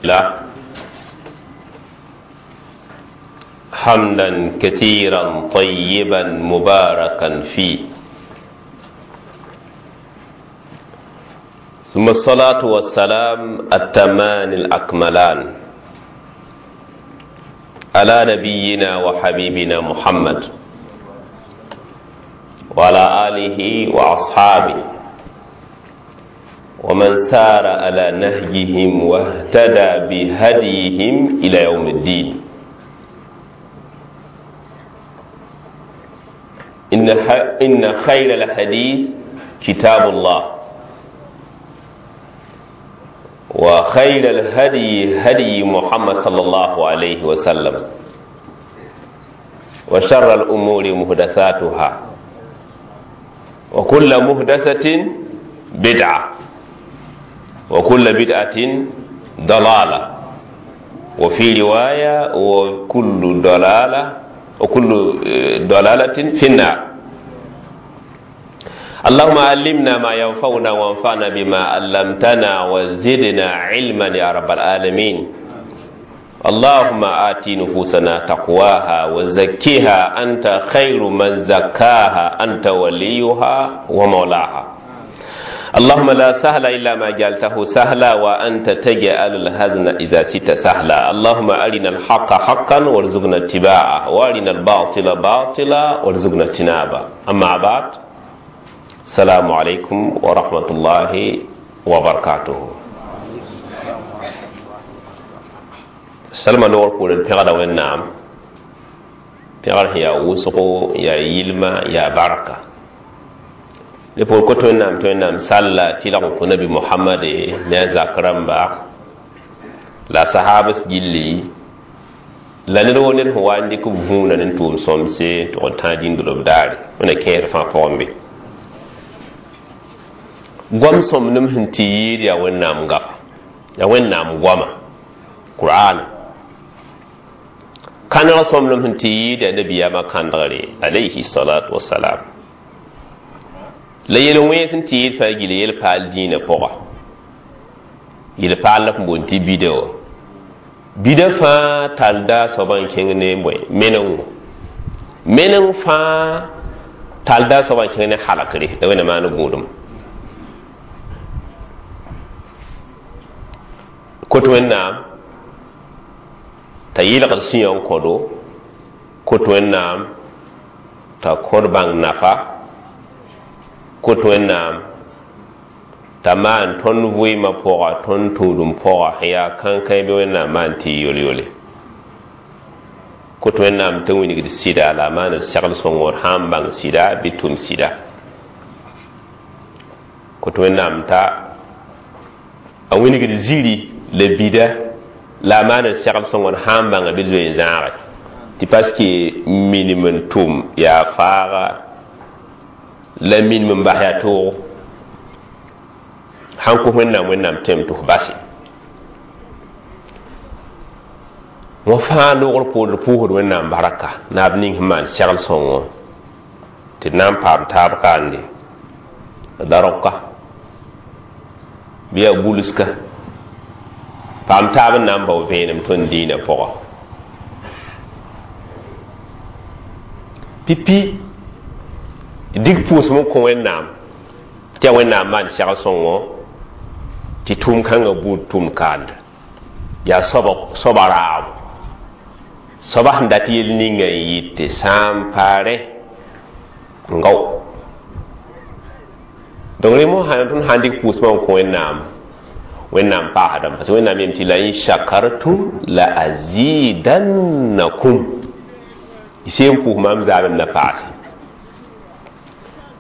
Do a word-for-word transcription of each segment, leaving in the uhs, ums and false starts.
لا حمدا كثيرا طيبا مباركا فيه ثم الصلاة والسلام التمان الأكملان على نبينا وحبيبنا محمد وعلى آله وأصحابه ومن سار على نهجهم واهتدى بهديهم إلى يوم الدين. إن إن خير الحديث كتاب الله، وخير الهدي هدي محمد صلى الله عليه وسلم، وشر الأمور محدثاتها، وكل محدثة بدعة، وكل بدعة ضلالة، وفي رواية وكل ضلالة وكل ضلالة في النار. اللهم علمنا ما ينفعنا وانفعنا بما علمتنا وزدنا علما يا رب العالمين. اللهم آت نفوسنا تقواها وزكها أنت خير من زكاها، أنت وليها ومولاها. اللهم لا سهل إلا ما جعلته سهلا، وأنت تجعل الحزن إذا شئت سهلا. اللهم أرنا الحق حقا وارزقنا اتباعه، وأرنا الباطل باطلا وارزقنا اجتنابه. أما بعد، السلام عليكم ورحمة الله وبركاته. سلمى نور قول البغدة والنعم بغدة يا وسقو يا يلما يا بركة. لبول كتو نعم تو نعم صلى تلقوا النبي محمد نزا كرمبا لا صحابة جلي لا نرو نر هو عندك بهونا نتوم سومسي تو تاجين دلوب داري من كير فان فومبي gwam som nim sẽn tɩ yɩɩd yaa Wẽnnaam gafa, yaa Wẽnnaam goama, Qur'an. Kãneg sõmblem sẽn tɩ yɩɩd yaa nabiyaamã kãndgre alayhi salatu wasalam. La yel-wẽns sẽn tɩ yɩɩd fãa gila yel-paal dĩinã pʋga, yel-paal la f boond tɩ bida wã. Bida fãa talda soabã n kẽng ne bõe menengo, meneng fãa talda soabã n kẽng ne halakre la Wẽnnaam maan gũudum. Kot Wẽnnaam t'a yɩlgd sũyã n kõdo, kot Wẽnnaam t'a kõd bãng nafa, kot Wẽnnaam t'a maan tõnd vɩɩmã pʋga, tõnd tũudum pʋga, sẽn yaa kãnkãe bɩ Wẽnnaam maan tɩ yol-yole. Kot Wẽnnaam t'a wilgd sɩda la a maan segl sõngor sã n bãng sɩda bɩ tʋm sɩda. Kot Wẽnnaam t'a a wilgd ziri la bida la a maan segl sõngor sã n bãnga bɩ zoe n zãage, tɩ paske minim n tʋm yaa faaga la minim n bas yaa toogo. Sãn kos Wẽnnaam, Wẽnnaam tẽm tɩ f base. Wã fãa loogr poor d pʋʋsd Wẽnnaam barka naab ning sẽn maan segl sõngo tɩ d na n paam taab kaande darogka bɩ yaa bulska paam taab n na n bao vẽenem tõnd dĩinã pʋga. Pipi dig pʋʋsem n kõ Wẽnnaam tɩ yaa Wẽnnaam maan segl sõngo tɩ tʋʋm kãngã buud tʋʋm kaanda yaa soaba raabo, soaba sẽn dat yel ninga n yɩt tɩ sã n paare n gao. Donc rẽ mosã tõnd sã n dɩk pʋʋsmã n kõ Wẽnnaam, Wẽnnaam paasdame, parce que Wẽnnaam yem tɩ la in shakartum la azidannakum, y sẽn pʋʋs maam zaamem na paase.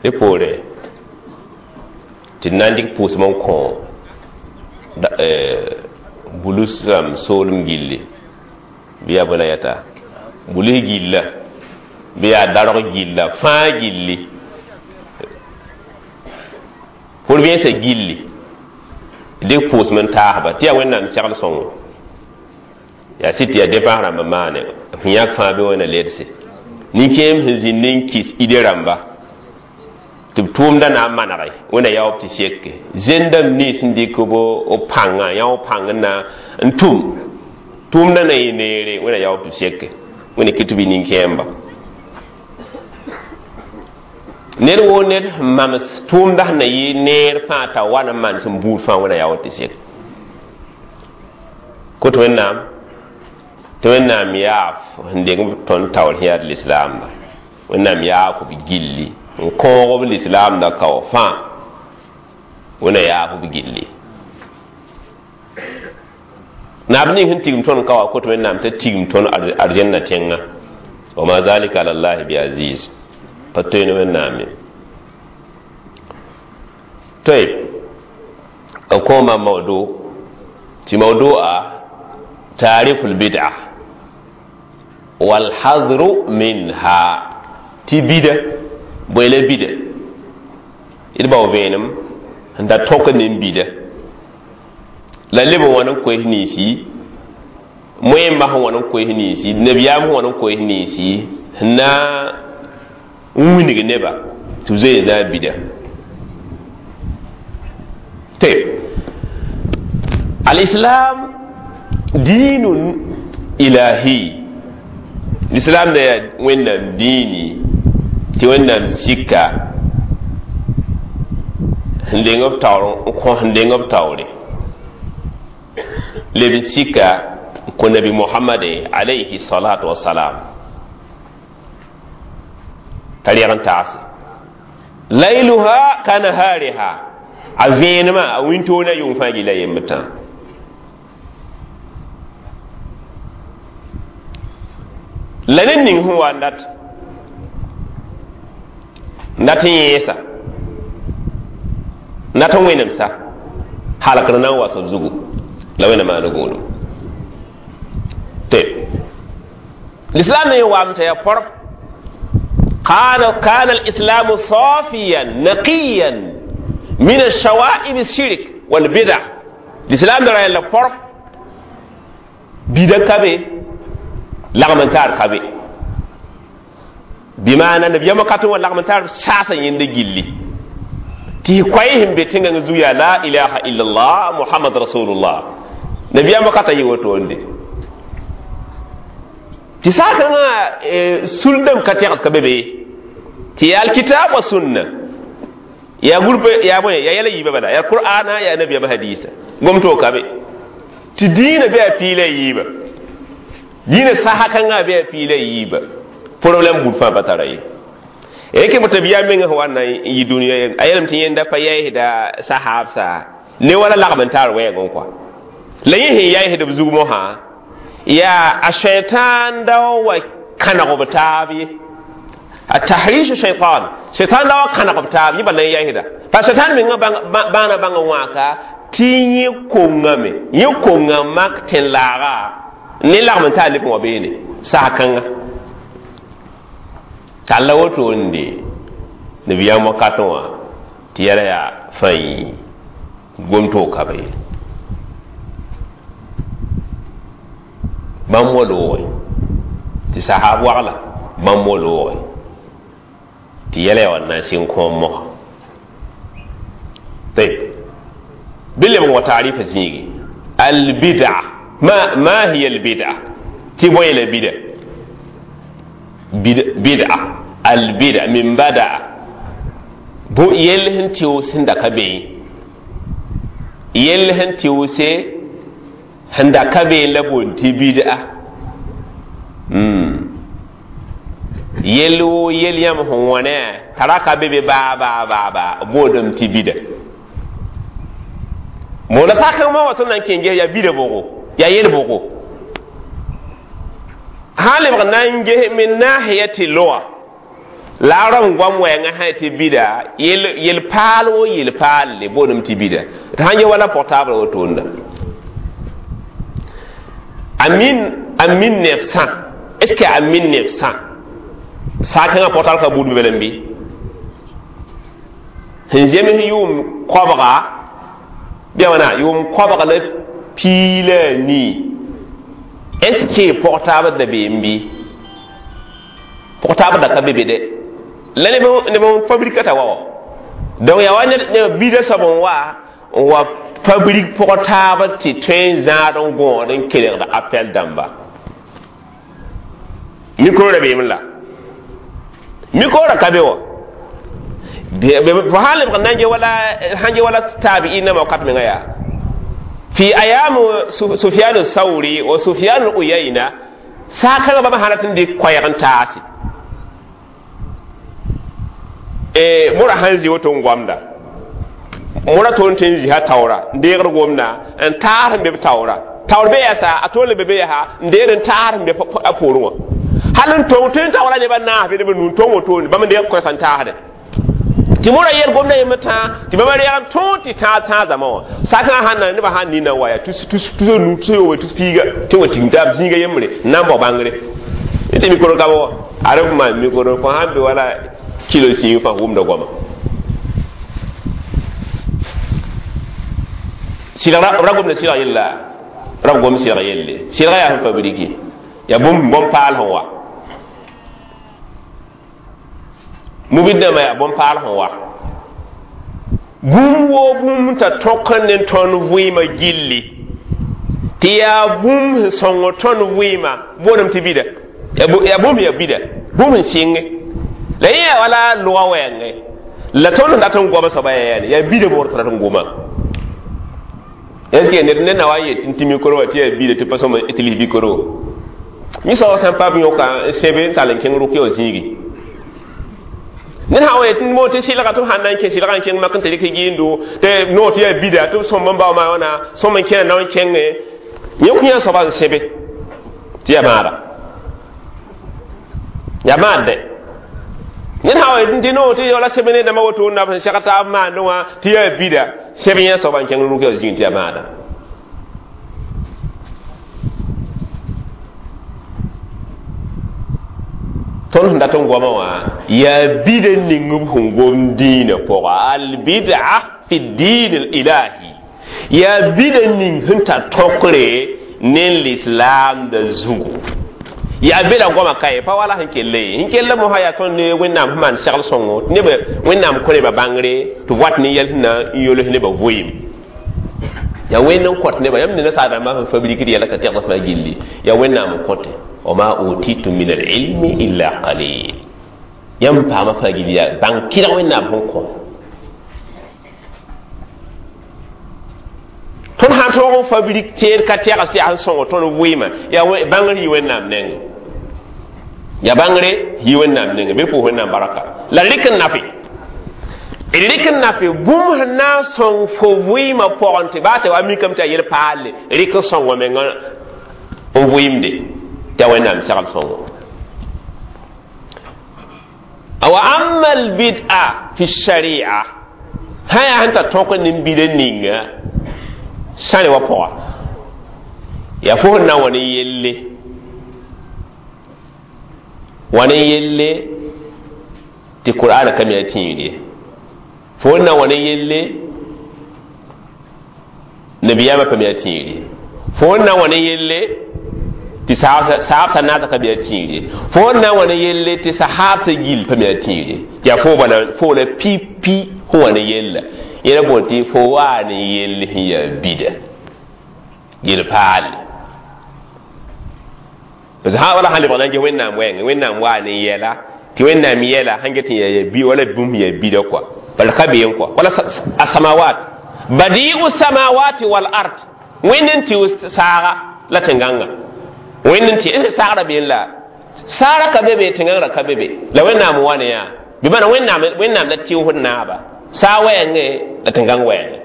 Rẽ poore tɩ d na n dɩk pʋʋsem n kõ bulus rãmb soolem gilli bɩ yaa bõe la yata bulus gilla bɩ yaa darg gilla fãa gilli pʋr-vẽensã gilli dɩk pʋʋsem n taasba tɩ yaa Wẽnnaam segl sõngo yaa sɩd tɩ yaa dẽpãs rãmba maane sẽn yãk fãa bɩ wẽna ledse nin-kẽem sẽn zĩnd n kɩs ide rãmba Tɩ b tʋʋmda na n manege wẽnna yaoob tɩ seke zẽndame nins sẽn dɩk b pãngã yã pãng n na n tʋm tʋʋmda na yɩ neere wẽnna yaoob tɩ seke wẽnna kɩ tɩ bɩ nin-kẽemba ned woo ned sẽn mams tʋʋmda sẽn na yɩ neer fãa t'a wa n maan sẽn buud fãa wẽnna yaood tɩ sek kot wẽnnaam tɩ wẽnnaam yaaf sẽn deng tõnd taoor sẽn yaa lislaamba wẽnnaam yaaf b gilli n kõog b lislaamda kao fãa wẽnna yaaf b gilli naab ning sẽn tigim tõnd kawa kot wẽnnaam t'a tigim tõnd arzenna tẽngã wa ma zalika ala llahi bi aziz pa toe ne wẽnnaam ye toy a koma mawdu tɩ mawdu'a taarifu lbid'a walhadru minha tɩ bida bõe la bida d bao vẽenem n da tõk ne n bida la leb n wãn n koes ninsi moẽmbã sẽn wãn n koes ninsi nabiyaam sẽn wãn n koes ninsi sẽn na n wilg neba tɩ b zoe na a bida tɩ alislam diinun ilahi l'islam da yaa wẽnnaam diini tɩ wẽnnaam sika sẽn deng b taoor n kõ sẽn deng b taoore leb n sika n kõ nabi mohamade alayhi salatu wasalam t'a reg n taase layluha ka nahariha a vẽenemã a wĩntoog na yʋng fãa gilla yembd tã la ned ning sẽn wa n dat n dat n yẽesa n dat n wẽnemsa halkr na n was b zugu la wẽnna maana gũudum tɩ l'islam ne wame t'a yaa porb كان كان الإسلام صافيا نقيا من الشوائب الشرك والبدع الإسلام درا يلا فرق بيدا كبي لغمن تار كبي بمعنى النبي يوم كاتو لغمن تار ساسا يند جيلي تي كويهم بتنغ زويا لا إله إلا الله محمد رسول الله نبي يوم كاتا يوتو tɩ saakãngã suldame ka tẽgd ka be be tɩ yaa alkitab wa sunna yaa groupe yaa bõe yaa yɛla yiibã bala yaa qur'ana yaa nabiyama hadisa gom-toog ka be tɩ diinã be a piila yiibã diinã sasa kãngã be a piila yiibã problème bud fãa pa tara ye rẽke bõ tɩ b yaa mengã sẽn wa n na n yɩ dũniyã a yeelame tɩ yẽnda pa yɛɛsda sahaabsa ne wala lagm n taar wɛɛgẽ kɔa la yẽ sẽn yaɩsd b zug mosã yaa a shaitan da wa kãneg b taab ye a tahrish shaitan shaitan da wa kãneg b taab yẽ bala n yaisda pa shaitan mengã bãana bãng n wãaka tɩ yẽ kongame yẽ konga mak tẽn-laaga ne lagm n taa leb n wa beene sag-kãnga t'a la woto n de nabiyaam wakatẽ wã tɩ yɛla yaa fãi gom-toog ka be ye bãmb wa looge tɩ sahab wagla bãmb wa looge tɩ yɛla yaa wa na n sɩng kõom mosa tayb bɩ lebg wa taarifa zĩigi albida ma ma hiya albida tɩ bõe la bida bida albida min badaa bõ yell sẽn tɩʋ sẽn da ka be yell sẽn tɩʋse sẽn da ka be la boond tɩ bid'a yell woo yel yãmb sẽn wãne t'a ra ka be be baa baa baa baa boodame tɩ bida moona sakãngã wa tõnd na n kẽ ges yaa bida bʋgo yaa yel bʋgo sã n lebg na n ges min nahiyati lugha la a rãmb goam wɛɛngã sã tɩ bida yel paal wo yel paalle boodame tɩ bida tɩ sãn ge wala portable wotoonda en mille, en mille neuf cent est-ce que en mille neuf cent saakãngã portable ka buud be bɩ sẽn zems yʋʋm koabga bɩ wãna yʋʋm koabg la pii la a nii est ce que portable da beem bɩ portable da ka be be dɛ la neb n fabrikata wa wa Donc yaa wa ned bida soab n wa n wa fabrik pʋg taab tɩ tõe n zãad n gõod n kelgd appel dãmba mikro ra beem la mikro ra ka be wa fo sãn lebg n na n ge wala sãn ge wala taabi'in nãmba wakat menga yaa fi ayam Sufyan Sauri wa Sufyan Uyayna saakãngã bãmb sã rat n dɩk koɛɛg n taase mora sãn zĩ woto n goamda mora toon tɩ n zĩ sã taoora n deegd gomda n taas n be b taoora taoor be yɛsa a toon le be be yaa n deed n taas n be a poorẽ wã hal n tong tɩ n taoora nebã naas be neb n nu n tong wotone bãmb n deeg koɛɛs n taasde tɩ mora yɛl gomda yembr tãa tɩ bãmba reeg n tõog tɩ tãag tãag zãma wã sakã sãn na nebã sãn nina n wa yaa tus nu tus yooobe tus piiga tɩ wa tigim taab zĩiga yembre n na n bao bãngre tɩ mikro ka wa a reb maan mikro fo sãn be wala kilo sĩig fãa wʋmda goama sɩlg ra gomda sɩlg yella ra b gom sɩlg yelle sɩlga yaa sẽn fabriki yaa bũmb bõn-paal sẽn wa mubid dãmbã yaa bõn-paal sẽn wa bũmb woo bũmb t'a tõk ne tõnd vɩɩmã gilli tɩ yaa bũmb sẽn sõng tõnd vɩɩmã boolame tɩ bida yaa bũmb yaa bida bũmb sẽn sɩnge la yẽ yaa wala lʋga wɛɛngẽ la tõnd sẽn dat n goama soaba yaa yaa bida bʋgd tɩ rat n goma est ce que ned ned na wa n yet tɩ mikro wã tɩ yaa bida tɩ pa sõma tɩ lis mikro yẽ soaba sãn pa b yõka n sẽbe n tall n kẽng rʋk wã zĩigi ned sã wa yet mo tɩ sɩlga tɩ b sãn na n kẽ sɩlga n kẽng mak n tɩ rɩk gɩɩndo tɩ no tɩ yaa bida tɩ b sõm n bao maa wãna sõm n kẽna nao n kẽnge yẽ kõ yã soaba n sẽbe tɩ yaa maada yaa maad dɛ ned sã wa yet tɩ no tɩ wala sẽb ne dãmbã woto na b sẽn seg taab maandẽ wã tɩ yaa bida sẽb yẽ soaba n kẽng rʋk wã zĩig tɩ yaa maada tõnd sẽn dat n goamã wã yaa bida ning b sẽn gom dĩinã pʋga albida fi diin ilahi yaa bida ning sẽn tar tõkre ne lislaamda zugu yaa bela goamã ka ye pa wala sẽn kell ye sẽn kell mosã yaa tõnd ne wẽnnaam sẽn maan segl sõngo tɩ neb wẽnnaam kõ nebã bãngre tɩ wat ne yɛl sẽn na n yols nebã vɩɩm yaa wẽnd n kõt nebã yãmb ne nasaar-rãmbã sẽn fabrikd yɛla ka tɛgd fãa gilli yaa wẽnnaam n kõte وما أوتيتم من العلم إلا قليل يم فاما فاجليا بان كيرا وين نام هونكو تون هان تو فابريك تير كاتيا استي ان سون تون ويما يا بانغري وين نام نين يا بانغري هي وين نام نين بي فو وين نام بركه لا لك نافي لك نافي بوم نا سون فو ويما بونتي باتي وامي كم تا يل بال ريك سون ومن on vɩɩmde tɩ a wẽnnaam segl sõngo wa amma albid'a fi sharia sã yaa sẽn tar tõk ne bida ninga sãne wa pʋga yaa fo sẽn na n wa ne yelle wa ne yelle tɩ qur'ana ka me a tĩir ye fo sẽn na n wa ne yelle nabiyaamã pa me a tĩir ye fo sẽn na n wa ne yelle tɩ saabsã naasã ka be a tĩir ye fo n na n wa ne yelle tɩ sahaabsã gill pa me a tĩir ye tɩ yaa fo la pipi sẽn wa ne yella yẽla boond tɩ fo waa ne yell sẽn yaa bida yel-paale parce que wala sãn lebg na n ges wẽnnaam wɛɛngẽ wẽnnaam waa ne yɛla tɩ wẽnnaam yɛla sãn get n yaa bi wala bũmb yaa bida kɔa bala ka beem kɔa wala a samawat badi'u samawati wal ard wẽnd n tɩ saaga la tẽn-gãngã wẽnd n tɩ saagra been la saara ka be be tẽn-gãngrã ka be be la wẽnnaam wa ne yaa bɩ bãna wẽnnaam wẽnnaam la tɩʋsd naaba saa wɛɛngẽ la tẽn-gãng wɛɛngẽ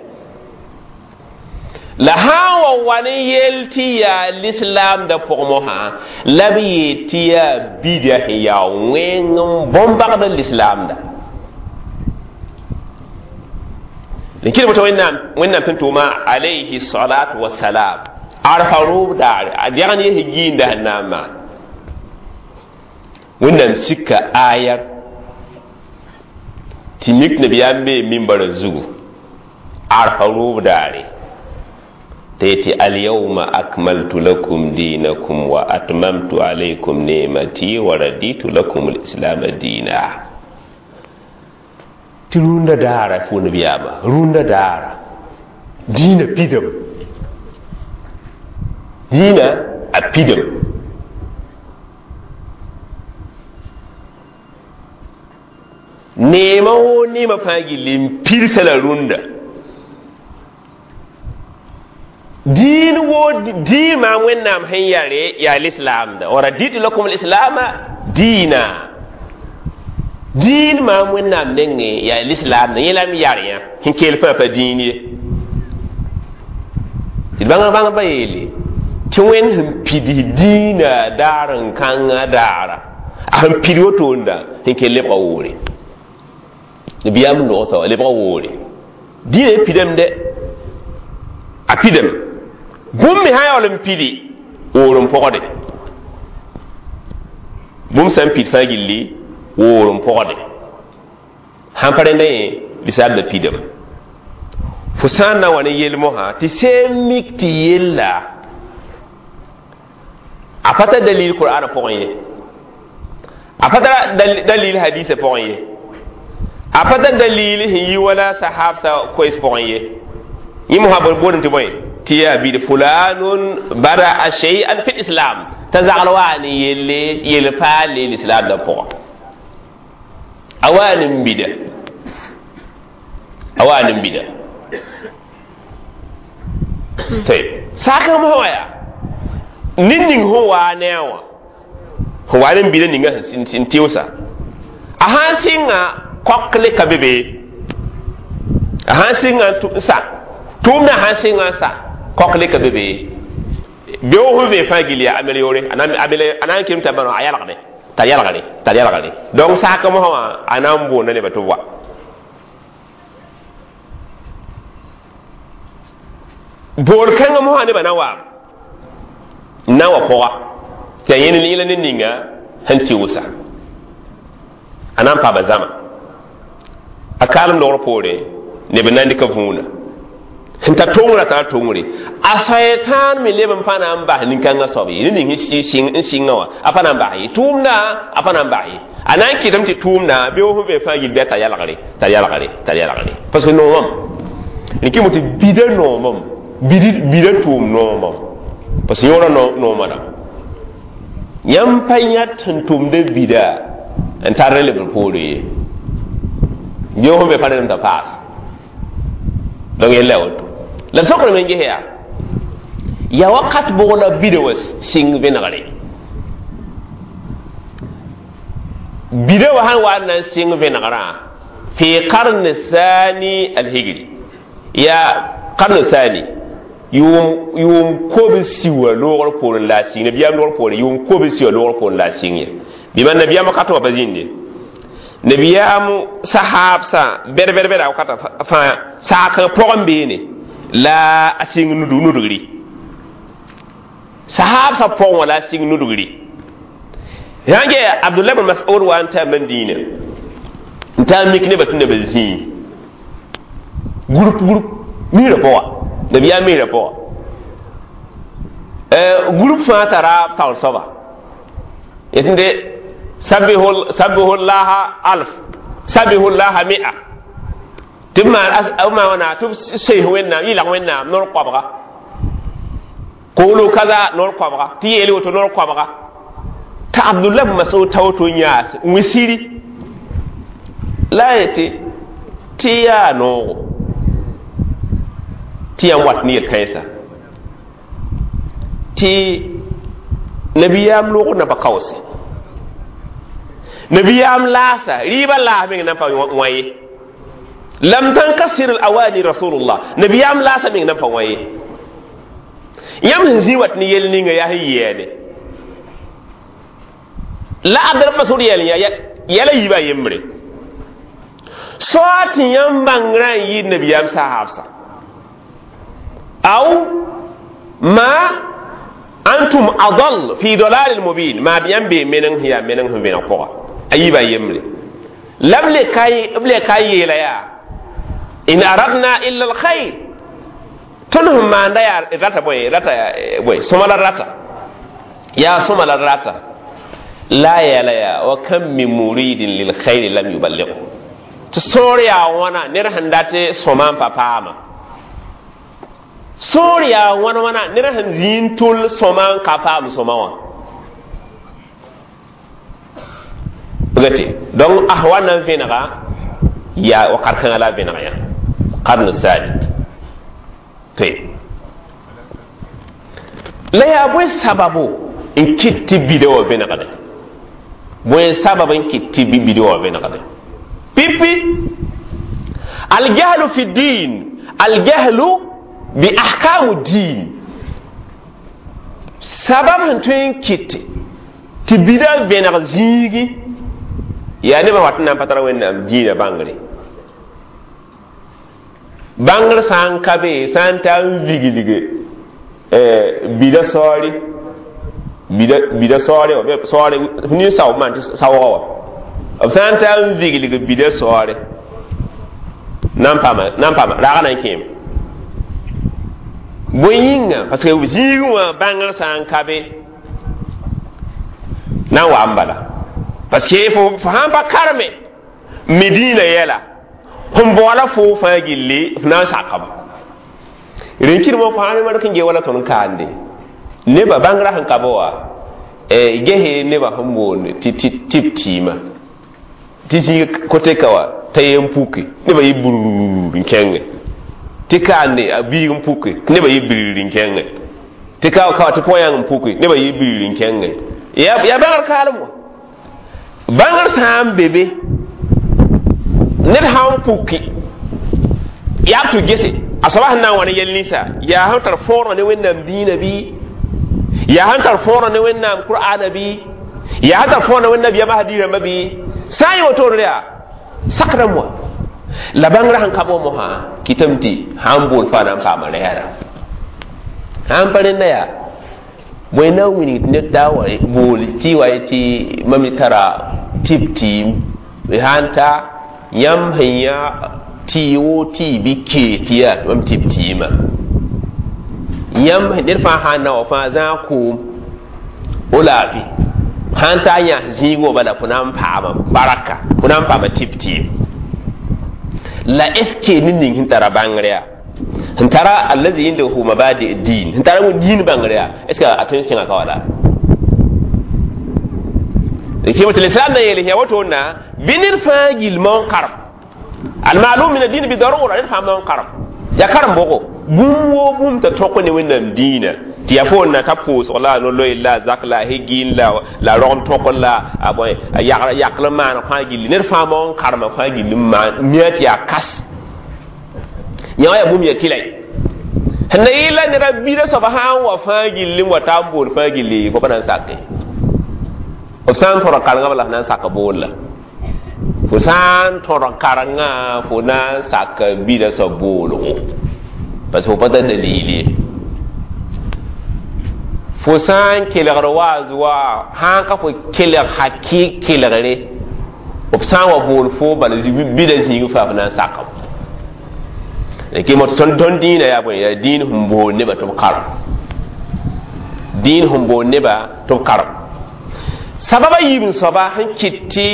la sã n wa wa ne yel tɩ yaa lislaamdã pʋg mosã la b yeel tɩ yaa bida sẽn yaa wẽng n bõn-bagd lislaamda n kɩl boto wẽnnaam wẽnnaam tɩ tʋʋma alayhi salatu wasalam arfa roob daare a dɛgn yes giinda sẽn na n maan wẽnnaam sika ayar tɩ mik nabiyaam bee mimbarã zugu arfa roob daare tɩ yetɩ alyawma akmaltu lakum dinakum wa atmamtu alaykum ni'mati wa raditu lakum alislama dina Tɩ rũndã daara fo nabiyaama rũndã daara dĩinã pidame dĩinã a pidame neema woo neema fãa gilli n pidsa la rũndã diin woo diin maam wẽnnaam sẽn yare yaa lislaamda wa raditu lakum lislama diina diin maam wẽnnaam nengẽ yaa lislaamda yẽ la m yar yã sẽn keel fãa pa diin ye tɩ bãngr bãngdbã yeele tɩ wẽnd sẽn pids diinã daar n kãngã daara a sẽn pid wotoonda sẽn kell lebga woore nabiyaam n logsa wa lebga woore diinã pidame dɛ a pidame bũmb me sã yaool n pidi woor n pɔgde bũmb sã n pid fãa gilli woor n pɔgde sãn pa rẽnda yẽ lislaamda pidame fo sã n na wa ne yel-mosã tɩ seem mik tɩ yella a pa tar dalil Qur'an pʋgẽ ye a pa tar dalil hadisa pʋgẽ ye a pa tar dalil sẽn yi wala sahabsa koɛs pʋgẽ ye yẽ mosã boodem tɩ bõe tɩ yaa bid fulanun bada'a shay'an fi lislam t'a zagl waa ne yelle yel-paale lislaamda pʋgã a waa ne n bida a waa ne n bida tɩ saakã mosã wã yaa ned ning sẽn waa ne a wã sẽn waa ne n bida ninga sẽn tɩʋsa a sã n sɩnga kɔkle ka be be a sã n sɩnga n sa tʋʋmdã sã n sɩnga n sa kɔkle ka be be beoog sẽn vee fãa gill yaa améliorer a na n kem t'a bãno a yalgde t'a yalgre t'a yalgre donc saaka mosã wã a na n boonda nebã tɩ b wa boor kãngã mosã nebã na waam n na n wa pʋga tɩ a yẽnd yẽla ned ninga sẽn tɩʋsa a na n paama zãma a kaalem dogr poore neb n na n dɩka võona sẽn tar tongrã tara tongre a sɛtãan me leb n pa na n bas nin-kãngã soab ye ned ning n sɩngã wã a pa na n bas ye tʋʋmdã a pa na n bas ye a na n kɩtame tɩ tʋʋmdã beoog sẽn vee fãa gill bɩ a tar yalgre tar yalgre tar yalgre parce que noomam rɩkɩ mo tɩ bida noomam bida tʋʋm noomam parce que yõora nooma dãmb yãmb pa yãt sẽn tʋmda bida n tar lebr poore ye beoog sẽn vee fãa rẽndame t'a paas donc yella woto la b sokr me n ges yaa yaa wakat bʋg la bida wa sɩng vẽnegre bida wa sãn wa n na n sɩng vẽnegrã fi qarn thani alhijri yaa qarn thani yʋʋm yʋʋm kobsi wa loogr poorẽ la a sɩng nabiyaam loogr poorẽ yʋʋm kobsi wa loogr poorẽ la a sɩng ye bɩ man nabiyaam wakat wã pa zĩnde nabiyaam sahaabsã bɛd-bɛd-bɛda wakata fãa saakã pʋgẽ beene la a sɩng nudgri sahaabsã pʋgẽ wã la a sɩng nudgri sã n ge Abdullah bn Mas'ud wa n taa Madina n taa mik nebã tɩ nebã zĩig group group misrã pʋga nabiyaam misrã pʋga group fãa tara taoor soaba yetɩ sabbihu llaha alf sabbihu llaha mi'a tɩ b maan wãna tɩ b sees wẽnnaam yɩlg wẽnnaam noor koabga koolo kaza noor koabga tɩ yeel woto noor koabga t'a Abdullah bn Mas'ud ta woto n yaas n wẽ siri la a yetɩ tɩ yaa noogo tɩ yãmb wat ne yel-kãensa tɩ nabiyaam loogr naba kaoose nabiyaam laasa rɩɩbã laas meng nan pa wã ye lam tankasir al-awani rasulullah nabiyaam laasa meng nan pa wã ye yãmb sẽn zĩ wat ne yel ninga yaa sẽn yɛɛde la Abdul Mas'ud yɛl yã yɛla yiibã yembre soa tɩ yãmb bãngrã n yɩɩd nabiyaam sahaabsa aw ma antum adal fi dalalin mubin maa b yãmb bee meneng sẽn yaa meneng sẽn vẽneg pʋga a yiibã yembre la b le ka n yeela yaa in aradna illa alkhair tõnd sẽn maanda yaa rata bõe rata bõe sõma la rata yaa sõma la rata la yɛla yaa wa kam min muridin lilkhairi lam yuballighu Tɩ sõor yaa wãna ned sẽn dat sõma n pa paama. Sõor yaa wãn wãna ned sẽn zĩ n tʋl sõma n ka paam sõma wã. Gati donc ahwa nan vẽnega yaa wakat kãngã la a vẽneg yã qarn salit toy la yaa bõe sababu n kɩt tɩ bida wã vẽnegde bõe sabab n kɩt tɩ bida wã vẽnegde pipi aljahlu fi din aljahlu bi ahkamu din sabab sẽn tõe n kɩt tɩ bida vẽneg zĩigi yaa nebã wat n na n pa tara wẽnnaam dĩinã bãngre bãngr sã n ka be sã n ta n viglge bida saoore bida bida saoore wã saoore nin-sao maan tɩ saoogã wã b sã n ta n viglg bida saoore na n paama na n paama raagã na n kẽeme bõe yĩnga parce que zĩigẽ wã bãngr sã n ka be na n wa n bala parce que fo sãn pa karme mi dĩinã yɛla sẽn baoola fo fãa gilli f na n sakame rẽn-kɩdmã fãa mark n ge wala tõnd kaande nebã bãngrã sẽn ka be wã gese nebã sẽn boond tɩ tɩ b tɩɩma tɩ zĩig kote ka wã t'a yen puke nebã yɩ brrr n kẽnge tɩ kaande a biig n puke nebã yɩ brr n kẽnge tɩ ka ka tɩ põ-yãng n puke nebã yɩ brr n kẽnge yaa bãngr kaalem wã bãngr sã n be be ned sã n puki yaa tɩ gese a soaba sẽn na n wa ne yɛl ninsã yaa sẽn tar fõorã ne wẽnnaam dĩinã bɩ yaa sẽn tar fõorã ne wẽnnaam qur'aana bɩ yaa sẽn tar fõorã ne wẽnnaam yama hadiis rãmbã bɩ sã n yẽ wotone yaa sakdame wã la bãngrã sẽn ka bõ mosã kɩtame tɩ sã n bool fãa na n paama rɛɛra sã n pa rẽnda yaa bõe na n wilg tɩ ned taa wa bool tɩ wa tɩ mam tara tɩ b tɩɩm sã n ta yãmb sẽn yã tɩ wo tɩ bɩ kee tɩ yaa mam tɩ b tɩɩmã yãmb ned fãa sã n na wa fãa zãag koom o laafi sã n ta n yãs zĩig wã bala fo na n paama baraka fo na n paama tɩ b tɩɩm la est ce que ned ning sẽn tara bãngr yaa sẽn tara allazi indahu mabadi din sẽn tara diin bãngr yaa est ce que a tõe n kẽngã ka wala kɩ l'islam na yeel yaa wotona bɩ ned fãa gilmã n karem almalum min adin bi darura ned fãa ma n karem yaa karem bʋgo bũmb woo bũmb t'a tõk ne wẽnnaam dĩinã tɩ yaa fo na ta pʋʋsg la no-loe la zak la hegin la la rogem tõk la a bõe a yakl n maan fãa gilli ned fãa ma n karema fãa gilli n maan mia tɩ yaa kas yã wã yaa bũmb yaa tɩlɛ sẽn na yɩla neda bida soaba sã n wa fãa gilli n wa taa n bool fãa gilli fo pa na n sake b sã n tõd karengã bala f na n sak bool la fo sã n tõd karengã fo na n sak bida soab boolgo parce que fo pa tar dalil ye fo sã n kelgd waaz wa sã n ka fo kelg hakɩ kelgre b sã n wa bool fo bala bida zĩig faa f na n sakame kɩ tõnd tõnd dĩinã yaa bõe yaa dĩin sẽn bool nebã tɩ b karem dĩin sẽn bool nebã tɩ b karem sababa yiib n soaba sẽn kɩt tɩ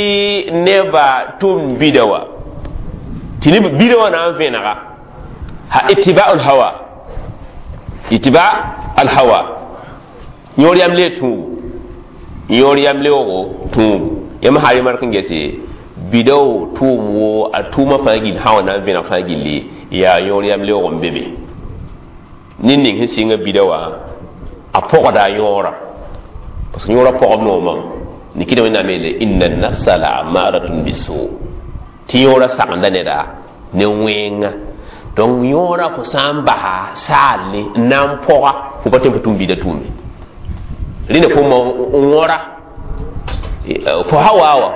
nebã tʋm bida wã tɩ neb bida wã na n vẽnega ha itiba'u lhawa itiba alhawa yõor yam le tũubu yõor yam leoogo tũubu yãmb sã mark n gese bida-wo tʋʋm wo a tʋʋmã fãa gill sã wa na n vẽneg fãa gilli yaa yõor yam leoog n be be ned ning sẽn sɩnga bida wã a pɔgda a yõorã parce que yõorã pɔgb noomã nikɩda wẽnnaam yeele inna nafsa la amaratun bisu tɩ yõorã sagenda neda ne wẽnga donc yõorã fo sã n basa saalle n na n pɔga fo pa tõe n fo tũm bida tʋʋme rẽnda fo n wõra fo hawa wa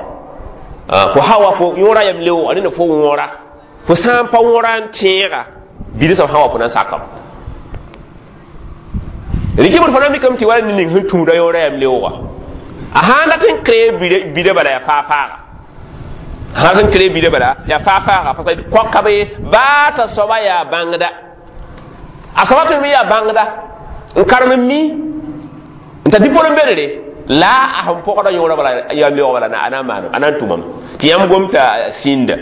fo hawa fo yõorã yam leooga rẽnda fo wõra fo sã n pa wõra n tẽega bida soab sã wa fo na n sakame rɩkɩ fo na mikame tɩ wala ned ning sẽn tũuda yõorã yam leooga a sã n dat n kree bida bala yaa faa-faaga sã n kree bida bala yaa faa-faaga parce que kõka be baa t'a soaba yaa bãngda a soaba tõe me yaa bãngda n karem n mi n ta diplôme bedre la a sẽn pɔgda yõorã bala yam leoog bala a na n maanam a na n tʋmame tɩ yãmb gom t'a sĩnda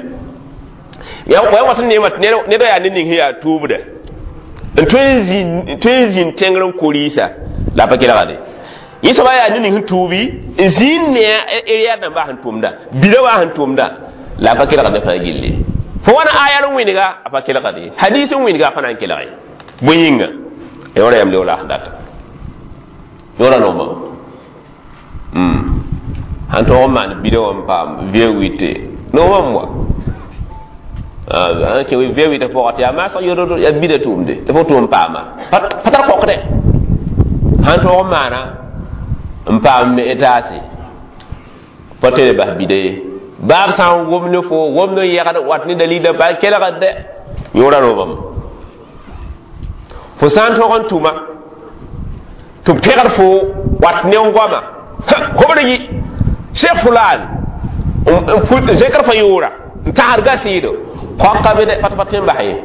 Ya wa wat ne mat ne da ya ne ning ya tuubda n tõe n zĩnd tẽngr n korɩɩsa la pa kelgde yẽ soaba yaa ned ning sẽn tuubi n zĩnd ne a rãmbã sẽn tʋmda bida wa sẽn tʋmda la a pa kelgd ne fãa gilli fo wãna aya n wẽnega a pa kelgd ye hadis n wẽnega a pa na n kelg ye bõe yĩnga yõora yam leo la sẽn data yõora nooma sãn tõog n maan bida wã n paam V huit noomam wa ã kẽ V huit pʋgã tɩ yaa maasg yodo yaa bida tʋʋmde tɩ fo tʋʋm paama pa tar kokdɛ sãn tõog n maana n paam me etaase pa tɩ bas bida ye baab sã n wom ne fo wom ne yɛgd wat ne dalila pa kelgd dɛ yõora roobame fo sã n tõg n tʋma tɩ b pẽgd fo wat ne n goama hobd yi cheikh fulan n zẽkr fa yʋʋra n tagsd ga sɩɩdo kõka be dɛ pa pa tõe n bas ye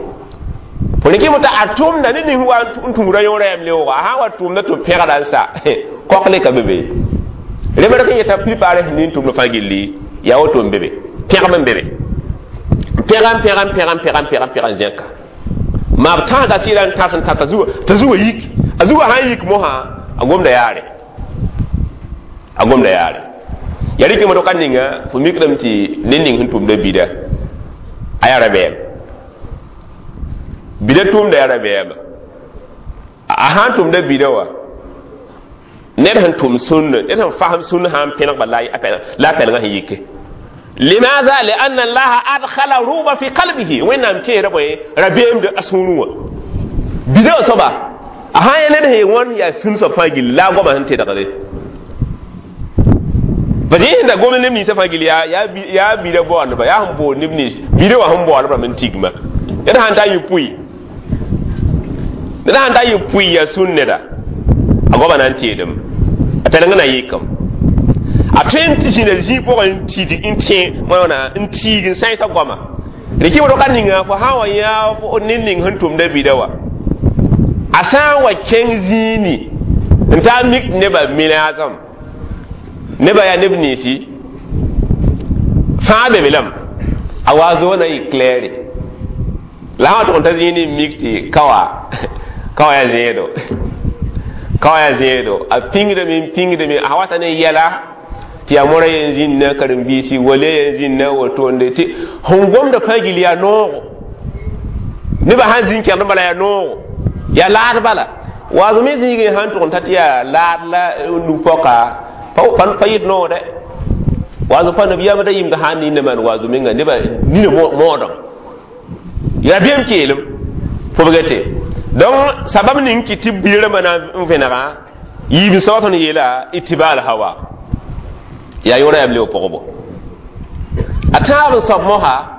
fo rɩkɩ t'a a tʋmda ne ning wa n tũuda yõora yam leooga a sã n wa tʋmda tɩ b pẽgda n sa kok le ka be be rebr kẽ yeta plupart sẽn nin tʋmd fãa gilli yaa woto n be be pẽgem n be be pẽga n pẽga n pẽga n pẽga n pẽga n pẽga n zẽka maa b tãaga sɩɩda n tãs n tã t'a zuga yik a zuga sã n yik mosã a gomda yaare a gomda yaare ya rɩkame to ka ninga fo mikdame tɩ ned ning sẽn tʋmda bida a yaa rabeem bida tʋʋmda yaa rabeɛɛma a sã n tʋmda bida wa ned sẽn tʋm sũnna ned sẽn fasem sũnna sã n pẽneg la a pɛlengã sẽn yike limaza lianna allaha adkhala ruba fi qalbihi wẽnnaam keera bõe rabeemd a sũurẽ wã bida wã soaba a sã n yaa ned sẽn wãn yaa sũn soab fãa gill la a goama sẽn tedgde parce que yẽ da gom neb ninsã fãa gill yaa yaa bida baoondba yaa sẽn bood neb nins bida wã sẽn baoodb rãmb n tigma ned sãn ta yɩ pʋɩ ned sãn ta yɩ pʋɩ yaa sũn neda a goama na n teedem a pɛleng na yɩkame a tõe n tɩ zĩna zĩig pʋgẽ n tid n tẽ wãna n tiig n sãensa goama rɩkɩ roka ninga fo sã n wa yã ned ning sẽn tʋmda bida wa a sã n wa kẽng zĩini n taa mik nebã milaasem nebã yaa neb ninsi fãa be be lame a wa zo na yɩ claire la sã wa tʋg n ta zĩini n mik tɩ kawa kawa yaa zẽedo kawa yaa zẽedo a pĩngdame n pĩngdame a wata ne yɛla tɩ yaa mora yen zĩnna karen-biisi wale yen zĩnna wotonde tɩ sẽn gomda fãa gill yaa noogo nebã sãn zĩn kẽgd bala yaa noogo yaa laad bala waazo me zĩigẽ sãn tʋg n ta tɩ yaa laad la nu-pɔka pa yɩt noog dɛ waazo pa nabiyaamã da yɩmd sã n ninda maan waazo menga nebã nina moodem yaa bɩam keelem fobgate donc sabab ning kɩ tɩ bi rãmbã na n vẽnega yiib soab tõnd yeela itiba al hawa yaa yõora yam leo pʋgbo a tãab n soab mosa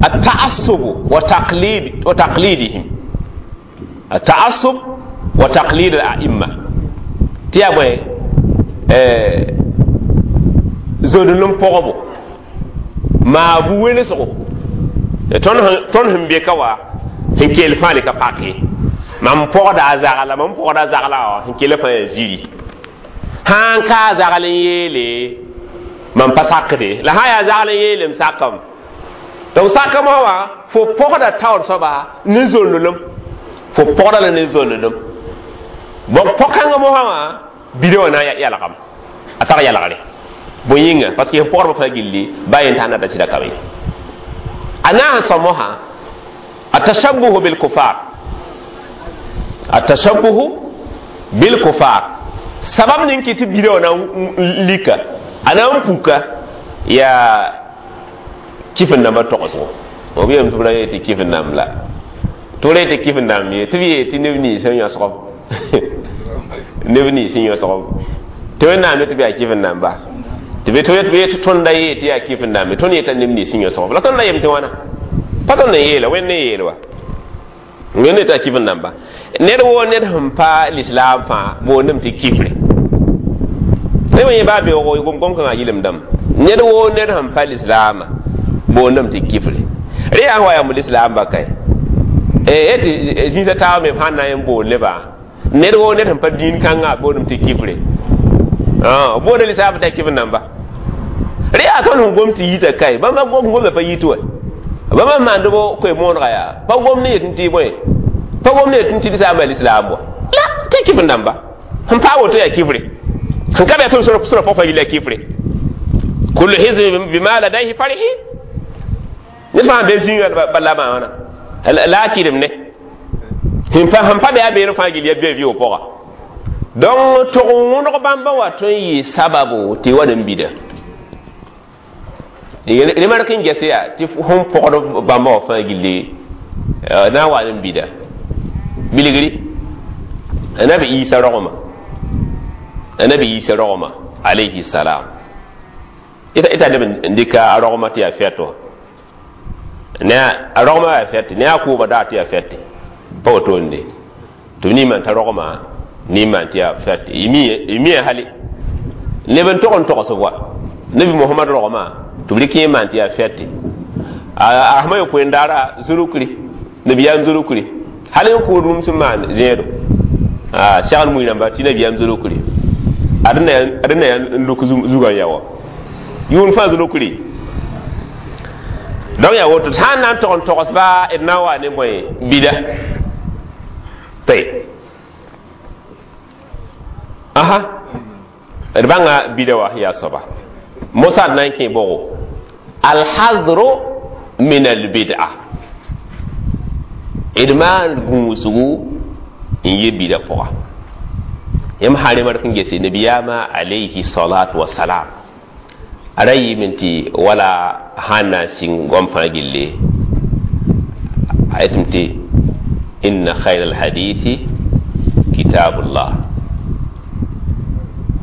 التعصب وتقليد وتقليدهم التعصب وتقليد الأئمة tɩ yaa bõe zod-n pʋgbo maa bu welesgo tõnd sẽn be ka wa sẽn kell fãa le ka pak ye mam pɔgda a zagla mam pɔgda a zagla wã sẽn kell fãa yaa ziri sãn ka a zagl n yeele mam pa sakde la sã yaa zagl n yeele m sakame donc sakame wã fo pɔgda taoor soaba ne zonnelem fo pɔgda la ne zonnelem bon pɔ-kãngã mosã wã bida wã na n yalgame a tar yalgre bõe yĩnga parce que pɔgdbã fãa gilli ba yen t'a nada sɩda ka be a na n sõm mosã التشبه بالكفار التشبه بالكفار sabab ning kɩ tɩ bida wã na n lika a na n puka yaa kifin-dãmbã togsgo b yeelame tɩ b ra yee tɩ kifin-dãmb la tɩ b ra yee tɩ kifin-dãmb ye tɩ b yee tɩ neb nins n yõsgb neb nins n yõsgb tɩ wẽnnaam ne tɩ b yaa kifin-dãmba tɩ b yee tɩ tõnda yee tɩ yaa kifin-dãmbe tõnd yeta neb nins n yõsgb la tõnd na yem tɩ wãna pa tõnd n yeela wẽnd ne yeel wa wẽnd ne tɩ yaa kifin-dãmba ned woo ned sẽn pa lislaam fãa boondame tɩ kifre neb yẽ baa beoogo gom-gom kãngã yɩlem dãmb ned woo ned sẽn pa lislaamã boondame tɩ kifre rẽ yaa wa yamb lislaamba kae tɩ zĩisã taaba me sãn na n boond nebã ned woo ned sẽn pa dĩin kãngã boondame tɩ kifre boonda lislaambã tɩ yaa kifr namba Re yaa tõnd sẽn gom tɩ yita kae bãmba gom gomda pa yit wa bãmba maandbo koe moonega yaa pa gom ne yet tɩ bõe pa gom ne yet tɩ d saamba lislaam wa la tɩ kifr dãmba sẽn paa woto yaa kifre sẽn ka be yaa tɩ sora pʋg fa yilla kifre kullu hizbin bima ladayhi farihin ned fãa be zĩiga bala maana la a kɩdem ne sẽn pa be a beere fãa gill yaa bia vɩʋ pʋga donc tʋg n wõneg bãmba wa tõe n yɩ sababu tɩ wa n bida remark n ges yaa tɩ fõn pɔgd bãmba wã fãa gilli na n wa n bida bilgri anabi isa rogma anabi isa rogma alayhi salam ita ita neb n dɩka a rogma tɩ yaa fɛt wã ne a rogma yaa fɛt ne a kʋʋba daa tɩ yaa fɛte pa wotoonde tɩ b nin t'a rogma nin maan tɩ yaa fɛt y mia hali neb n tog n togs wa nabi muhammad rogma tɩ b rɩk yẽ maan tɩ yaa fɛte a sẽma yopoe n daara zulukri nabiyaam zulukri hal n kʋʋd rũm sẽn maan zẽedo segl mui rãmba tɩ nabiyaam zulukri ad na yaa n luk zugã n ya wa yʋʋn fãa zulukri donc yaa woto sã n na n tog n togsba d na n wa ne bõe bida tɩ aha d bãnga bida wa yaa soaba mosad na n kẽ bʋgo alhadru min albid'a d maan gũusgu n yɩ bida pʋga yãmb sã remark n gese nabiyaamã alayhi salatu wasalam a ra yɩɩme tɩ wala sãn na n sɩng goam fãa gilli a yetɩm tɩ inna khayra alhadithi kitabullah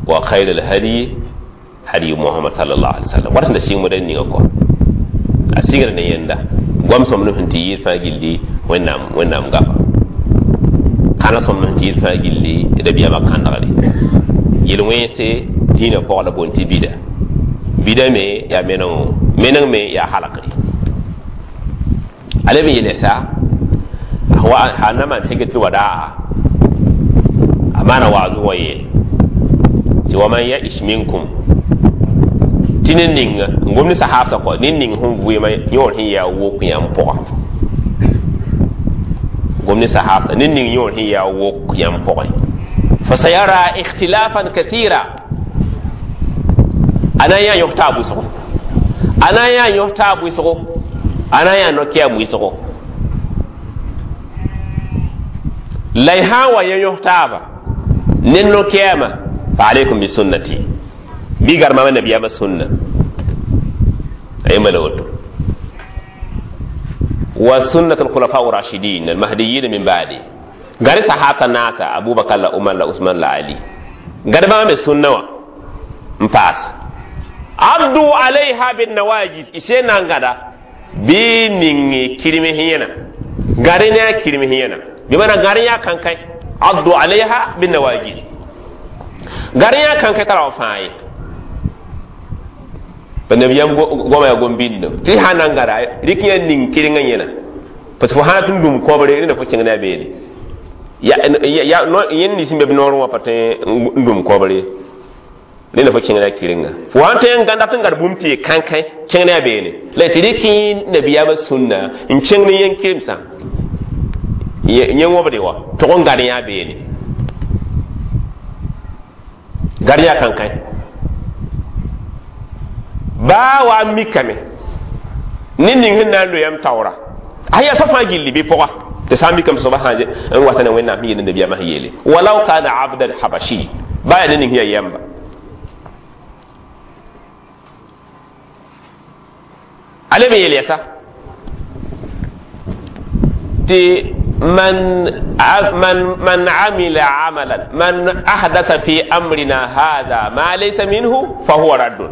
wa khayra alhadi hadi muhammad sallallahu alaihi wasallam wat sẽn da sɩng moda ninga kɔ a sigra ne yẽnda goam sõmb sẽn tɩ yɩɩd fãa gilli wẽnnaam wẽnnaam gafa kãna sõmb sẽn tɩ yɩɩd fãa gilli rabiyaamã kãndgre yel-wẽnse dĩinã pʋg la boond tɩ bida bida me yaa menengo meneng me yaa halakre a leb n yeelsa a na maan hijratul wadaa a maana waazʋ wa yeele tɩ wa man yaish minkum tɩ ne ning n gom ne sahaabsã kɔ ne ning sẽn vɩɩmã yõor sẽn yaa wok yãmb pʋga gom ne sahaabsã ne ning yõor sẽn yaa wok yãmb pʋgẽ fasayara ikhtilafan kathira a na n yaa yõs taab wʋsgo a na n yaa yõs taab wʋsgo a na n yaa no-kɛɛm wʋsgo la y sã n wa yẽ yõs taaba ne no-kɛɛmã fa alaykum bi sunnati bɩ garmama nabiyaamã sunna a yẽmba la woto wa sunnat alkhulafa rashidin almahdiyin min ba'di gari sahaba naasa abubakar la umar la usman la ali gari bãmba me sunna wã n paas abdu alayha bin nawajis ise nan gada bɩ ning kirme yẽna gari ne a kirme yẽna bɩ mana gari yaa kankãe abdu alayha bin nawajis gari yaa kankãe tara wa fãa ye pa nabiyam goma yaa gom bĩndo tɩ sã na n gada rɩk yã ning kɩrengã yẽna parce que fo sã tɩ n dũm kõbre rẽnda fo kẽng ne a beene yẽnd nins n be b noorẽ wã pa tõe n dũm kõbre ye rẽnda fo kẽng ne a kɩrenga fo sã n tõe n gãnda tɩ n gad bũmb tɩ yɩ kãnkã kẽng ne a beene la tɩ rɩk nabiyaamã sũnna n kẽng ne yẽn kemsã yẽ wõbde wã tʋg n gad yã beene gad yã kãnkã baa wa n mikame ne ning sẽn na n loeeyam taoora a yaa soab fãa gilli bɩ pʋga tɩ sã n mikame soaba sã n wata ne wẽnnaam sẽn yeel nabiyaamã sẽn yeele walau kana abdan habashi baa yaa ne ning sẽn yaa yɛmba a leb n yeel yɛsa tɩ man man man amila amalan man ahdasa fi amrina hada ma laysa minhu fa huwa raddun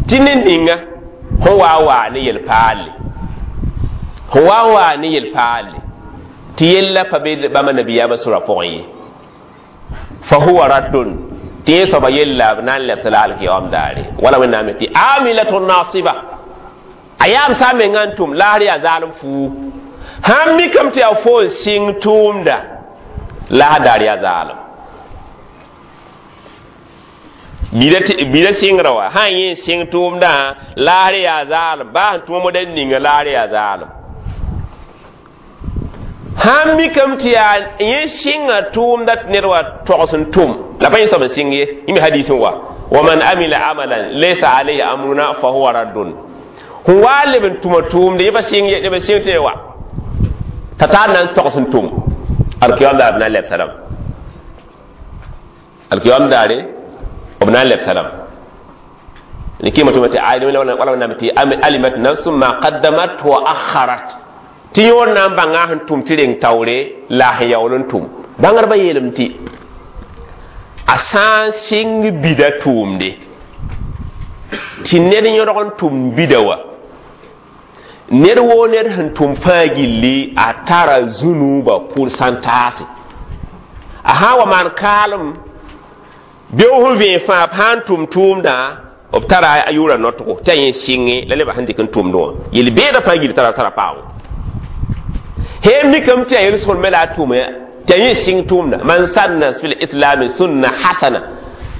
tɩ ne ninga sẽn wa waa ne yel-paalle sẽn wa waa ne yel-paalle tɩ yella pa be bãmba nabiyaamã sʋra pʋgẽ ye fa huwa raddun tɩ yẽ soaba yella b na n lebs la alkiyaoom daare wala wẽnnaam tɩ amilatun nasiba a yaam sã n mengã n tʋm laasr yaa zaalem fuu sãn mikame tɩ yaa fo n sɩng tʋʋmda laasr daar yaa zaalem Bida sɩngrã wã sã n yẽ sɩng tʋʋmdã laasr yaa zaalem baa sẽn tʋma moda ninga laasr yaa zaalem sãn mikame tɩ yaa yẽ sɩnga tʋʋmda tɩ ned wa togs n tʋm la pa yẽ soab n sɩng ye yẽ me hadiis n wa wa man amila amalan laysa alayhi amruna fa huwa raddun sẽn wa leb n tʋma tʋʋmde yẽ pa sɩng ye neb n sɩng tɩ wa t'a tar na n togs n tʋm alkiyam daar b na n lɛb salam alkiyam daare b na n lɛb salam ne kɩɩmã tʋma tɩ wala wẽnnaam tɩ alimat nafsum ma qaddamat wa akharat tɩ yõor na n bãnga sẽn tʋm tɩ reng taoore la a sẽn yaool n tʋm bãngrbã yeelame tɩ a sã n sɩng bida tʋʋmde tɩ ned yõdg n tʋm bida wa ned woo ned sẽn tʋm fãa gilli a tara zũnuubã pʋrsantaase a sã n wa maan kaalem beoog sẽn vẽeg fãa b sã n tʋm tʋʋmdã b tara a yʋʋra notogo tɩ a yẽ sɩnge la nebã sẽn dɩk n tʋmdẽ wã yel-beedã fãa gilli tara tara paago heem mikame tɩ a yel-sõnd me la a tʋme tɩ a yẽ sɩng tʋʋmda man sanna fil islami sunna hasana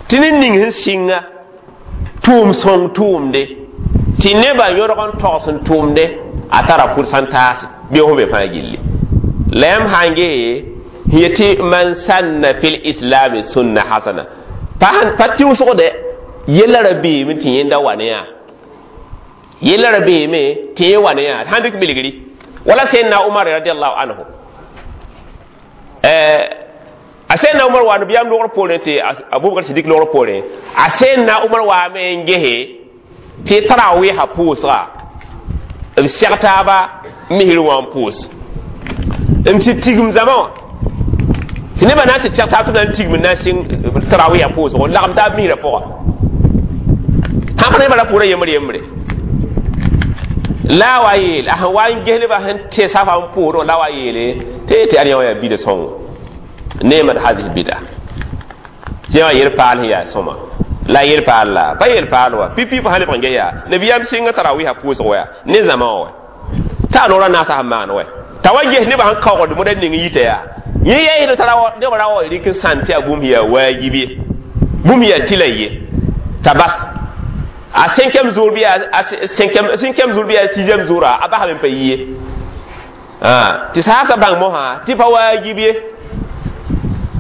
tɩ ned ning sẽn sɩnga tʋʋm sõng tʋʋmde tɩ nebã yõdg n togs n tʋʋmde a tara pʋrsantaase beoog sẽn be fãa gilli la yãmb sã n gee yetɩ man sanna fil islami sunna hasana pa pa tɩʋsgde yella ra beeme tɩ yẽnda wa ne yaa yella ra beeme tɩ yẽ wa ne yaa sãn dɩk bilgri wala sayyidina Umar radiyallahu anhu eh a sayyidina Umar wa nabiyam logr poorẽ tɩ Abubakar Siddiq logr poorẽ a sayyidina Umar wa me n gese tɩ tarawɩɩsã pʋʋsga b sɛg taaba misr wã n pʋʋs n tɩ tigim zãma wã tɩ nebã na n tɩ sɛg taab tɩ b na n tigim n na n sɩng tarawɩɩsã pʋʋsgo n lagem taab misrã pʋga sãn pa nebã ra pʋʋra yembre yembre la wa yeel a sẽn wa n ges nebã sẽn tɩ safa n pʋʋsdẽ la wa yeele tɩ tɩ ad yã wã yaa bida sõngo neemat hadhihi bida tɩ yã yel paal sẽn yaa sõma la yel paal la pa yel paal wa pipi pa sã lebg n ges yaa nabiyaam sɩnga tarawɩɩsã pʋʋsg wa ne zãma wã wa t'a noorã naasã sẽn maan wa t'a wa ges nebã sẽn kaoogd moda ning yita yaa yẽ yɛɛsd t'a neb ra wa rɩk n sãn tɩ yaa bũmb yaa waajib ye bũmb yaa tɩla ye t'a bas a cinquième jour bi a cinquième cinquième jour bi a sixième jour a basame n pa yi ye tɩ saasa bãng mosã tɩ pa waajib ye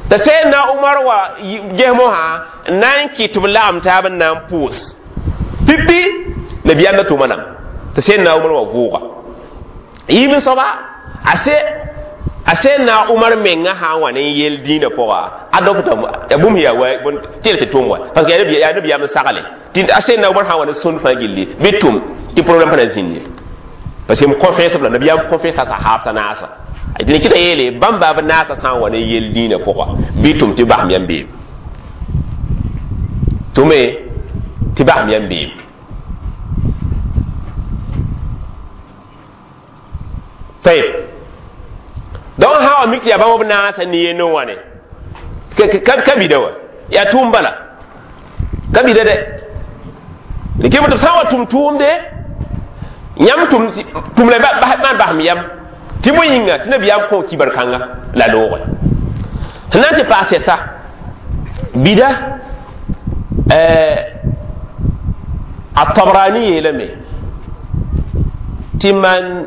t'a Sayyidina Umar wa ges mosã n na n kɩt tɩ b lagem taab n na n pʋʋs pipi nabiyaam da tʋma nam t'a Sayyidina Umar wa vʋʋga yiib soaba a se a Sayyidina Umar menga sã n wa ne n yel dĩinã pʋga a dɔkta ya bũmb yaa wa tɩ tɩ tʋm wa parce que yaa nabiyaam n sagle tɩ a Sayyidina Umar sã n wa ne sõnd fãa gilli bɩ tʋm tɩ problème pa na zĩnd ye parce que m confiance la nabiyaam confiance a sahaab naasa dẽn kɩta yeele bãmb b naasã sã n wa ne yel dĩinã pʋga bɩ tʋm tɩ basem yãmb beem tʋme tɩ basem yãmb beem tayeb donc sã wa mik tɩ yaa bãmb b naasã ne yend n wa ne ka bida wa yaa tʋʋm bala ka bida dɛ kɩ tɩ b sã n wa tʋm tʋʋmde yãmb tʋm la maan basem yam tɩ bõe yĩnga tɩ nabiyaam kõ kibar kãnga la loogẽ sẽn na n tɩ paas sɛsa bida a Tabrani yeelame tɩ man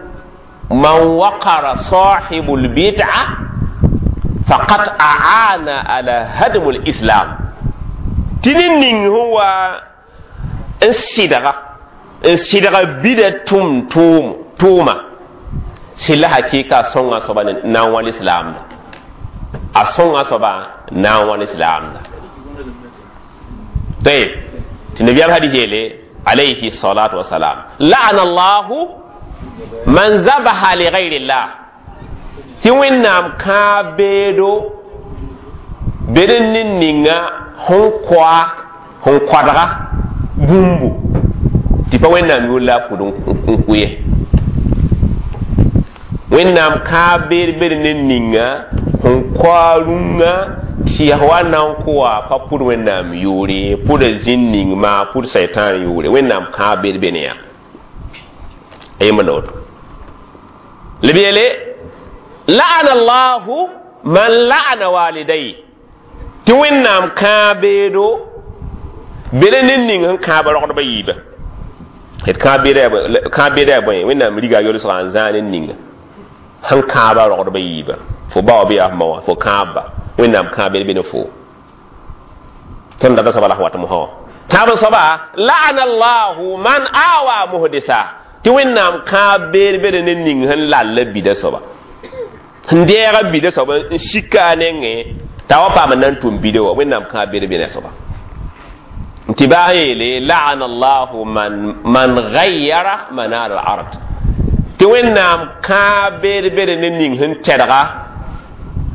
man waqara sahibu lbid'a faqad aana ala hadmu lislam tɩ ned ning sẽn wa n sɩdga n sɩdga bida tʋm tʋʋm tʋʋma sɩlla hakɩɩka a sõnga soaba na n wãl islaamda a sõnga soaba na n wãl islaamda tayeb tɩ nabiyaam hadis yeele alayhi salatu wasalam la'ana allahu man zabaha li gayri llah tɩ wẽnnaam kãab beedo bed n ned ninga sẽn koa sẽn koadga bũmbu tɩ pa wẽnnaam yʋʋr la a pʋd n kʋ ye wẽnnaam kãab beed bed ned ninga sẽn koa rũngã tɩ yaa wa na n kʋa pa pʋd wẽnnaam yʋʋre pʋda zĩn ning maa pʋd saitan yʋʋre wẽnnaam kãab beed be ne yaa a yembr la woto la b yeele la'ana allahu man la'ana walidai tɩ wẽnnaam kãab beedo bere ne ning sẽn kãab rogdbã yiibã d kãab beda bõe wẽnnaam riga yolsgã n zãa ne ninga sẽn kãaba rogdbã yiibã fo ba wa bɩ yaa f ma wã fo kãabba wẽnnaam kãab bed be ne fo tõnd data soaba la sẽn wat mosã wã tãab soaba la'ana allahu man awa muhdisa tɩ wẽnnaam kãab beed bed ne ning sẽn lalla bida soaba sẽn deega bida soaba n sika a nengẽ t'a wa paam n na n tʋm bida wã wẽnnaam kãab beed be ne a soaba tɩ baa yeele la'ana allahu man man gayyara manar al ard tɩ wẽnnaam kãab beed bed ne ning sẽn tɛdga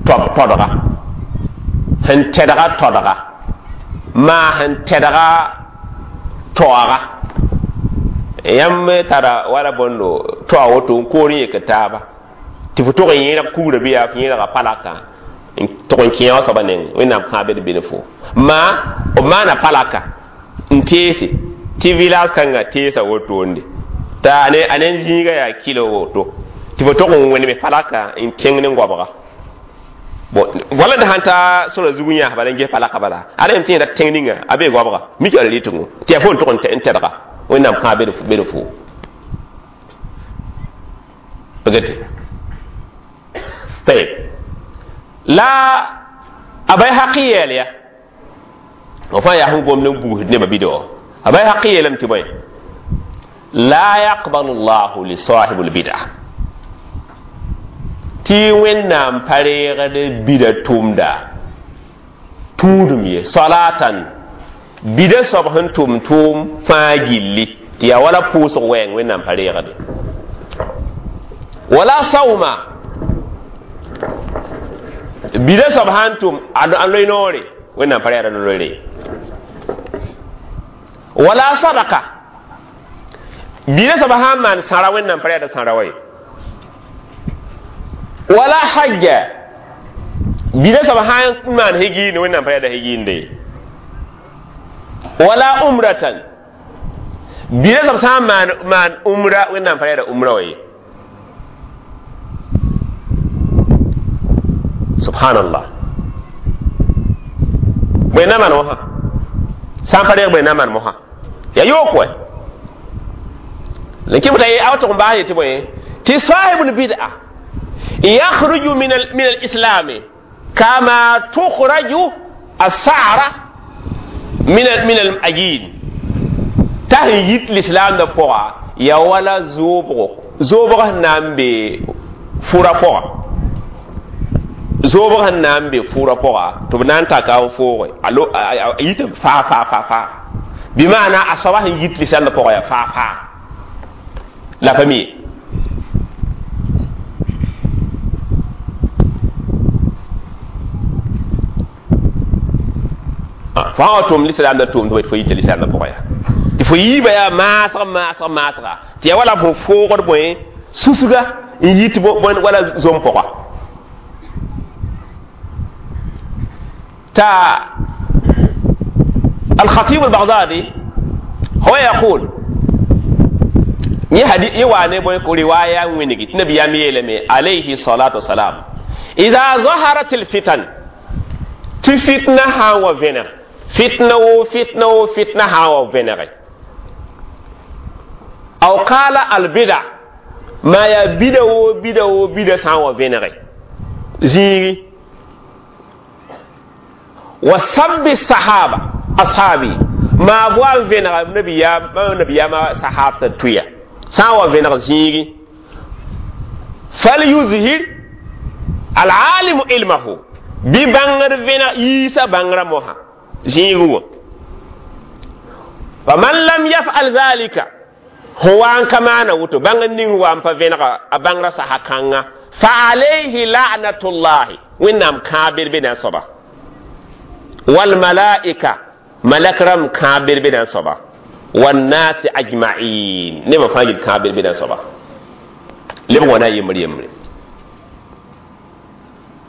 todga sẽn tɛdga todga maa sẽn tɛdga toaga yãmb tara wala bõndo toa woto n koor n yek taaba tɩ fo tog n yẽrg kugrã bɩ yaa f yẽrga palaka n tog n kẽ wã soaba neng wẽnnaam kãab bed be ne fo maa b maana palaka n teese tɩ village kãngã teesa wotonde t'a a ne zĩiga yaa kilo woto tɩ fo tog n wẽneme palaka n kẽng ne goabga bon wala da sãn ta sora zug n yãas bala n ges palaka bala ada yem tẽeda tẽng ninga a bee goabga mik ala rɩtgo tɩ yaa fo n tog n tɛdga wẽnnaam kãab bed fo pagate tayeb la a Bayhaqi yeel ya f fãa yaa sẽn gomd n bugsd nebã bida wã a Bayhaqi yeelame tɩ bõe la yaqbalu llahu li sahibu lbida tɩ wẽnnaam pa reegd bida tʋmda tũudum ye salatan bida soab sẽn tʋm tʋʋm fãa gilli tɩ yaa wala pʋʋsg wɛɛng wẽnnaam pa reegde wala sauma bida soab sãn tʋm a loe noore wẽnnaam pa reegd loeere wala sadaka bida soab sãn maan sãra wẽnnaam pa reegd sãra wa ye wala hajja bida soab sãn maan hegiinde wẽnnaam pa reegd hegiinde ye wala umratan bida soab sãn maan maan umra wẽnnaam pa reegd umra wa ye subhanallah bõe na maan mosã sã n pa reeg bõe na maan mosã yaa yook wɛ la kɩ t'a a wa tʋg n baas yetɩ bõe tɩ sahibul bid'a yakhruju min al-islam kama tukhraju as-sa'ra min min al-ajin t'a sẽn yit l'islam da pʋga yaa wala zoobgo zoobg sẽn na n be fʋra pʋga zoobg sẽn na n be fʋra pʋga tɩ b na n taka n fooge a yit faa faa faa faa bɩ maana a soaba sẽn yit l'islam da pʋga yaa faa faa la pa mi ye fo sã wa tʋm l'islam da tʋʋm tɩ fo yita l'islam da pʋga yaa tɩ fo yiibã yaa maasg maasg maasga tɩ yaa wala fo foogd bõe susga n yit wala zom pʋga ta الخطيب البغدادي هو يقول يواني بوي رواية وينجي النبي يميلمي عليه الصلاة والسلام إذا ظهرت الفتن تفتنة ها وفنر فتنة وفتنة وفتنة ها وفنر أو قال البدع ما يبدأ وبدأ وبدأ ها وفنر زيري وسب الصحابة أصحابي ما بوان فنر النبي يا النبي يا ما صحابة تويا ساوا فنر زيري فليظهر العالم علمه ببانغر فنر يسا بانغر موها زيرو فمن لم يفعل ذلك هو ان كما نوتو بانغر نين وان فنر ابانغر صحاكانغا فعليه لعنة الله وإنام كابر بنا صبا والملائكة ملك رم كابر بنا صبا والناس أجمعين نما فاجر كابر بنا صبا لم ونا يمري يمري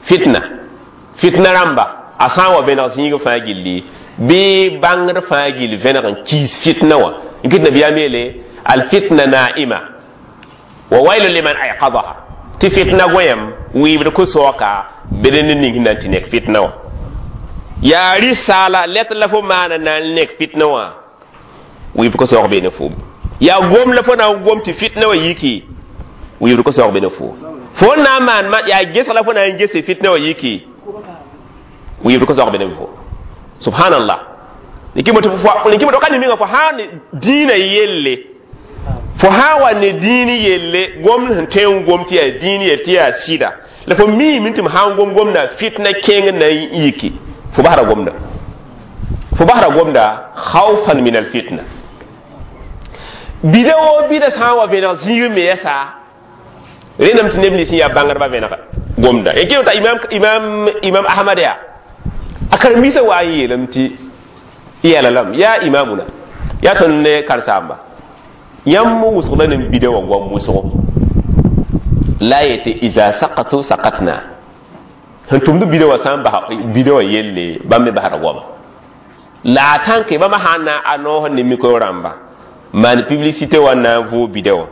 فتنة فتنة رمبا أسان وبين سينغ فاجر لي بي بانغر فاجر فينا كيس فتنة وا إن نبي أميلي الفتنة نائمة وويل لمن أيقظها تي فتنة ويم ويبر كسوكا بدن نينغ نانتينك فتنة وا Yaa risala let la fo maana na n nek fitna wã wɩɩb ka saoog beene foom yaa gom la fo na n gom tɩ fitna wã yiki wɩɩbd ka saoog beene fo fo n na n maan yaa gesg la fo na n ges fitna wã yiki wɩɩbd ka saoog beene fo subhanallah niki ka ne minga fo sã ne dĩinã yelle fo sã n wa ne dĩin yelle gom sẽn tõe n gom tɩ yaa dĩin yell tɩ yaa sɩda la fo miime tɩ m sã n gom gomda fitna kẽng na n yiki fo basra gomda fo basra gomda khawfan min alfitna bida wo bida sã n wa vẽneg zĩig me yɛsa rẽndame tɩ neb nins sẽn yaa bãngdbã vẽneg gomda y kɩ imam imam imam ahmad yaa a karen-biisã wa n yeelame tɩ yɛla lame yaa imamuna yaa tõnd ne karen-saamba yãmb wʋsgda ne bida wã goam wʋsgo la yetɩ iza sakatu sakatna sẽn tʋmd bida wã sã n bas bida wã yelle bãmb me basra goama la a tãnke bãmba sã n na a noos ne micro rãmba maan publicité wã na n vʋʋg bida wã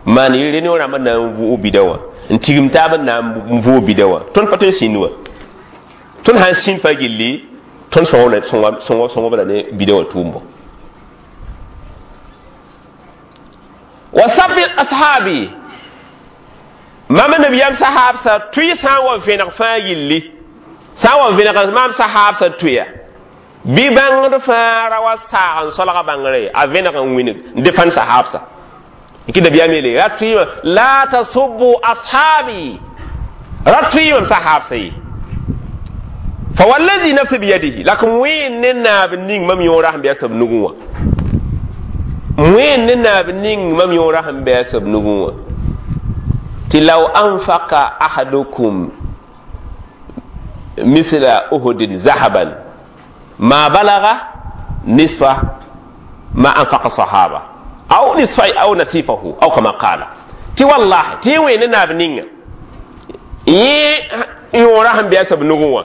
maan réunion rãmbã na n vʋʋg bida wã n tigim taab na n vʋʋg bida wã tõnd pa tõe n sĩnd wã tõnd sã n sĩnd fa gilli tõnd sõngb la ne bida wã tʋʋmbo wa sabi ashabi mam nabiyam sahabsa tʋɩ sã n wa vẽneg fãa gilli sã n wa vẽneg mam sahabsa tʋya bɩ bãngd fãa ra wa saag n solga bãngre a vẽneg n wĩneg n defãn sahabsa n kɩ nabiyaam yeele ra tʋɩ la tasubbu ashabi ra tʋɩ mam sahabsa ye fa wallazi nafsi biyadihi la k wẽen ne naab ning mam yõora sẽn bɩ a sab nugẽ wã wẽen ne naab ning mam yõora sẽn bɩ a sab nugẽ wã tɩ law anfaka ahadukum misla uhudin zahaban ma balaga nisfa ma anfaqa sahaba aw nisfa aw nasifahu aw kama qala tɩ wallahi tɩ wẽen ne naab ninga yẽ yõora sẽn bɩ a sab nugẽ wã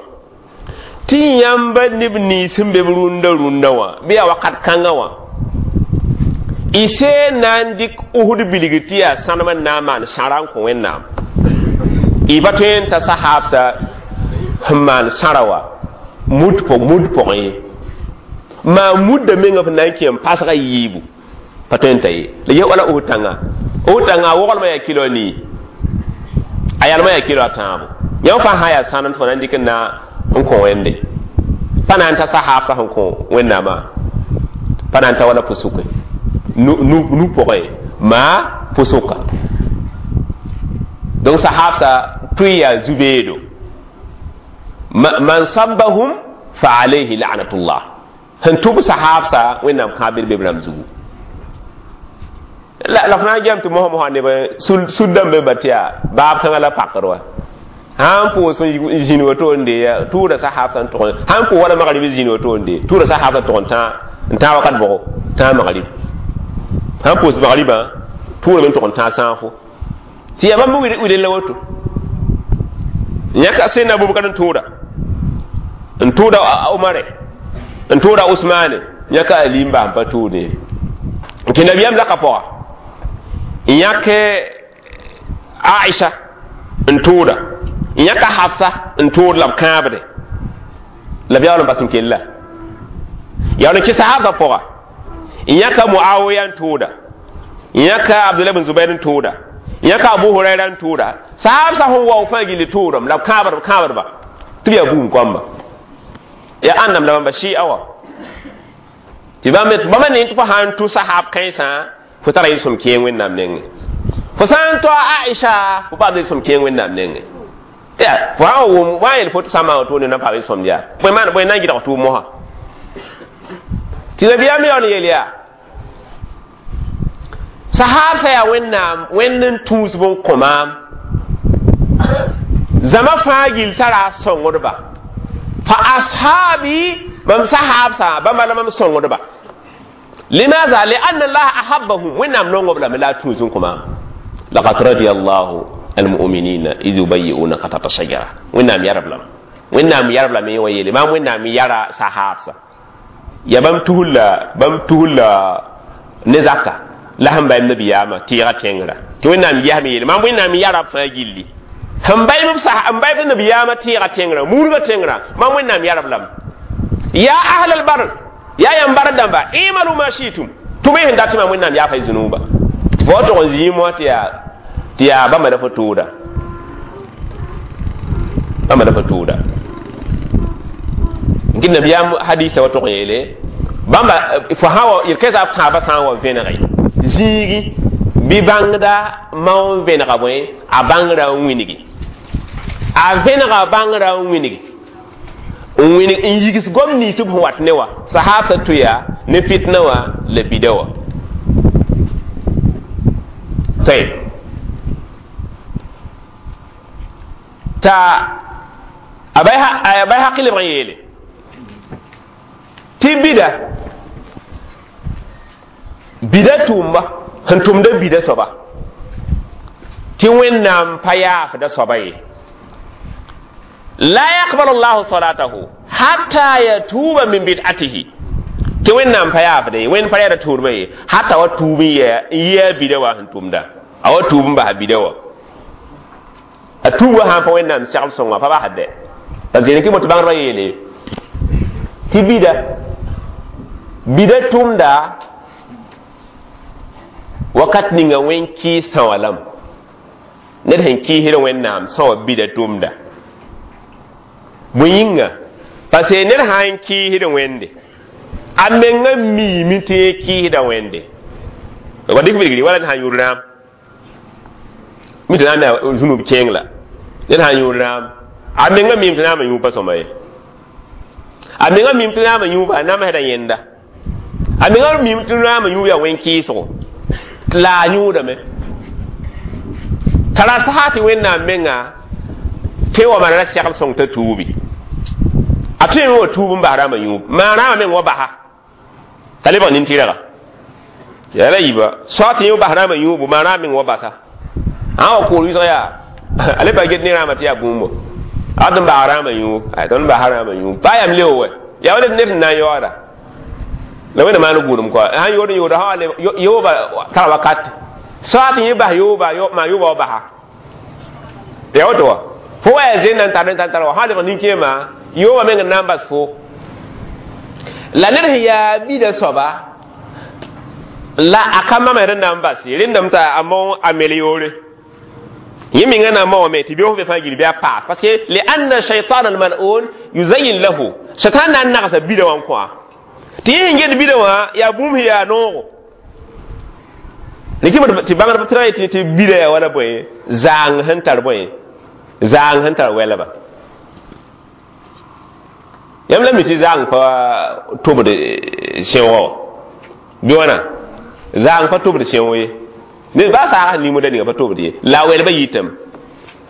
tɩ yãmba neb nins sẽn be b rũndã rũndã wã bɩ yaa wakat kãngã wã y see na n dɩk Uhud bilg tɩ yaa sãnem n na n maan sãra n kõ Wẽnnaam y pa tõe n ta sahaabsã sẽn maan sãra wã mud pʋg mud pʋgẽ ye maa mudda menga f na n kẽ n pasga yiibu pa tõe n ta ye la ye wala Uhud tãnga Uhud tãnga a woglmã yaa kilo a nii a yalmã yaa kilo a tãabo yãmb fãa sã n yaa sãnem tɩ fo na n dɩk n na n kõ wẽnde pa na n ta sahaabsã sẽn kõ Wẽnnaamã pa na n ta wala pʋsʋke nu pʋgẽ maa pʋsʋka donc sahaabsã tʋɩ yaa zu-beedo man sabbahum fa alayhi la'natullah sẽn tʋb sahaabsã Wẽnnaam kãabd be b rãmb zugu la f na n gem tɩ mosã mosã neb sud dãmb be tɩ yaa baab kãngã la pakd wa sã n pʋʋs n zĩnd woto n dee tʋʋda sahaabsã n tʋg sã n pʋʋs wala magrib zĩnd woto n dee tʋʋda sahaabsã tʋg n tã n tã wakat bʋgo tã magrib sã n pʋʋs magribã tʋʋdame n tʋg n tã sãafo tɩ yaa bãmb wɩdel la woto yãka sẽnda Abubakar n tʋʋda n tʋʋda Omare n tʋʋda Usmane yãka Ali n bas n pa tʋʋde n kẽ nabiyaam zaka pʋga n yãk Aisha n tʋʋda n yãka Hafsa n tʋʋd la b kãabde la b yaool n bas n kella yaool n kɩ sahabsã pʋga n yãka Muawiya n tʋʋda n yãka Abdullah bin Zubair n tʋʋda n yãka Abu Huraira n tʋʋda sahabsã sẽn wao fãa gilli tʋʋdame la b kãabd b kãabdba tɩ b yaa buum koamba yaa ãndame la bãmba sɩɩ wa tɩ bãmb bãmba ne tɩ fo sã n tʋ sahab kãensã fo tara yel-sõm kẽeng Wẽnnaam nengẽ fo sã n toa Aisha fo paam yel-sõm kẽeng Wẽnnaam nengẽ ya fo sã n wʋm wa n yel fo tɩ sã n maan woto ne na n paam yel-sõmd yaa bõe maan bõe na n gɩdg tʋʋm mosã tɩ nabiyaam yaool n yeel yaa sahabsã yaa Wẽnnaam Wẽnd n tũusb n kõ maam zãma fãa gill tara a sõngdba fa ashabi mam sahabsã bãmba la mam sõngdba limaza lianna allaha ahabbahum Wẽnnaam nongob lame la a tũus n kõ maam laqad radia allahu almuminina id yubayi'unaka tahta shajara Wẽnnaam yarb lame Wẽnnaam yarb lame wa yeele maam Wẽnnaam yara sahabsã ya bãmb tuhulla bãmb tuhulla ne zaka la sẽn baym nabiyaamã tɩɩga tẽngrã tɩ Wẽnnaam yɛsme yeele maam Wẽnnaam yara b fãa gilli sẽn baym b nabiyaamã tɩɩga tẽngrã murgã tẽngrã maam Wẽnnaam yarb lame Ya ahlal bar ya yãmb bar dãmba imalu ma shitum tʋm y sẽn dat tɩ maam wẽnnaam yaafa y zũnuuba tɩ fo tog n zĩim wã tɩ yaa tɩ yaa bãmba la fo tʋʋda bãmba la fo tʋʋda n kɩt nabiyaam hadisa wa tog n yeele bãmba fo sã wa yel-kɛɛsã b tãabã sã n wa vẽnege zĩigi bɩ bãngda maoon vẽnega bõe a bãngrã n wĩngi a vẽnega bãngrã n wĩngi n wĩnig n yigs gom nins b sẽn wat ne wa sahaabsã tʋ yaa ne fitna wã la bida wã tayb t'a a Bayhaqi lebg n yeele tɩ bida bida tʋʋmba sẽn tʋmda bida soaba tɩ wẽnnaam pa yaafda soaba ye la yaqbalu llahu salatahu hatta yatuba min bid'atihi tɩ wẽnnaam pa yaafda ye wẽnd pa reeda tʋʋdmã ye hata wa tuub n yɛa bida wã sẽn tʋmda a wa tuub n basa bida wã a tuub wã sãn pa wẽnnaam segl sõnga pa basd dɛ parce que kɩ tɩ bãngdbã yeele tɩ bida bida tʋmda wakat ninga wẽn kɩɩs sã wã lame ned sẽn kɩɩsd wẽnnaam sã wã bida tʋmda bõe yĩnga parce que ned sã n kɩɩsd wẽnde a menga miime tɩ yẽ kɩɩsda wẽnde wa dɩk bilgri wala ned sã n yʋʋd rãam mi tɩ na n yaa zũnub kẽeng la ned sã n yʋʋd rãam a menga miime tɩ naamã yũub pa sõma ye a menga miime tɩ naamã yũuba a namsda yẽnda a menga miime tɩ naamã yũub yaa wẽn-kɩɩsgo la a yũudame t'a ra sasa tɩ wẽnnaam menga tɩ wa maan ra segl sõng t'a tuubi a tõe me wa tuub n bas rãmbã yũub maan rãambã meng wa basa t'a lebg nin-tɩrga yaa la yiiba soa tɩ yẽ bas rãambã yũubu maan rãmb meng wa basa ã wa koor wɩsg yaa a le pa get ne rãambã tɩ yaa bũmbo a d n bas rãambã yũub tõnd basa rãambã yũub pa yam leo wɛ yaa wa ned sẽn na n yaooda la wẽnna maan gʋʋdem kɔa sãn yood n yooda sã yooba tara wakat soa tɩ yẽ bas yooba maan yooba wa basa yaa woto wa fo wa yaa zẽn na n tar n tar wa sã lebg nin-kẽema yooba meng n na n bas fo la ned sẽn yaa bida soaba la a ka mama rẽnd na n bas ye rẽndame t'a a mao a mel yoore yẽ menga na n maoame tɩ beoog be fãa gil bɩ a paas parce que lianna shaitan almal'un yuzayin lahu satan na n nagsa bida wã n kõ tɩ yẽ sẽn get bida wã yaa bũmb sẽn yaa noogo rɩkɩ tɩ bãngdb tɩ tɩ tɩ bida yaa wala bõe zaang sẽn tar bõe zaang sẽn tar wɛlba yãmb la mi tɩ zaang pa tʋbd sẽoogã wã bɩ wãna zaang pa tʋbd sẽoog ye ned baa saag sẽn ning ninga pa tʋbd ye la a wɛlbã yitame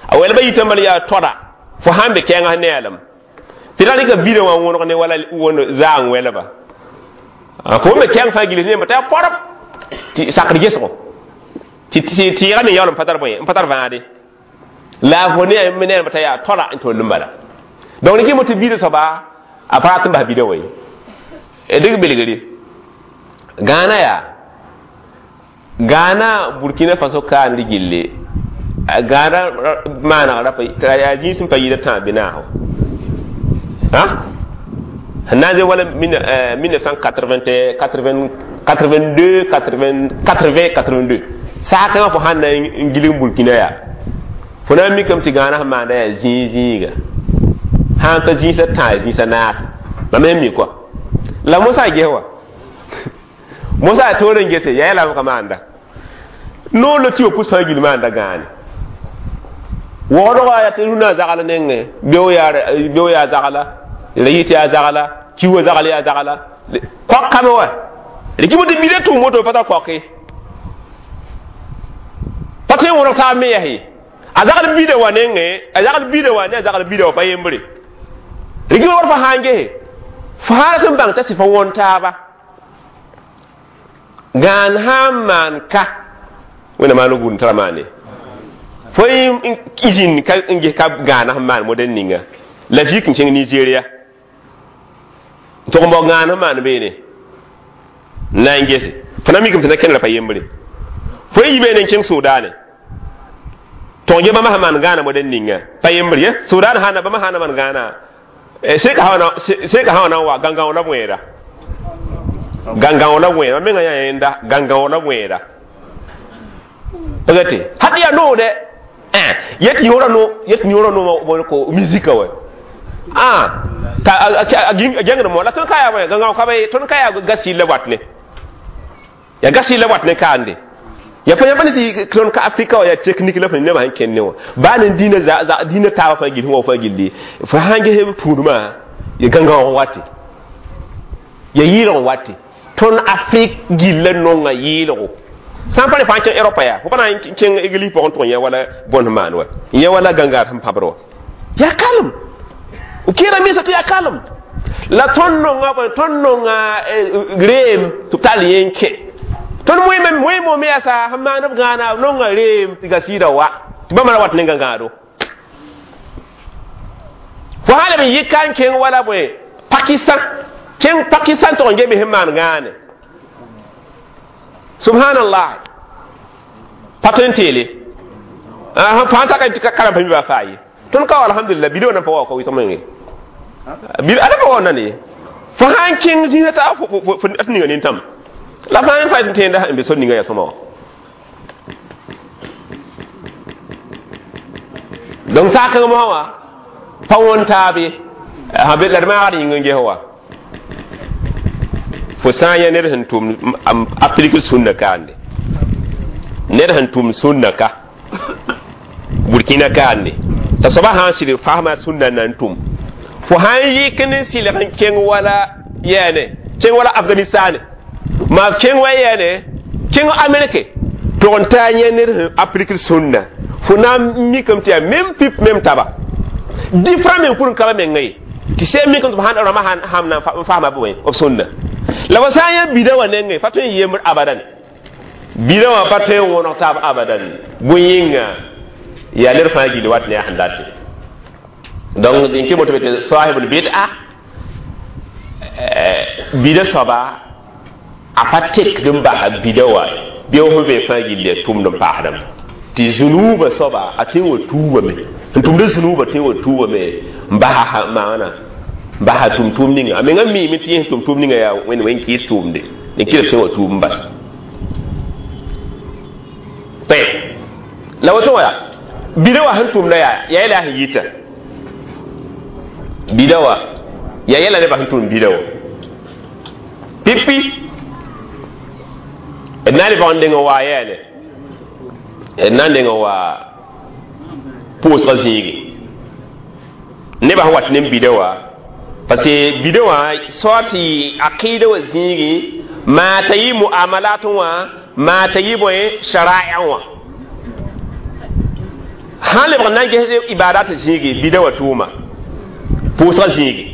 a wɛlbã yitame bala yaa toda fo sãn be kɛɛngã ne a lame tɩ ra rɩka bida wã wõneg ne wala wõnd zaang wɛlba fo me kɛɛng fãa gils ne t'a yaa pɔrb tɩ sakd gesgo tɩ tɩɩgã me yaool n pa tar bõe n pa tar vãade la fo ne me ne t'a yaa toda n toll n bala donc rɩkɩ mo tɩ bida soaba a pa rat n bas bida wa ye dɩk bilgri Gãana yaa Gãana Burkina Faso kaand gilli Gãana maaneg rapa yaa zĩis n pa yida tãab bɩ naasgo sẽn na n zẽ wala mille neuf cent quatre-vingt-deux quatre-vingt quatre-vingt-deux saakãngã fo sãn na n gilg Burkina yaa fo na n mikame tɩ Gãana sẽn maanda yaa zĩig zĩiga sãn pa zĩisã tãa zĩisã naas mam me mi kɔa la mosã ges wa mosã toor n gese yaa yɛla ka maanda noor la tɩ wa pus fãa gil maanda gãane waoodgã yaa tɩ rũnã zagl nengẽ beo yaa zagla rayit yaa zagla kiwã zagl yaa zagla koak kame wa rɩkɩ tɩ bida tʋʋm woto pa tar koake pa tõe n wõneg taab me yaa ye a zagl bida wã nengẽ a zagl bida wã ne a zagl bida wã pa yembre rɩkɩ war fa sã n gese fo sã rat n bãng t'a sɩ fa wõn taaba gãan sã n maan ka wẽnna maan gũud tara maane fo n zĩnd ka n ges ka gãana sẽn maan modɛl ninga la vik n kẽng Nigeria n tʋg n bao gãan sẽn maan beene n na n gese fo na mikame tɩ na kẽnera pa yembre fo n yi beene n kẽng Sʋʋdaane tʋg ge bãmba sẽn maan gãana modɛl ninga pa yembre ye Sʋʋdaan sãn bãmba sã na maan gãana Seka hawana seka hawana wa ganga wala bwera ganga wala bwera menga yaenda ganga wala bwera pagate hadi ya no de eh yeti yora no yeti yora no bo ko musique we ah ka a mo la ton kaya we ganga ka be ton kaya gasi le watne ya gasi le watne kande ya fa yabani si ton ka afrika ya technique la fa ne ma han kenne wa ba nan dina za za dina ta fa gil ho fa gilli fa hange he puduma ya ganga on wati ya yiro wati ton afrique gilla nonga yiro san pa fa chen europa ya fo pa na chen igli po ton ya wala bon man wa ya wala ganga tam pabro ya kalm ukira misa to ya kalm la ton nonga ba ton nonga grem to talienke ton moy mem moy mo me asa hamma gana nonga rem tiga sida wa tiba mara wat nenga ngado fo hala mi yikan ken wala boy pakistan ken pakistan to ngebe hemman ngane subhanallah patentele ah fa ta ka kala pa mi ba fayi ton ka alhamdulillah bido na fa wa ko wi somengi bi ala fa wona ni fo han ken zinata fo fo atni ngani tam la fa fa tin da be sonni ngaya soma donc sa ka mo wa pa won tabe ha be la ma ri ngi hawa fo sa ya ner han tum am applique sunna kande ner han tum sunna ka burkina kande ta soba han sir fahma sunna nan tum fo han yikne silan ken wala yene ken wala afghanistan ma ken wa yene ken amerique to on ta yenir applique sunna fo na mi kam tiya même pip même taba différent men pour kala men ngai ti se mi kam subhana rama han hamna fahma bo ob sunna la wasaya bidawa ne ngai fato yemr abadan bidawa fato wono tab abadan buyinga ya ler fa gi wat ne handate donc din ke moto sahibul bid'a bida soba a pa tek dum ba bidawa biyo ho be fa gi le tum dum pa hadam ti zunuba soba a te wo tuba me tum de zunuba te wo tuba me mba maana mba tum tum ninga amenga mi mi ti tum tum ninga ya wen wen ki tum de ne kila te wo tum bas te la wato ya bidawa han tum la ya ya ila yita bidawa ya yela ne ba han tum bidawa pipi nani ba ndenga wa yele na ndenga wa pʋʋsga zĩigi nebã sẽn wat ne bida wã parce que bida wã soa tɩ aqɩɩda wã zĩigi maa t'a yɩ muamalat wã maa t'a yɩ bõe shara'a wã sãn lebg n na n ges ibadat zĩigi bida wã tʋʋma pʋʋsga zĩigi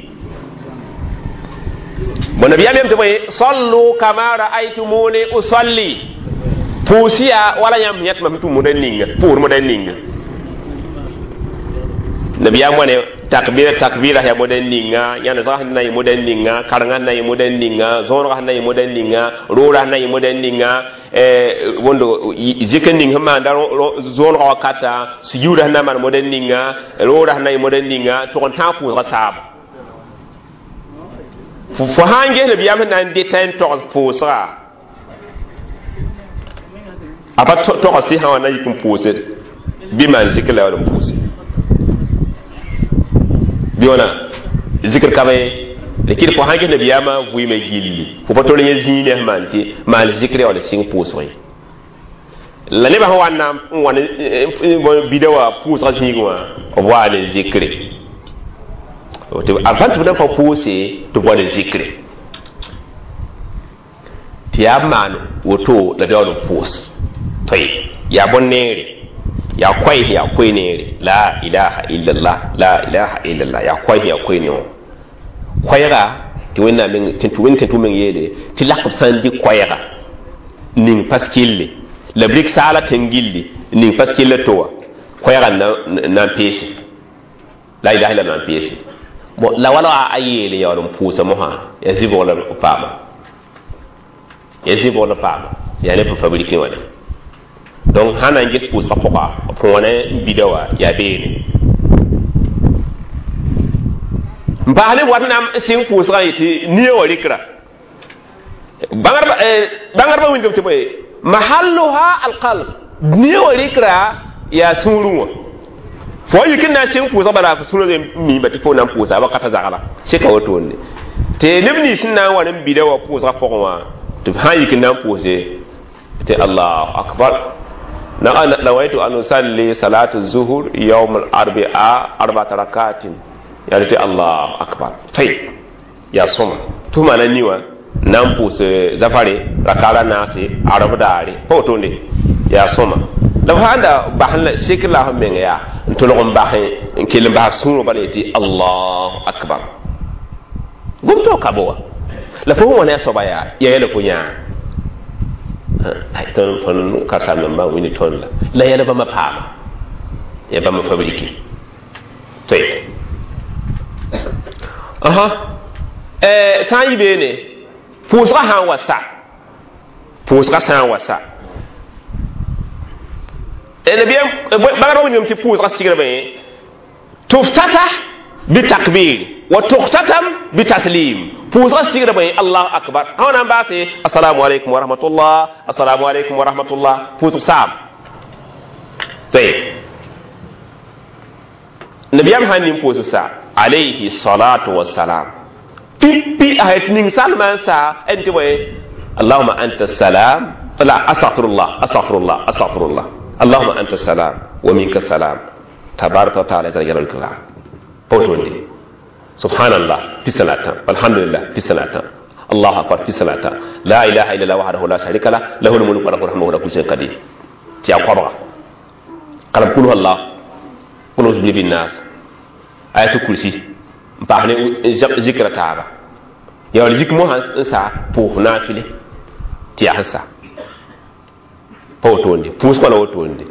bon nabiyaam yem tɩ bõe sallu kama ra'aytumuni usalli pʋʋsɩ wala yãmb yãtma sẽn tʋm moda ninga pʋʋr moda ninga nabiyaam wãne takbira takbira ya moda ninga yãnd zag sẽn na yɩ moda ninga karengã sẽn na yɩ moda ninga zõonegã sẽn na yɩ moda ninga roorã sẽn na yɩ moda ninga wondo zikr ning sẽn maanda zõonegã wakata sujuudã sẽn na maan moda ninga roorã sẽn na yɩ moda ninga tʋg n tãag pʋʋsgã saaba fo sãn ges nabiyaam sẽn na n dɩta n togs pʋʋsga a pa togs tɩ sã wã na yik n pʋʋse bɩ maan zikr la n pʋʋse bɩ wãna zikr ka be la kɩd fo sãn ges nabiyaamã vɩɩmã gilli fo pa tol yẽ zĩig ne sẽn maan tɩ maan zikr ya wala sɩng pʋʋsg ye la nebã sẽn wa n na n wa ne bida wã pʋʋsgã zĩig wã b waa ne zikre avant tɩ b na pa pʋʋse tɩ b wa ne zikre tɩ yaa maan woto la daood n pʋʋs toy yaa bõn-neere yaa koɛɛ yaa koe-neere la ilaha illallah la ilaha illallah yaa koɛɛ yaa koe ne wã koɛɛga tɩ wẽnnaam meng tɩ wẽnd tɩ meng yeele tɩ lak b sã n dɩ koɛɛga ning pas kille la b rɩk saala tẽng gilli ning pas killa to wã koɛɛga na n peese la ilaha illallah na n peese bon la wala a yeele yaool n pʋʋsa mosã yaa zɩbg la b paama yaa zɩbg la paama yaa ne b fabriqué wã donc sãn na n ges pʋʋsgã pʋga b wãna bida wã yaa beene n N paas ne wat na n sɩng pʋʋsgã yetɩ nia wã rɩkra bãngdbã wilgame tɩ bõe mahalluha alqalb nia wã rɩkra yaa sũurẽ wã fo yik n na n sɩng pʋʋsg bala f sũurã miimba tɩ fo na n pʋʋsa wakata zagla sɩka wotone tɩ neb nins sẽn na n wa n bida wã pʋʋsgã pʋgẽ wã tɩ b sã n yik n na n pʋʋse tɩ allahu akbar. نويت أن أصلي صلاة الظهر يوم الأربعاء أربعة ركعات يعني الله أكبر. طيب يا صوم ثم أنا نيوا نامبوس زفاري ركعة ناسي عرب داري فوتوني يا صوم لو هذا بحنا شكل لهم من يا نتلقون بحن كل بح سونو بليتي الله أكبر قمتو كابوا لفهم وانا صبايا يا يلفونيا ai tõnd tõnd karsam-nambã wĩnd tõnd la la yɛl bãmba paama ya bãmba fabriki toy aha sã n yi beene pʋʋsgã sã n wa sa pʋʋsgã sã n wa sa nabiyam bãngdbã wĩndame tɩ pʋʋsgã sigrame tuftata bitakbir wa tukhtatam bitaslim pʋʋsgã sigra bõe allahu akbar sã na n baase assalamu alaikum wa rahmatullah assalamu alaikum wa rahmatullah pʋʋsg saam tayeb nabiyam sãn ning pʋʋsg sa alayhi salatu wassalam pipi a het ning salma n sa n tɩ bõe allahuma anta salam la astaghfirullah astaghfirullah astaghfirullah allahuma anta salam wa minka salam tabaraka wa taala zal jalal wal ikram pawtonde subhanallah pisalata alhamdulillah pisalata allahu akbar pisalata la ilaha illallah wahdahu la sharika lah lahul mulku wa lahul hamdu wa huwa ala kulli shay'in qadir ti akwa kalam kul huwallah qul a'udhu bi nas ayatul kursi mpahne zikra taaba ya wal zik mo han sa pour nafile ti ya sa pawtonde pus ko la wotonde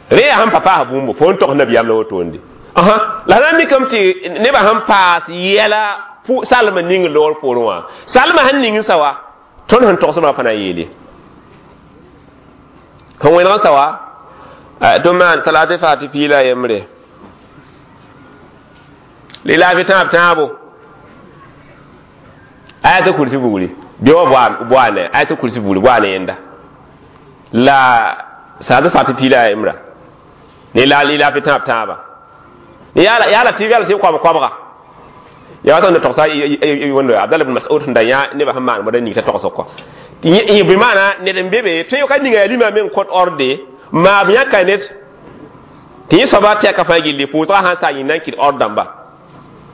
re han papa bumbu fon tok nabiyam la wotonde aha la na mikam tɩ nebã sẽn paas yɛla salma ning loor poorẽ wã salma sẽn ning sa wa tõnd sẽn togsdmã pa na n yeele sẽn wẽneg n sa wa tɩ maan salate faati piila a yembre lilaafi tãab tãabo ayata kursi bugri bɩ wa boane ayata kursi bugri boane yẽnda la salate faati piila a yembra ne la lilaafi tãab tãaba ya ya latif ya latif kwab kwabga ya wata na toksa wondo Abdullah ibn Mas'ud nda ya ne ba hamman mo ni ta tokso ko yi bi mana ne den bebe to yo kan ninga lima men kot orde ma bi ya kanet ti so ba ta ka fa gilli pu sa han sa yin nan ki ordan ba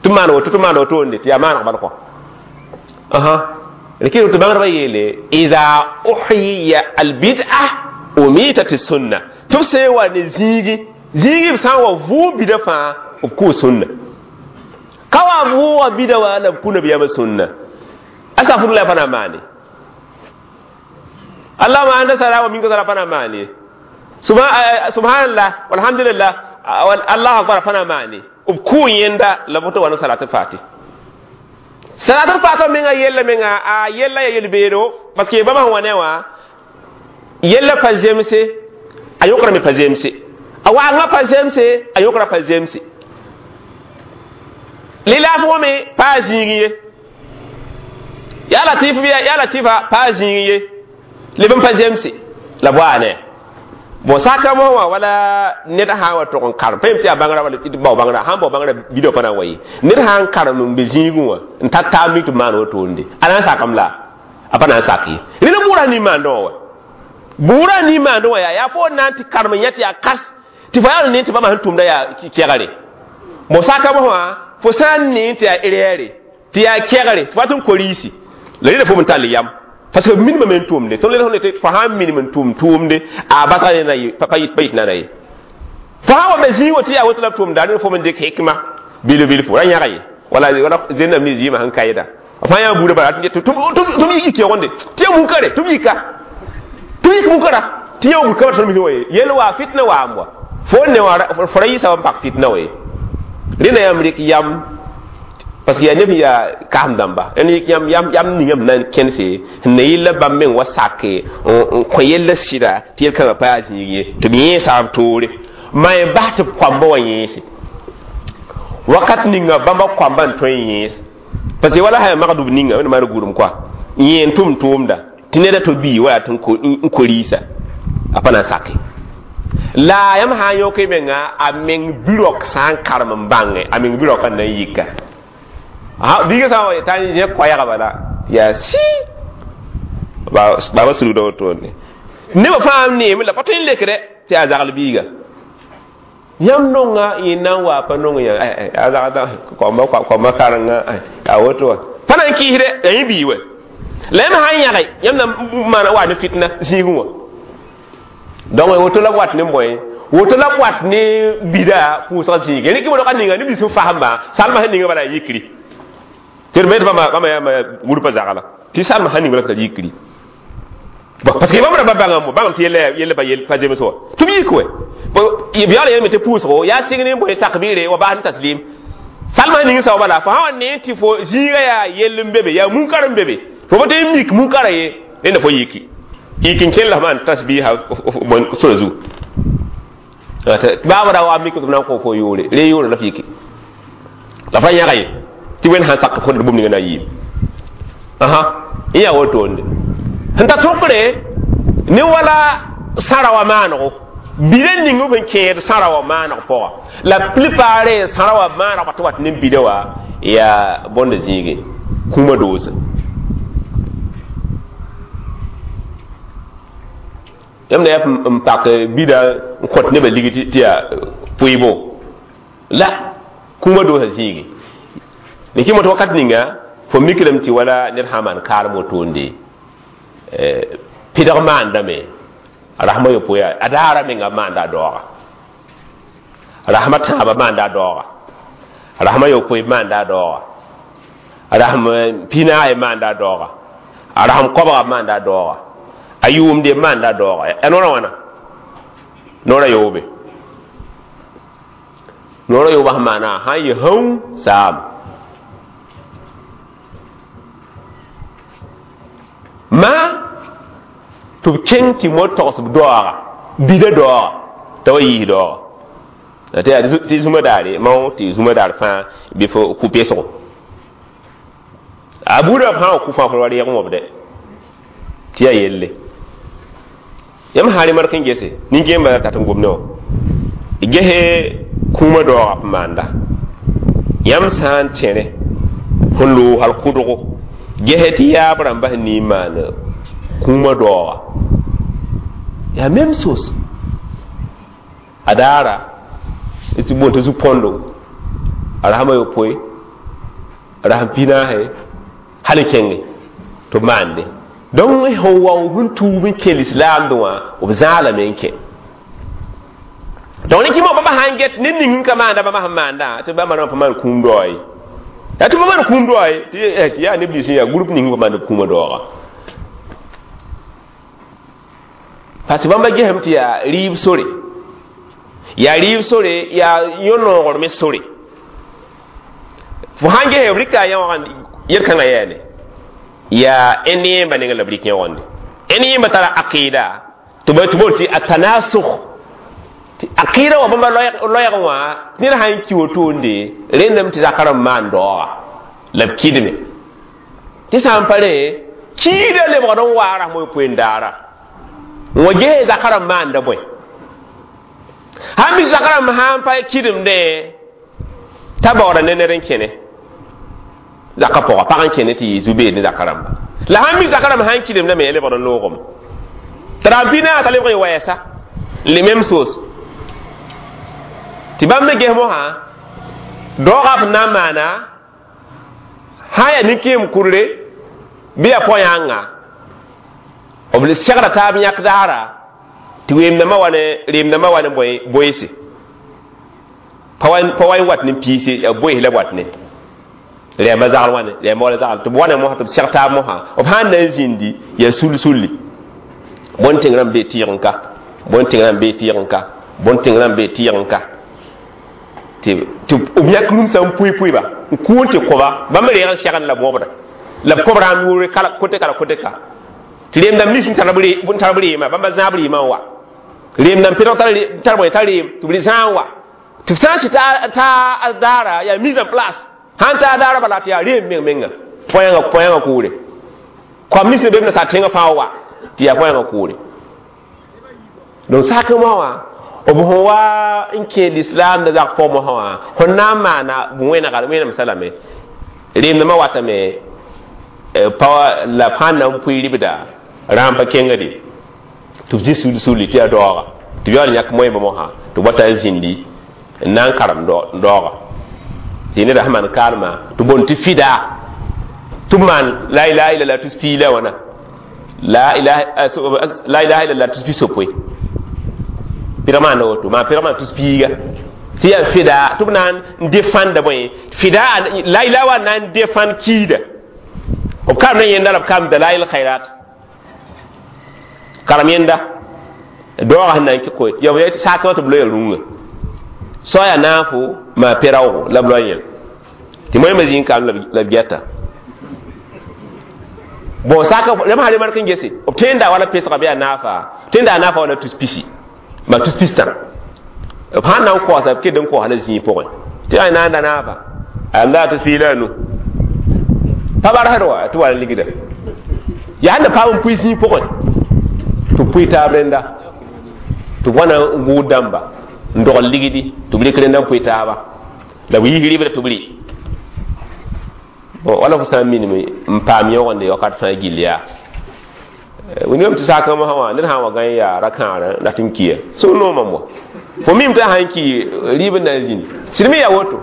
tumano to tumano to onde ti amana ban ko aha lakin to bangar yele idha uhiya al bid'ah umitat as sunnah tufse wa ne zigi zigi san wa vu bida fa ku sunna kawa vuwa bida wa la kuna biya ba sunna astaghfirullah fana mani Allah ma anta salama minka sala fana mani subhanallah walhamdulillah Allah akbar fana mani ku yenda labuto wa salatu fati salatu fati menga yella menga a yella ya yelbero parce que bama wanewa yella pa jemse ayokra me pa jemse awa nga pa jemse ayokra pa jemse lilafo me pa zingiye ya latif biya ya latifa pa zingiye lebn pa jemse la boane bon saka mo wa wala ned ha wa to kon kar pem ti bangra wala ti baw bangra han bo bangra video pana wayi ned han kar num be zingu wa ntata mi to mano to nde ala sakam la apana saki rina bura ni mando wa bura ni mando wa ya ya fo nanti karma nyati ya kas ti fa ya ni ti ba ma tumda ya kegare mo saka mo wa fo sã n ne tɩ yaa erɛɛre tɩ yaa kɛgre tɩ wat n koriisi la rẽda fo n tall yam parce que minimum n tʋʋmde tõnd le tɩ fo sãn minim n tʋʋm tʋʋmde a basga ne na ye pa yit nana ye fo sã wa be zĩig wa tɩ yaa woto la b tʋʋmda rẽnd fo n dɩk hikma bil-bilfu ra yãga ye wala wala zẽnnam ne zɩɩmã sẽn kaɩda fãa yã buudã bala tɩ b yik keoogende tɩ ya munkare tɩ b yika tɩ b yik munkara tɩ yã wulka tõnd misẽ wa ye yel waa fitna waam wa fo ne wa fo ra yɩsa wa n pak fitna wa ye rẽna yãmb rɩk yam parce que yaa neb yaa kaam dãmba rẽnd yik yãmb yam yam ningame na n kẽnse n na yella bãmb meng wa sake n kõ yella sɩda tɩ yel-kãngã pa yaa zĩig ye tɩ b yẽesa b toore ma y bas tɩ b koamba wã yẽese Wakat ninga bãmba koamba n tõe n yẽes parce que wala sã yaa magdb ninga wẽnd maan gʋrem koa n yẽen tʋm tʋʋmda tɩ ned a to bii wa yaa tɩ n ko-riisa a pa na n sake la yãmb sã n yõk y menga a meng bi-raok sã n karem n bãnge a meng bi-raokã n na n yika biiga sã n t'a n zẽ koɛɛga bala yaa sɩ baaba sulgda wotone nebã fãa n neeme la pa tõe n lekdɛ tɩ yaa zagl biiga yãmb nonga yẽ na n waa pa nong yã a zagda koamba karenga a woto wã pa na n kɩɩsdɛ yaa yẽ bii wɛ la yãmb sã n yãge yãmb na n maana wa ne fitna zĩigẽ wã donc woto la b wat ne bõe woto la b wat ne bida pʋʋsg zĩige rɩk b ninga neb nins sẽn fasẽmba salma sẽn ninga bala yikri tɩ d bãmba bãmba yaa gũrpã zagla tɩ salma sẽn ning bala t'a yikri parce que bãmb rãmba bãngame bãngame tɩ yella yella pa pa zems wã tɩ b yik wɛ b yaool yelme tɩ pʋʋsgo yaa sɩng ne bõe takbire wa baas ne taslim salma sẽn ning sao bala fo sã wa ne tɩ fo zĩiga yaa yell n be be yaa munkar n be be fo pa tõe n mik munkara ye rẽnda fo yiki yik n kell la f maan tasbiha sora zugu baaba ra wa mik tɩ b na n kõ fo yʋʋre re yʋʋre la f yiki la f ra yãga ye tɩ wẽnd sãn sak fo d bũmb ninga na n yiim asa n yaa wotoonde sẽn ta tʋkre ne wala sãra wa maanego bida ning b sẽn kẽed sãra wa maaneg pʋga la plupart sãra wa maaneg pa tɩ wat ne bida wã yaa bõnda zĩige kũumã doose yãmb na yaa n pak bida n kõt nebã ligi tɩ yaa pʋɩbo la kũumã doosa zĩige ne kɩ moto wakat ninga fo mikrame tɩ wala ned sã n maan kaarem wotoonde pɩdg maandame rasma yopoe yaa a daara menga maanda a daooga rasma tãabã maanda a daooga rasma yopoe maanda a daooga rasm pinaay maanda a daooga a rasm koabga maanda a daooga a yʋʋmde maanda a daooga yaa noorã wãna noorã yoobe noorã yoobã sẽn maana sã n yɩ hão saam ma tɩ b kẽng tɩ mo togs b daooga bida daooga t'a wa yiis daooga tɩ yaa tɩ zũma daare mao tɩ zũma daar fãa bɩ fo kʋ pesgo a buudã b sã n wa kʋ fãa fo wa reeg wõbdɛ tɩ yaa yelle yãmb sã rẽ mark n gese nin-kẽembã tat n gomdẽ wã gese kũumã daooga p maanda yãmb sã n tẽre sẽn loog hal kʋdgo gese tɩ yaab rãmba sẽn nii n maan kũumã daooga yaa même chose a daara tɩ boon tɩ zu-põndo a rasmã yopoe a rasm pinaase hal n kẽnge tɩ b maande donc sẽn wa sẽn tuub n kẽ lislaamdẽ wã b zãalame n kẽ donc ne kɩ bãmba sã n get ned ning n ka maanda bãmba sẽn maandã tɩ bãmba rãmba pa maan kũum daoa ye yaa tɩ pa maan kũum daoa ye tɩ yaa neb nins yaa groupe ning pa maand kũumã daooga parce que bãmba gesame tɩ yaa rɩɩb sore yaa rɩɩb sore yaa yõ-noogr me sore fo sãn gese b rɩka a yãwagã yel-kãngã yaane yaa n yẽmba nengẽ la b rɩk yẽgende n yẽmba tara aqɩɩda tɩ b bool tɩ atanasug tɩ aqɩɩda wã bãmba loɛɛgẽ wã ned sã n ki wotoonde rẽndame tɩ zakã rãmb maan daooga la b kɩdme tɩ sã n pa rẽ kiida lebgd n waa rasm yopoe n daara n wa ges zakã rãmb maanda bõe sãn mik zakã rãmb sã n pa kɩdemdẽ t'a baooda ne ned n kẽne zaka pʋga pag n kẽne tɩ yɩ zu-beed ne zakã rãmba la sãn mik zakã rãmb sã n kɩdemdame ya lebgd n loogame t'a rãmb pinaas t'a lebg n wɛɛsa le même chose tɩ bãmb me ges mosã daoogã f na n maana sã n yaa nin-kẽem kurre bɩ yaa pɔ-yãnga b segra taab yãk daara tɩ weemdãmbã wa ne reemdãmbã wa ne bõe boeese pa wa n wat ne piise yaa boees la b wat ne rɛɛmbã zagl wãne rɛɛmbã wala zagl tɩ b wa ne mosã tɩ b seg taab mosã b sã n na n zĩndi yaa sul-sulli bõn-tẽng rãmb bee tɩɩg n ka bõn-tẽng rãmb bee tɩɩg n ka bõn-tẽng rãmb bee tɩɩg n ka tɩ b yãk rũmsã n pʋɩ-pʋɩba n kʋʋn tɩ kõba bãmb reeg n segend la b wõbda la b kõb rãmb yʋʋre kote ka la kote ka tɩ reemdãmb nins n tar b reema bãmba zãab reemã n wa reemdãmb pɩdg tar bõe t'a reem tɩ b zãag n wa Tɩ sã n sɩ t'a daara yaa mise en place sãn ta daara bala tɩ yaa reem meng menga põyãngã põyãngã kʋʋre koam nins ne be b nasaar tẽngã fãa wa tɩ yaa põyãngã kʋʋre donc sak moa wã b sẽn wa n kẽ lislaam da zak pʋgẽ mosã wã fõn na n maana wẽnega wẽnem salame reemdãmã watame pa la fãa na n pʋɩ ribda rãam pa kengde tɩ b zĩ sul sulli tɩ yaa daooga tɩ b yaool yãk moẽmba mosã tɩ b wata n zĩndi n na n karem daooga tɩ neda sẽn maan kaalmã tɩ boond tɩ fida tɩ b maan la ilaha illallah tus piig la wãna la ilaha illallah tus pi-sopoe pɩrg maanda woto maan pɩrg maan tus piiga tɩ yaa fida tɩ b na n defãnda bõe fida la ilaha wa na n defãnd kiida b karem ne yẽnda la b karem dalail khairat karem yẽnda daoogã sẽn na n kɩ koe ya sakẽ tɩ b loya rũngã soaya naafo maa peraoogo la b loa yẽl tɩ moẽmã zĩig kaam la b gɛta bon saka rẽmb sã remark n gese b tẽnda wala pesga bɩ yaa naafa tẽnda a naafa wala tus pisi maa tus pistã b sãn na n koasa b ked n koasa la zĩig pʋgẽ tɩ yaa na n da naafa a la tus piig la a nu pa barsd wa tɩ wa ligda yaa sẽn da paam n pʋɩ zĩig pʋgẽ tɩ b pʋɩ taab rẽnda tɩ b wãna n gʋʋd dãmba n dogl ligdi tɩ b rɩk rẽnda n pʋɩ taaba la b yiis rɩbda tɩ b rɩ bon wala fo sã n minime n paam yõgende wakat fãa gill yaa wingame tɩ sakã mosã wã ned sã n wa gã n yaa ra-kãarã rat n kiya sũ noomam wa fo mim tɩ sãn ki rɩɩb n na n zĩndi sɩd me yaa woto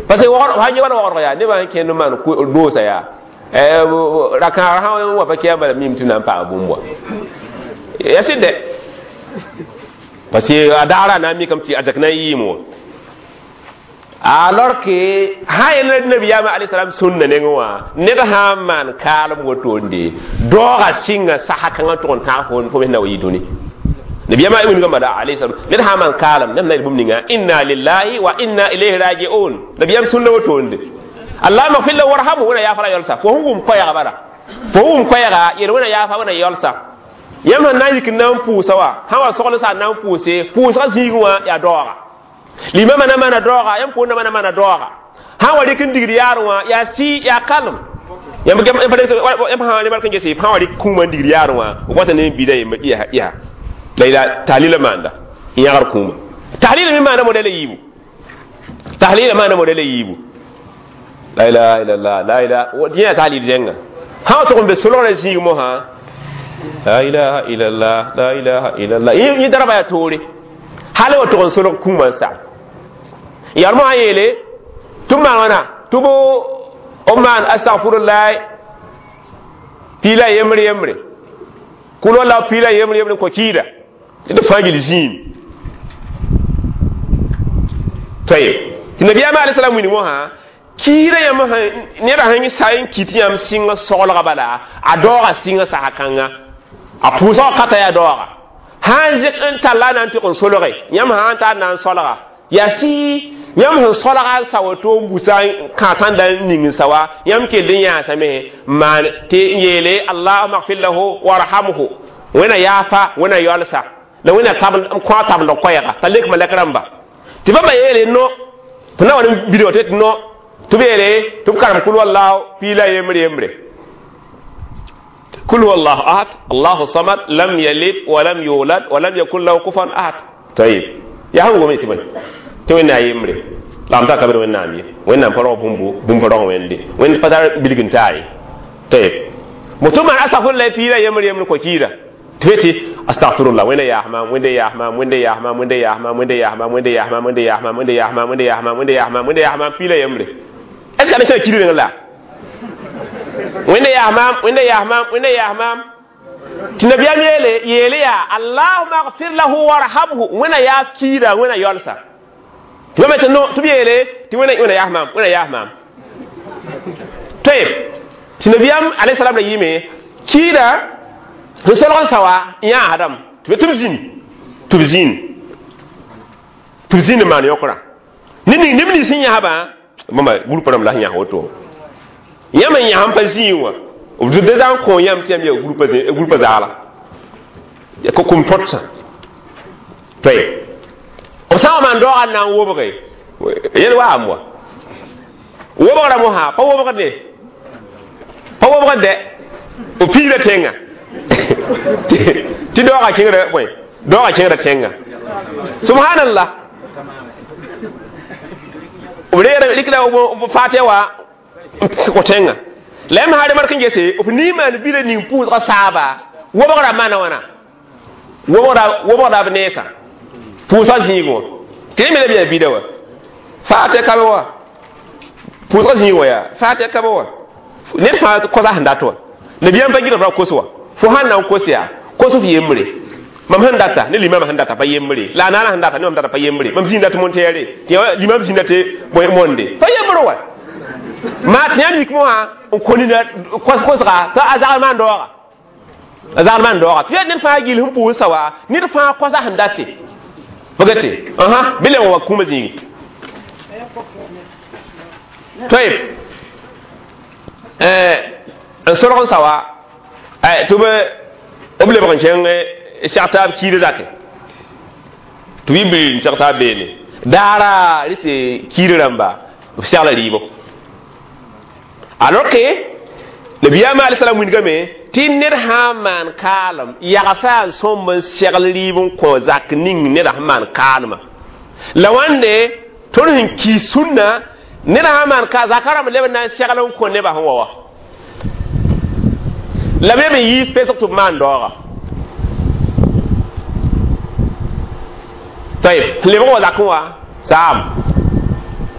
parce que sã yẽ wala waoodg yaa nebã sẽn kẽnd n maan doosa yaa ra-kãarã sã n wa pa kɩa bala mim tɩ na n paam bũmb wa ya sɩd dɛ parce que a daara na n mikame tɩ a zak na n yɩɩm wã alors que sã yel nabiyaamã alayhi salam sũnna nengẽ wã ned sã n maan kaalem wotonde daoogã sɩnga sasa kãngã tʋg n tãag fo mes na wa yɩ dũni nabiyama wingã bala alayhi salam ned sã n maan kaalem neb na yel bũmb ninga inna lillahi wa inna ilayhi rajiun nabiyam sũnna wotonde allahuma gfir lahu warhamhu wẽna yaafra yalsa fo sẽn wʋm koɛɛga bala fo wʋm koɛɛga yel wẽna yaafa wẽna yalsa yãmb sẽn na n yik n na n pʋʋsa wa sã wa sogl sa n na n pʋʋse pʋʋsgã zĩigẽ wã yaa daooga limama na maana daooga yãmb poorda na maana daooga sã wa rɩk n digd yaar wã yaa sɩ yaa kalem yãmb sã remark n gese sã wa rɩk kũumã n digd yaar wã b wata ne n bida yembr yaa la ila tahlila maanda n yãgr kũumã tahlila me maana modɛla yiibu tahlila maana modɛla yiibu la ilaha illallah la ilaha yẽ yaa tahlil zẽnga sã wa tʋg n be solgrã zĩig mosã la ilaha illallah la ilaha illallah yẽ darba yaa toore hal wa tʋg n solg kũumã n sa yar mo yeele tɩ maan wãna tɩ b b maan astagfirullah piila yembre yembre kʋl walla piila yembre yembre n kõ kiida tɩ d fãa gil zĩim tayeb tɩ nabiyaamã alai salam wilg mosã kiida yãmb neda sẽn sa n kit yãmb sɩngã soglga bala a daooga sɩngã sasa kãnga a pʋʋsgã kata yaa daooga sã n zɩk n talla na n tɩg n solge yãmb sã n tar na n solga yaa sɩ yãmb sẽn solga n sa woto n busa kã tãnda n ning n sa wa yãmb kell n yãasame n maan tɩ n yeele allahuma gfir lahu warhamhu wẽna yaafa wẽna yaolsa la wẽna kõ a tabend koɛɛga t'a lek malɛk rãmba tɩ bãmba yeele no tɩ na wa n bidg tɩ no tɩ b yeele tɩ b karem kul wallahu piila yembre yembre kul huwa ahad allahu samad lam yalid walam yulad walam yakun lahu kufuwan ahad tayib yaa sẽn gome tɩ bõe tɩ wẽnna yembre la m ta kabr wẽnnaam ye wẽnnaam pa rao bũmbu bũmb pa rao wẽnde wẽnd pa tar bilg n taa ye tayib moto maan astagfirullah piila yembre yembre kõ kiida tɩ be tɩ astagfirullah wẽnda yaas maam wẽnda yaas maam wẽnda yaas maam wẽnda yaas maam wẽnda yaas maam wẽnda yaas maam wẽnda yaas maam wẽnda yaas maam wẽnda yaas maam wẽnda yaas maam wẽnda yaas maam piila yembre est ce que a sã kiid reng la wẽnda yaas maam wẽnda yaas maam wẽnda yaas maam tɩ nabiyaam yeele yeele yaa allahuma gfir lahu warhamhu wẽna yaa kiida wẽna yaolsa tɩ bãmba tɩ no tɩ b yeele tɩ wẽna wẽna yaas maam wẽna yaas maam tayeb tɩ nabiyaam alayhi salam la yɩɩme kiida sẽn solg n sa wa n yãasdame tɩ be tɩ b zĩni tɩ b zĩni tɩ b zĩni n maan yõkrã ne ning neb nins sẽn yãsbã bãmba gũrpã rãmb la sẽn yãs woto yãmb n yãs n pa zĩig wã b da zã n kõ yãmb tɩ yãmb yaa gũrpã zaala kʋm tõdsã tayeb B sã n maan daoogã n na n wobge yel waam wa wobgra mosã pa wobgde pa wobgd b piigra tẽngã tɩ daoogã kẽngda bõe daoogã kẽngda tẽngã subhanallah b reera rɩkda b faatɩ wa n kõ tẽngã la yãmb sã remark n gese f nii maan bila ning pʋʋsgã saaba wobgrã maana wãna wobgda b neesã pʋʋsgã zĩig wã tɩ rẽ me la b yaa bida wa faatɩ ka be wa pʋʋsgã zĩig wã yaa faatɩ ka be wa ned fãa kosa sẽn dat wa nabiyaam pa gɩdg ra kos wa fo sãn na n kos yaa kos f yembre mam sẽn data ne limam sẽn data pa yembre la a naana sẽn data ne mam data pa yembre mam zĩnd dat monteere tɩ limam zĩnda tɩ monde pa yembre wa maa tɩ yãmb yik mosã n kõ nina kosga tɩ a zagl maan daooga a zagl maan daooga tɩ yaa ned fãa gill sẽn pʋʋsa wa ned fãa kosa sẽn date bagate aha bɩ leb wa kũumã zĩigi طيب n sorg n sa wa tɩ b lebg n kẽng seg taab kiida zake tɩ b yɩ n seg taab beene daara rɩ tɩ kiida rãmba b segla rɩɩbo alors que nabiyaamã alai salam wilgame tɩ ned sã n maan kaalem yagsa n sõmb n segl rɩɩb n kõ zak ning neda sẽn maan kaalmã la wãnde tõnd sẽn kii sũnna ned sã n maan ka zaka rãmb leb n na n segl n kõ nebã sẽn wa wa la b leb n yiis pesg tɩ b maan daooga tayeb lebg wa zakẽ wã saam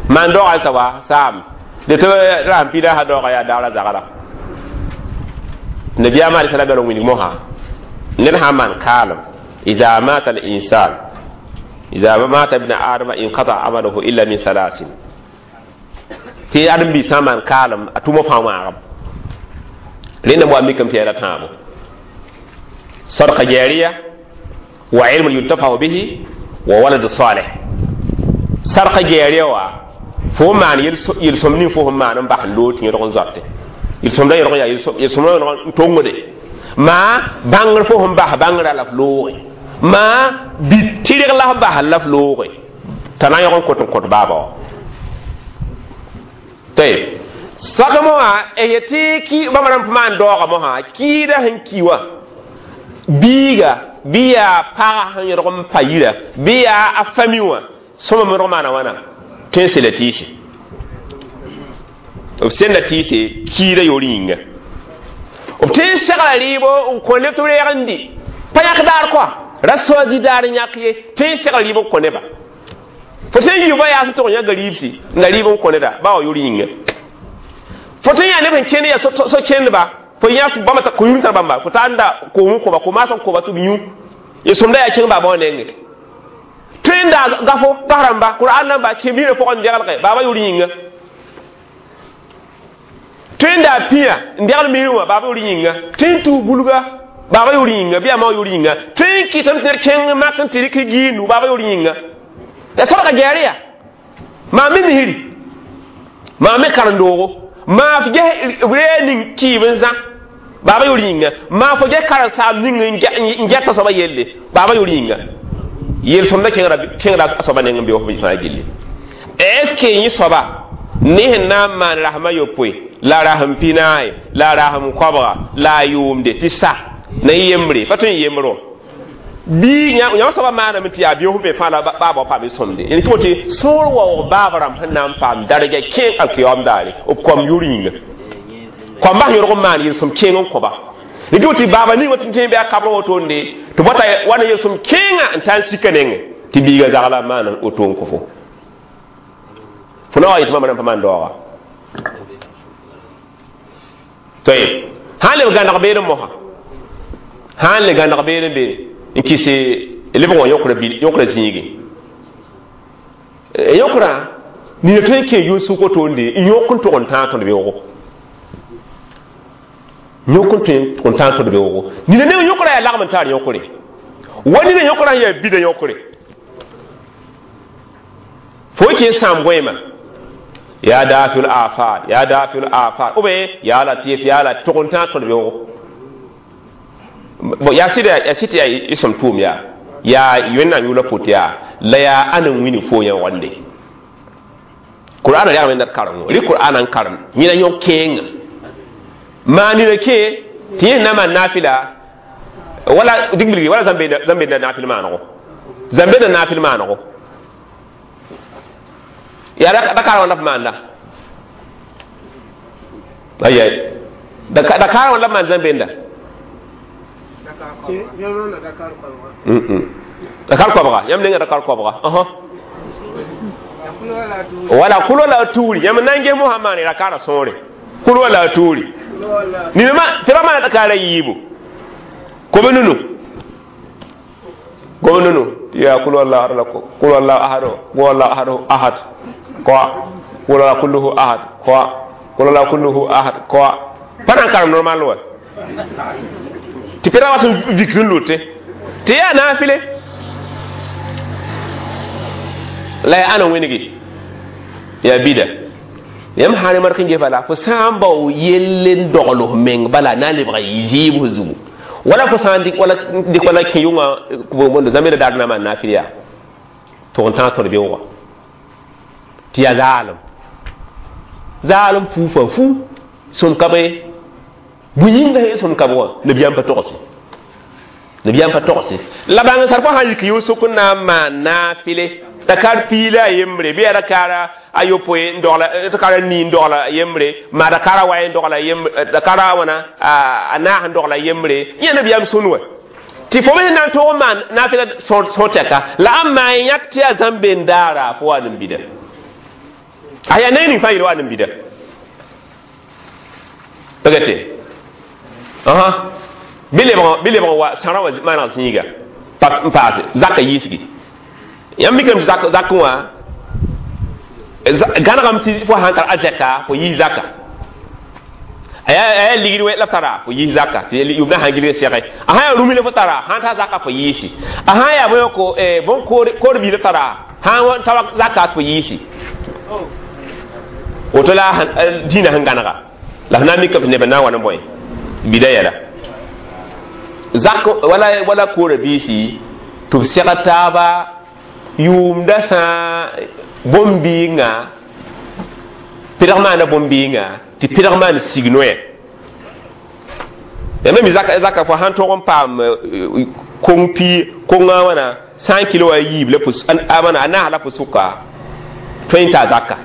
maan daooga n sa wa saam de tɩ rasem pida sã daooga yaa daara zagra nabiyaamã alai salam yaa wilg mosã ned sã n maan kaalem ida mata al insan ida mata ibn adama inqata amaluhu illa min salasin tɩ ãdem-biis sã n maan kaalem a tʋma fãa wãagem rẽndame wa mikame tɩ yaa tãabo sadqa jariya wa ilmun yuntafahu bihi wa walad salih sadqa jariya wa fo maan yel-sõm ning fo sẽn maan n bas n loog tɩ yẽdg n zoate yel-sõmda yẽdg yaa yel-sõmda yẽdg n tongde maa bãngr fo sẽn bas bãngrã la f looge maa bɩ tɩrg la f bas la f looge t'a na n yõg n kot n kõt baaba wã tayeb sak mosã yetɩ ki bãmb rãmb maan daooga mosã kiida sẽn ki wã biiga bɩ yaa paga sẽn yẽdg n pa yira bɩ yaa a fami wã sõma me rog maana wãna tõe n sela tɩɩse b senda tɩɩse kiida yoor yĩnga b tõe n segla rɩɩbo n kõ neb tɩ b reeg n dɩ pa yãk daar koa ra soazi daar n yãk ye tõe n segla rɩɩb n kõ neba fo tõe n yiiba yaa sẽn tʋg n yã gariibsi n la rɩɩb n kõ neda ba wa yoor yĩnga fo tõe n yaa neb sẽn kẽnd yaa so-kẽndba fo yã bãmba ko-yũud tar bãmba fo taa n da koom n kõba ko-maas n kõba tɩ b yũ yel-sõmda yaa kẽng baaba wã nengẽ tõe n daa gafo gas rãmba qur'an rãmba kẽ-biirã pʋgẽ n degelge baaba yoor yĩnga tõe n daa pĩa n degl miirẽ wã baaba yoor yĩnga tõe n tuus bulga baaba yoor yĩnga bɩ yaa ma yoor yĩnga tõe n kɩtame tɩ ned kẽng mak n tɩ rɩk giindu baaba yoor yĩnga la sadga gɛɛre yaa maa me misri maa me karen-doogo maa f ges ree ning kɩɩb n zã baaba yoor yĩnga maa fo ges karen-saam ning n gɛta soaba yelle baaba yoor yĩnga yel-sõmda kẽngda a soaba neng n be wa f fãa gilli est ce que yẽ soaba ne sẽn na n maan rasem a yopoe la rasem pinaay la rasem koabga la a yʋʋmde tɩ sa na y yembre pa tõe n yembre wã bii yãmb soaba maaname tɩ yaa beoog sẽn be fãa la baaba wa paam sõmde yẽl tɩ tɩ sõor waoog baab rãmb sẽn na n paam darga kẽng alkiyaoom daare b koam yʋr yĩnga koamba sẽn yõrg n maan yel-sõm kẽeng n kõba rɩ tɩ baaba ning tɩ tẽen bɩ a kabrã wotonde tɩ bota wa na yel-sõm kẽengã n taa n sika nengẽ tɩ biiga zagla n maan woto n kõ fo fo na wa yetɩ bãmb rãmb pa maan daooga tayeb sã n leb gãneg beene mosã sã n le gãneg beene be n kɩs lebg wã yõkra zĩige yõkrã nina tõe n kẽ yʋn-sʋk wotonde n yõk n tʋg n tãag tõd beoogo yõk n tõe n tãag tõd beoogo nina neng yõkrã yaa lagm n taar yõkre wa nina yõkrã sẽn yaa bida yõkre fo kẽ sãam goeemã ya dafiul afat ya dafiul afat ou bien ya latif ya la tʋg n tãag tõd beoogo bon yaa sɩda yaa sɩ tɩ yaa y sõm tʋʋm yaa Yaa Wẽnnaam yʋʋla pʋt yaa la yaa ãn n wĩnig fo yã wande Qur'ana rɛgame n dat karengo rɩ Qur'ana n karem yẽna yõ kẽenga maa nina kẽ tɩ yẽ na maan naafɩla wala dĩng wala zãmbe naafɩl maanego zãmbe na naafɩl maanego yaa Dakar wã la f maanda ayay Dakar wã la maan zãmbenda Dakar koabga yãmb nenga Dakar koabga wala kulo la tuuri yãmb na n ges mosã maane Dakara sõore kulo la tuuri nina tɩ ra maana Dakara yiibu kobe nunu kobe nunu ya kul wallahu ahad kul wallahu ahad kul wallahu ahad ahad ko kul wallahu kulluhu ahad ko kul wallahu kulluhu ahad ko pa nan karem normal wa tɩ pera wat n vik n lote tɩ yaa naafɩle la yaa ãn n wẽnegi yaa bida yãmb sã ne mark n ges bala fo sã n bao yell n dogl f meng bala na n lebga zɩɩb zugu wala fo sã n dɩk wala dɩk wala kẽ yʋngã bondo zãmbe la daar na maan naafɩl yaa tʋg n tãag tõd beoogã tɩ yaa zaalem zaalem fuufa fu sõm ka be bũi yĩnga sẽn sõm ka wã nabiyaam pa togse nabiyaam pa togse la bãng sar fo sã n yik yʋʋg n na n maan naafɩle Dakar piila a yembre bɩ yaa Dakara a yopoe n dogla Dakara nii n dogla yembre maa Dakara wa n dogla yembre Dakara wãna a naas n dogla yembre yẽ nabiyaam sũn wa tɩ fo me sẽn na n tog n maan naafɩla sõor tɛka la a maan yãk tɩ yaa zãmbe n daara fo wa n bida a yaa neng ning fãa yel wa n bida pagate aha bɩ lebg bɩ lebg wa sãrã wã maaneg zĩiga n paase zaka yiisgi yãmb mikame tɩ zak zakẽ wã gãnegame tɩ fo sãn tar a zɛka fo yiis zaka a yaa ligd la f tara fo yiis zaka tɩ yʋmdã sãn gilg sɛge a sã yaa rũmi la fo tara sãn tar zaka fo yiisi a sã yaa bõe ko bõn koor bii la tara sãn ta zaka fo yiisi woto la dĩinã sẽn gãnega la f na n mikame tɩ neb n na n wa ne bõe bida yɛla zak wala wala koora biisi tɩ b sɛg taaba yʋʋmda sã bõn-biingã pɩdg maana bõn-biingã tɩ pɩdg maan sig noɛ yãmb mi zaka zaka fo sãn tog n paam kong pi kongã wãna cent kilo a yiib la pʋs a wãna a naas la pʋs-sʋka tõe n taa zaka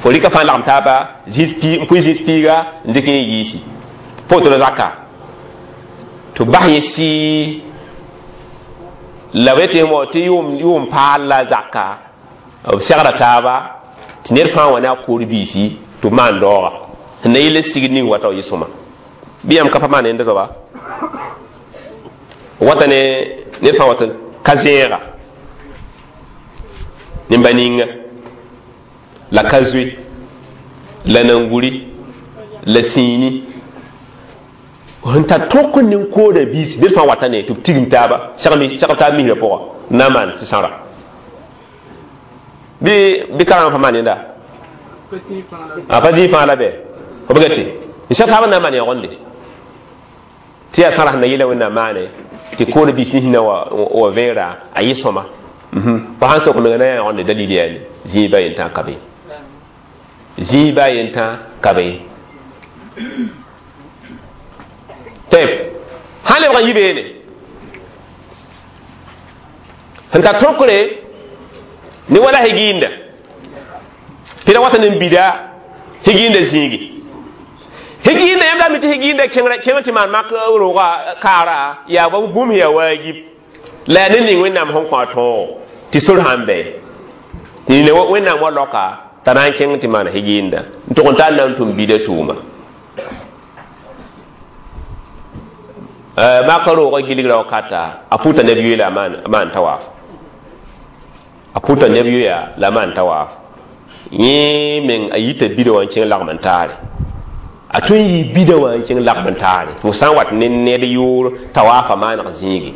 fo rɩka fãa lagem taaba zĩis pi n pʋɩ zĩis piiga n dɩk yẽ yiisi pa woto la zaka tɩ bas yẽ sɩ la b yetɩ mo tɩ yʋʋm paal la zaka b segra taaba tɩ ned fãa wa ne a koor biisi tɩ b maan daooga sẽn na yɩl sigd ning wata yɩ sõma bɩ yãmb ka pa maan yẽnda soaba wata ne ned fãa wat ka zẽega nemba ninga la ka zoe la nanguri la sĩini sẽn tar tõk n ning kooda biisi ned fãa wata ne tɩ b tigim taaba segl taab misrã pʋga n na n maan sɩsãra bɩ bɩ karengã pa maan yẽnda a pa zĩig fãa la bɛ f ga tɩ n seg taab n na n maan yãgende tɩ yaa sãra sẽn na yeela Wẽnnaam maane tɩ kooda biis nins na wa vẽera a yɩ sõma fo sãn sok menga na yaa yãgende dalil yaa zĩig ba yentã ka be zĩig ba yentã ka be tɩ sãn lebg n yi beene sẽn tar tõkre ne wala higiinda pɩda wata ne n bida higiinda zĩigi higiinda yãmb la mi tɩ higiinda kẽngr kẽngr tɩ maan mak rooga kaara yaa ba bũmb yaa waajib la yaa ne ning Wẽnnaam sẽn kõ a tõogo tɩ sor sãn bɛ nina Wẽnnaam wa loka t'a na n kẽng tɩ maan higiinda n tʋg n tar na n tʋm bida tʋʋma maka roogã gilgra wakata a pʋta neb yoe la a maan tawaaf a pʋta neb yoya la a maan tawaaf yẽ meng a yita bida wã n kẽng lagm n taare a tõe n yɩ bida wã n kẽng lagm n taare tɩ fo sã n wat ne ned yʋʋr tawaafa maaneg zĩigi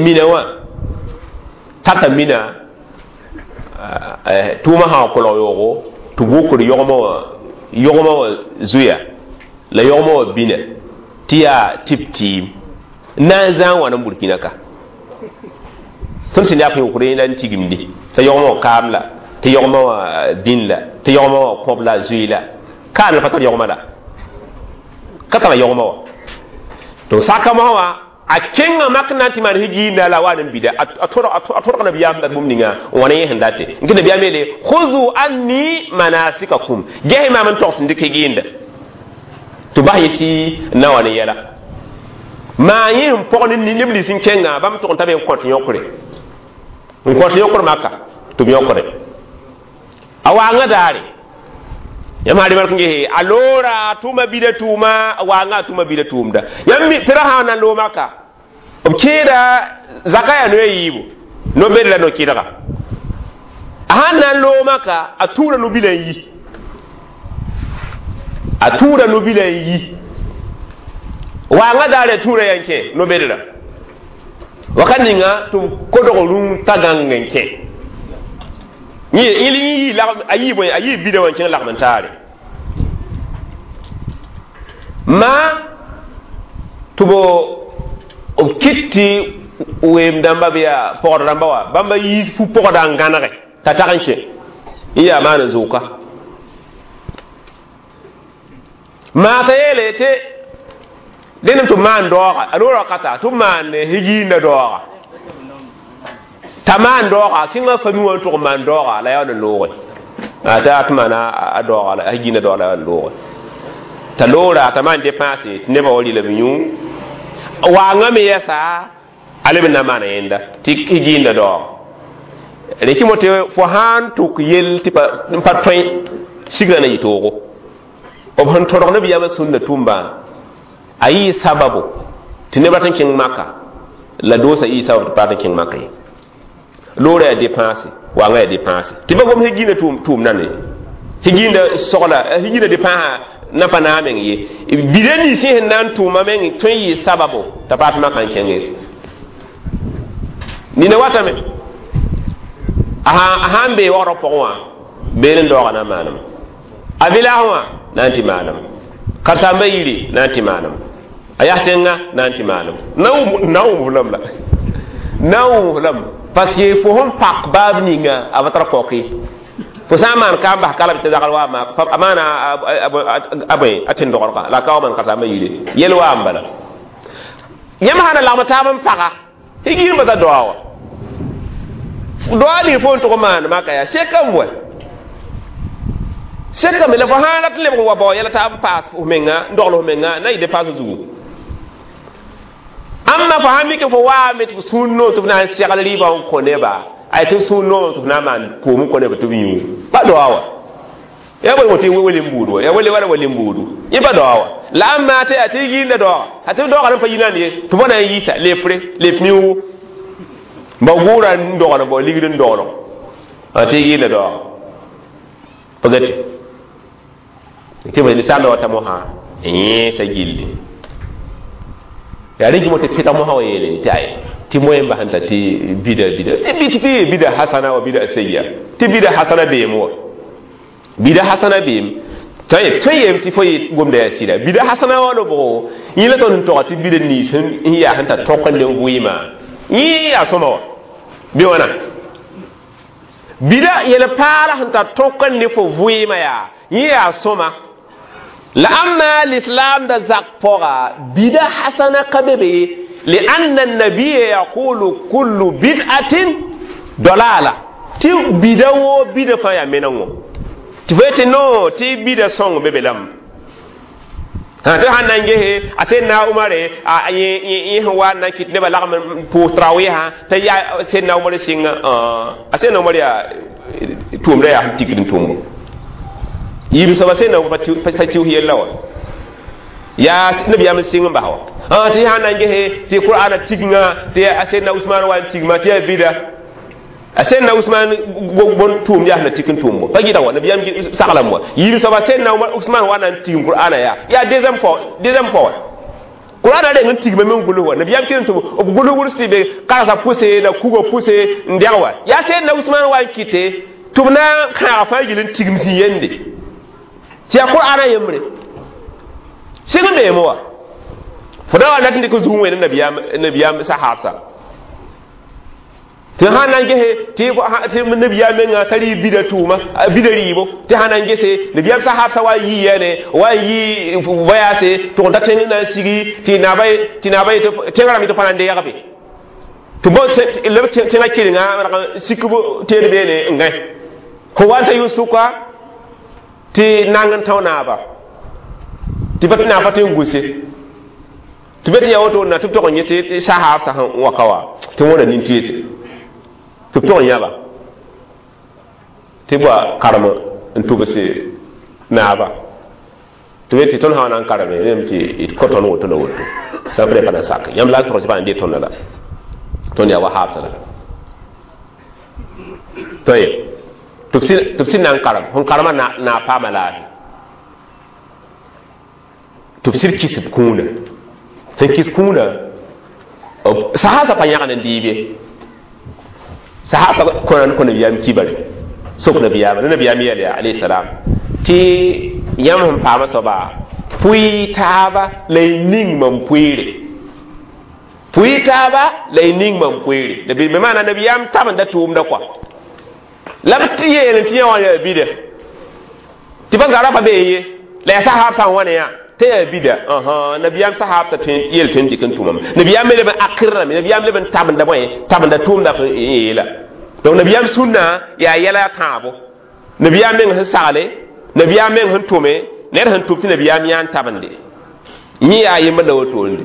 mina wã tata mina tʋʋmã sã n kolg yoogo tɩ b wʋkd yogmã wã yogmã wã zuya la yogmã wã bina tɩ yaa tɩ b tɩɩm na n zãag wãn n Burkina ka Tõnd sẽn yaa p yõkre la n tigimde t'a yogmã wã kaam la, tɩ yogmã wã dĩn la, tɩ yogmã wã kõb la, a zoe la, kaan la pa tar yogmã la, ka tara yogmã wã. Donc saka mosã wã a kẽnga mak na n tɩ maan higiinda la a wa n bida, a tõdg nabiyaam dat bũmb ninga n wa ne yẽ sẽn date n kɩ. Nabiyaam yeele: "Khuzu anni manasikakum", ges maam n togs n dɩk higiinda tɩ bas yẽsi n na wa ne yɛla maa yẽ sẽn pɔg ne neb nins n kẽnga bãmb tʋg n ta be n kõt yõkre, n kõt yõkr maka tɩ b yõkre a waangã daare. Yãmb sã remark n gese a loora a tʋma bida tʋʋma, a waangã a tʋma bida tʋʋmda. Yãmb pera sã na n loog maka, b kẽeda zaka yaa noya yiibu, no-bed la no-kɩdga. A sãn na n loog maka, a tʋʋra no-bilã n yi, a tʋʋra no-bilã n yi. Waangã daare a tʋʋra yaa n kẽ no-bedra wakat ninga tɩ b kodg rũm t'a gãng n kẽ yẽ. A yii bõe? A yii bida wã n kẽng lagm n taare ma tɩ b b kɩt tɩ weem dãmba bɩ yaa pɔgd rãmba wa bãmba yiis fu-pɔgda n gãnege t'a tag n kẽ n yaa maan n zʋʋka maa. T'a yeele tɩ dẽnem tɩ b maan daooga, a loora wakata tɩ b maan higiinda daooga, t'a maan daooga kẽngã fami wã n tʋg n maan daooga la yaa n looge t'a tɩ maana a daooga la a higiinda daooga la yaa n looge t'a loora t'a maan dépensé tɩ nebã wa rɩla b yũ. Waangã me yɛsa a leb n na n maana yẽnda tɩ higiinda daooga. Rẽ kɩ mo tɩ fo sãn tʋk yell tɩ n pa tõe sigrã na yɩ toogo b sẽn tõdg nabiyaamã sũnna tũmbã a yɩɩ sababu tɩ neb rat n kẽng maka la doosa yɩɩ sababu tɩ pa rat n kẽng maka ye. Loora yaa dépense, waangã yaa dépense tɩ ba gom higiinda tʋʋm nane, higiinda sogla, higiinda dépense na pa naag meng ye. Bida nins sẽn na n tʋʋma meng tõe n yɩ sababu t'a paam tɩ makã n kẽnge. Nina watame a sãn bee wagrã pʋgẽ wã beel n daooga na n maanema, a village wã na n tɩ maanem, karsamba yiri na n tɩ maanem, a yas tẽngã na n tɩ maanem, na n wʋm lam la na n wʋm lam, parce que fo sẽn pak baab ninga a pa tar kaoke. Fo sã n maan ka n bas kalem tɩ zagl wa a maana a bõe a tẽn-dogdga la a ka wa maan karsamba yire yel wa n bala. Yãmb sã na lagm taab n paga higiir basa doa wa doa ning fo n tʋg maan maka yaa sekame wa sekame la fo sãn rat n lebg n wa bao yɛla taab n paas f menga n dogl f menga na yɩ dépense zugu. Ãmba fo sãn mik fo waame tɩ f sũur noom tɩ f na n segl rɩɩbã n kõ neba, ay tɩ f sũur noomame tɩ f na n maan koom n kõ neba tɩ b yũ pa doa wa ya bõe tɩ wele n buud wa ya wele wala wele n buudu yẽ pa doa wa la ãmba tɩ yaa tɩ yĩnda daooga a tɩ daooga rẽn pa yinand ye tɩ bõna n yiisa lepre lep miuugu ba gʋʋra n dogl bao ligd n doglg tɩ yĩnda daooga pa gate tɩ ninsaalã wata mosã n yẽesa gilli yaa rẽ gɩmo tɩ pɩtg mosã wa yeele tɩ ay tɩ moe n basẽn t'a tɩ bida bida tɩ tɩ bida hasana wa bida sayya tɩ bida hasana beem wa bida hasana beem tõe yeem tɩ fo yɩ gomda yaa sɩda bida hasana wa lobgo yẽ la tõnd n tɔga tɩ bida nins n yaa sẽn tar tõk n le vɩɩmã yẽ yaa sõma wa bɩ wãna bida yel paala sẽn tar tõk n ne fo vɩɩmã yaa yẽ yaa sõma la. Amma l'islam da zak pɔga bida hasana ka be be lianna annabiya yaqulu kullu bid'atin dalala tɩ bida woo bida fãa yaa menengo tɩ fo yetɩ no tɩ bida sõng be be lame tɩ sãn na n gese a sẽn na Umare yẽ sẽn wa n na n kɩt nebã lagm n pʋʋs tarawiisã t'a yaa sẽn na Umar sɩnga a sẽn na Umar yaa tʋʋmda yaa sẽn tikd n tʋmbo yiib soaba sẽn na pa tɩʋs yella wa yaa nabiyaam n sɩng n bas wa tɩ sãn na n gese tɩ qur'ana tigngã tɩ a sẽn na Usman wa n tigma tɩ yaa bida a sẽn na Usman bõn tʋʋm yaa sẽn na tik n tʋʋmbo pa gɩdg wa nabiyaam saglame wa yiib soaba sẽn na Usman wa na n tigm qur'ana yaa yaa deuxième fois deuxième fois wa qur'ana reng n tigma me n gʋls wa nabiyaam kɩr n tɩ b gʋls wʋls tɩ be karsa pʋse la kuga pʋse n dɛg wa yaa sẽn na Usman wa n kɩte tɩ b na n kãaga fãa yɩl n tigm zĩ yende tɩ yaa qur'ana yembre sɩng n beeme wa fo da wa rat n dɩk zug wẽnd nabiyaam nabiyaam sahabsa. Tɩ sã n na n gese tɩ nabiyaam menga t'a rɩ bida tʋʋma, bida rɩɩbo, tɩ sã na n gese nabiyaam sahaabsã wa n yɩ yɛne wa n yɩ voyage tʋg n ta tẽng na n sigi tɩ naaba tɩ naaba tẽngã rãmb tɩ pa na n deeg be tɩ bõ leb tẽngã kelenga sik teed beene n gãe fo wa n ta yʋ-sʋka tɩ nang n tão naaba tɩ pa naab pa tõe n gʋse tɩ be tɩ yaa woto na tɩ b tog n yẽ tɩ sahaabsã sẽn wa ka wa tɩ wõna nin-teese tɩ b tog n yãba tɩ bua karem n tʋbs naaba tɩ be tɩ tõnd sã wa na n kareme rẽm tɩ d kõ tõnd woto la woto sã p pa na sak yãmb la n tog tɩ pa na dee tõnda la tõnd yaa wa haabsã la toye tɩ b sɩd na n karem sẽn karema na paama laafɩ tɩ b sɩd kis b kũuna sẽn kis kũuna sahaasã pa yãgd n dɩɩb ye sahaba kõna kõ nabiyaam kibare sok nabiyaama la nabiyaam yɛl yaa alayhi salam tɩ yãmb sẽn paama soaba pʋɩ taaba la y ning mam pʋɩɩre pʋɩ taaba la y ning mam pʋɩɩre be maana nabiyaam tabenda tʋʋmda kɔa la b tɩ yeel tɩ yã wã yaa bida tɩ pa zara pa bee ye la yaa sahaab sã n wa ne yã tɩ yaa bida nabiyaam sahaab t'a yel tõe n dɩk n tʋmame nabiyaam me leb n akɩrame nabiyaam leb n tabenda bõe tabenda tʋʋmda yeela donc nabiyaam sũnna yaa yɛla tãabo nabiyaam meng sẽn sagle nabiyaam meng sẽn tʋme ned sẽn tʋm tɩ nabiyaam yã n tabende yẽ yaa yembr la wotoonde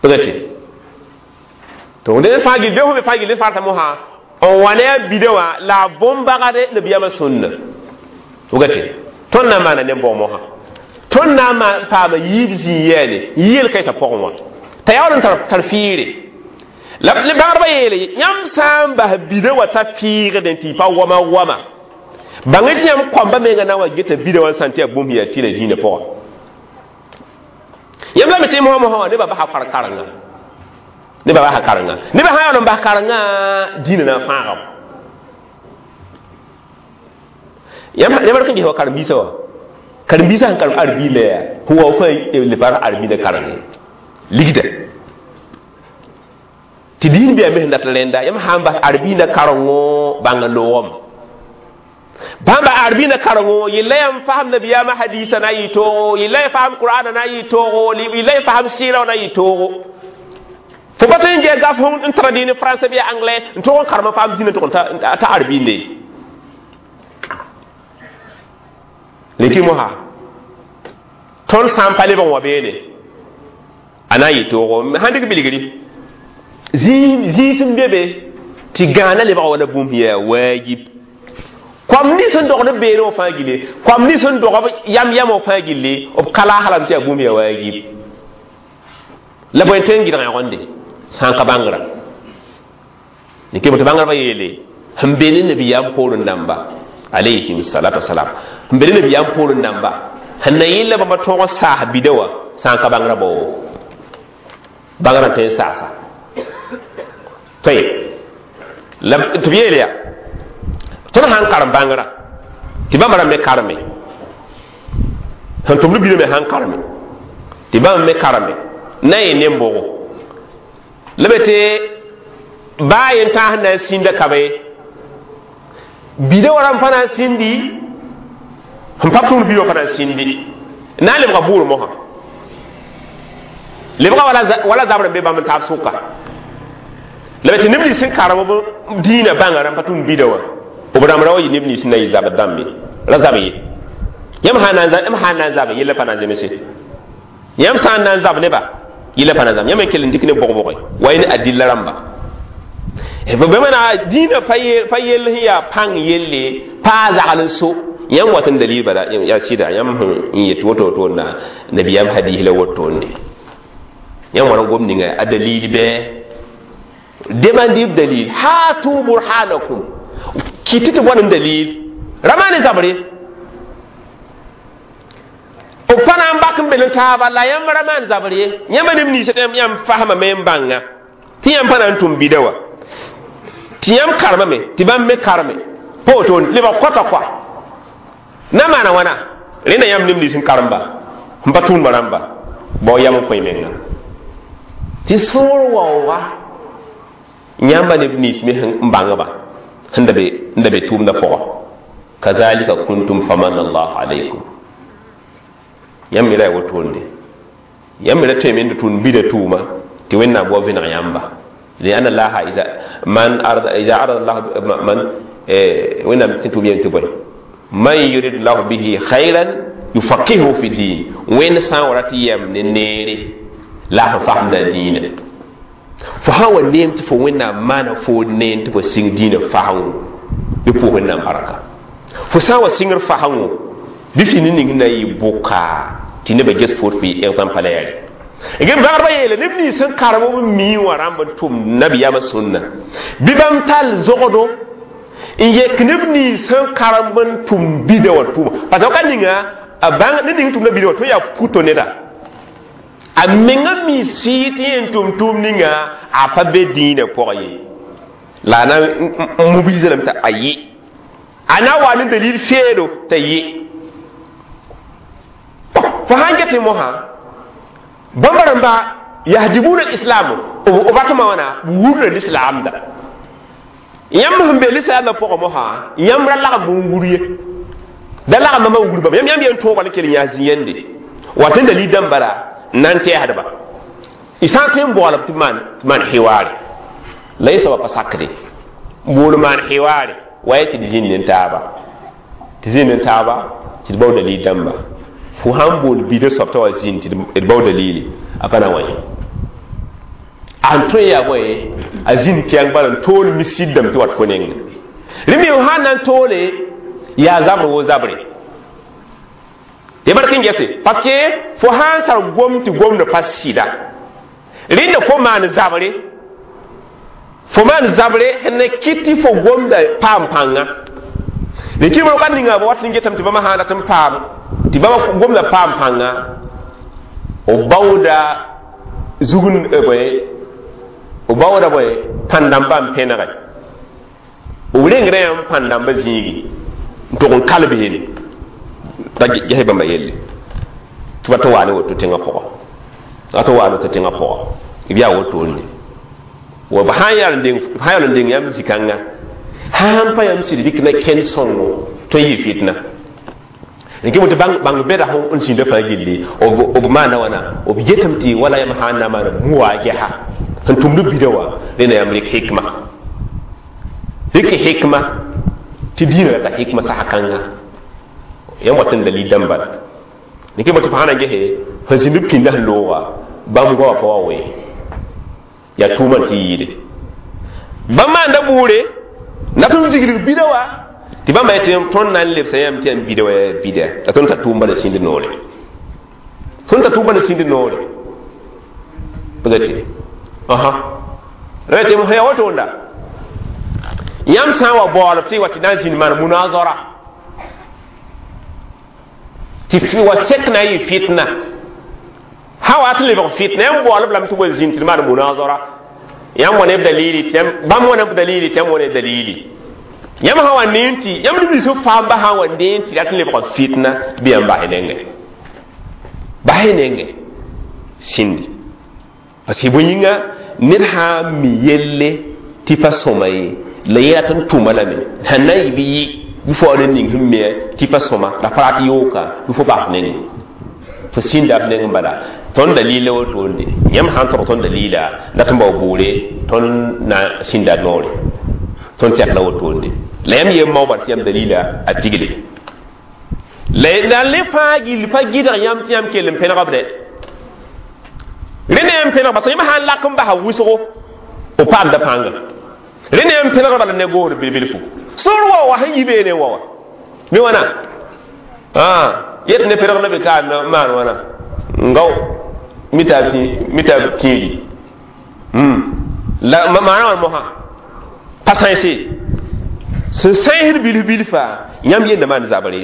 pʋgte to ned fãa gil bɩ fõ me fãa gil farta mosã n wa ne a bida wã la a bõn-bagde nabiyaamã sũnna pʋgte tõnd na n maana ne bʋg mosã tõnd na n paama yiib zĩig yɛɛne yeel kaɩsã pʋgẽ wã t'a yaool n tar fɩɩre la bãgdbã yeele yãmb sã n bas bida wa t'a fɩɩgdẽ tɩ y pa wama wama bãng tɩ yãmb kõamba menga na n wa geta bida wã n sã n tɩ yaa bũmb yaa tɩ la dĩinã pʋgã yãmb lame tɩ mosã mosã wã nebã basa kar-karenga nebã basa karenga nebã sã yaool n bas karenga dĩinã na n fãagame yãmb rek n ges wa karen-biisã wã karen-biisã sẽn karem arbi la yaa sẽn wa fãa le pa arbi la karenge ligda tɩ dĩin bɩa me sẽn dat rẽnda yãmb sã n bas arbiinã karengo bãng n loogame bãmba arbiinã karengo yella yãmb fasem nabiyaamã hadiisã na n yɩ toogo yella y fasem qur'ana na n yɩ toogo yella y fasem sɩɩrã na n yɩ toogo fo pa tõe n gɛɛ gaf n traduit ne français bɩ anglais n tog n karem n faam zĩnã tʋg t'a arbiinde leki mosa tõnd sã n pa lebg n wa beene a na n yɩ toogo sãn dɩk bilgri zĩis n be be tɩ gãana lebga wala bũmb yaa waajib koam nins n dogd b beene wã fãa gille koam nins n dog b yam yam wã fãa gille b ka laas lame tɩ yaa bũmb yaa waajib la bõe tõe n gɩdg yõgende sã n ka bãngrã tɩ bãngrã yeele sẽn be ne nabiyaam poorẽ dãmba alayhim salatu wasalam sẽn be ne nabiyaam poorẽ dãmba sẽn na yɩl la bãmba tõog n saas bida wã sã n ka bãngrã bao bãngrã tõe n saasa طيب la tɩ b yeel yaa tõnd sã n karem bãngrã tɩ bãmb rãmb me kareme sẽn tʋmd bida me sã n kareme tɩ bãmb me kareme na n yɩ nem-bʋgo la be tɩ baa yen tãas na n sĩnda ka be bida wa rãmb pa na n sĩndi sẽn pa tʋmd bida wã pa na n sĩndi na n lebga bʋʋr mosã lebga wala zabr n be bãmb n taab sʋka la be tɩ neb nins sẽn karem b dĩinã bãnga rãmb pa tʋmd bida wã b rãmb ra wa yɩ neb nins na yɩ zabd dãmbe ra zab ye yãmb sã n na n zabe yella pa na n zemse yãmb sã n na n zab neba yella pa na n zab yãmb n kell n dɩk ne bʋg-bʋge wa yẽ ne adilla rãmba b maana dĩinã pa yell sẽn yaa pãng yelle paa zagl n so yãmb wat n dalil bala yaa sɩda yãmb sẽn yet woto woto na nabiyaam hadis la wotoonde yãmb wa n gom ninga a dalil bɩ demandib dalil hatu burhanakum kiti tɩ bõn n dalil ra maan zabre b pa na n bak n bel n taaba la yãmb ra maan zabr ye yãmba neb ninsã tɩ yãmb fasmame n bãnga tɩ yãmb pa na n tʋm bida wã tɩ yãmb karemame tɩ bãmb me kareme pa wotone lebg kota koa na maana wãna rẽnda yãmb neb nins n karemba n pa tʋʋmdã rãmba bao yam n kõ y menga tɩ sõor waooga Yãmba neb nins me sẽn bãngba sẽn da be n da be tʋʋmdã pʋgã, kazalika kuntum famanna allahu alaykum. Yãmb me ra yaa wotoonde, yãmb me ra tõeme n tʋʋm bida tʋʋma tɩ Wẽnnaam wa vẽneg yãmba. لأن الله إذا من أراد إذا أراد الله من وين تتوب ينتبه من يريد الله به خيرا يفقهه في الدين. وين سان يم نيري لا فهم الدين، فهو نيم تفو وين ما فو نين تفو سين دين فهم يبو وين بركة فسان وسينغر فهم بفي نين ناي بوكا تي نبا جس فوت في exemple لا ge bãgdbã yeele neb nins sẽn karem b mii wã rãmb n tʋm nabiyaamã sũnna bɩ bãmb tall zogdo n yek neb nins sẽn karem n tʋm bida wã tʋma, parce que ka ninga a bãng ned ning tʋmda bida wã tɩ yaa puto neda a menga mi sɩɩ tɩ yẽn tʋm tʋʋm ninga a pa be dĩinã pʋgã ye, la a na n mobilise lame t'a a yɩ a na wa ne dalil feedo t'a yɩ. Fo sãn get mosã bãmba rãmba yahdibuna lislam b ratma wãna wurda lislaamda. Yãmb sẽn be lislaamda pʋgã mosã, yãmb ra lagm n wur ye, da lagm bãmba n wur bãmba. Yãmb yãmb yen tõoga ne kell n yaa zĩ-yende wa tɩ dalil dãmba ra n na n tɛɛsdba y sã n tõe n boolb tɩ maan tɩ maan hiwaare la y soaba pa sakde bool maan hiwaare wa ye tɩ d zĩnd n taaba tɩ zĩnd n taaba tɩ d bao dalil dãmba. Fo sãn bool bida soab t'a wa zĩnd tɩ d bao dalili a pa na wa yẽ an tõe yaa bõe a zĩnd kɛɛng bala n tool misid dãmb tɩ wat fo nengẽ rẽ me sãn na n toole yaa zabr wo zabre tɩ bark n gese, parce que fo sãn tar gom tɩ gomda pa sɩda rẽnda fo maan zabre, fo maan zabre sẽn na kɩt tɩ fo gomda paam pãnga. Rẽ kɩ ka ninga b wat n getame tɩ bãmba sãn rat n paam tɩ bãmba gomda paam pãnga b baooda zugn bõe b baooda bõe pãn-dãmbã n pẽnege b rengrã yãmb pãn-dãmbã zĩigi n tʋg n kalb yele t'a ges bãmba yelle tɩ ba tɩ waa ne woto tẽngã pʋgã, a tɩ waa ne woto tẽngã pʋgã b yaa wotone wa b sãn yaal n deng sãn yaal n deng yãmb zĩ-kãnga sãn pa yãmb sɩd dɩk na kẽnd sõngo tõe n yɩ fitna rẽ tɩ bãng bɛda n zĩnda fãa gilli b maana wãna b yetame tɩ wala yãmb sãn na maan muwa gɛsa sẽn tʋmd bida wã rẽna yãmb rɩk hikma rɩk hikma tɩ diinã rata hikma sasa kãnga yãmb wat n dalil dãmba la rẽ tɩ fo sã na gese sẽn zĩnd b pĩnda sẽn looga bãmb goama pa wa wee yaa tʋʋmã tɩ yɩɩde bãmb maanda bʋʋre la tɩ n viglig bida wa tɩ bãmba yetɩ tõnd na n lebsa yãmb tɩ yãmb bida wa yaa bida la tõnd tar tʋʋm bala sĩnd noore, tõnd tar tʋʋm bala sĩnd noore pgte aha ra tɩ m yaa wotoonda yãmb sã n wa baoolb tɩ wa tɩ na n zĩnd maan munazara tɩ wa sek na n yɩ fitna sã wa tɩ lebg fitna yãmb baoolb lame tɩ wa zĩnd tɩ d maan munazara yãmb wa neb dalili tɩ bãmb wa neb dalili tɩ yãmb wa ne dalili yãmb sã wa neen tɩ yãmb neb nins faamba sã n wa neen tɩ rat n lebg fitna bɩ yãmb basɩ nengẽ basɩ nengẽ sĩndi parce que bõe yĩnga ned sã n mi yelle tɩ pa sõma ye la ye rat n tʋma lame sẽn na n yɩ bɩ yɩ bɩ fo wa ned ning sẽn me tɩ pa sõma la pa rat yooka bɩ fo bas nengẽ fo sĩnda b neng n bala tõnd dalila wotoonde yãmb sã n tog tõnd dalila dat n bao bʋʋre tõnd na sĩnda noore tõnd tɛk la wotoonde la yãmb yem maoobã tɩ yãmb dalila a pigle la la le fãa gill pa gɩdg yãmb tɩ yãmb kell n pẽneg b dɛ rẽnd yãmb pẽneg parce yãmb sã n lak n basa wʋsgo b paamda pãnga rẽnd yãmb pẽneg bala ne goosd bil-bilfu sor wa wa sẽn yi beene wa wa mi wãna yet ne pẽneg la be ka maan wãna ngao mita mita tĩiri la maana wã mosã pa sãense sẽn sãensd bilf bilfa yãmb yenda maan zabre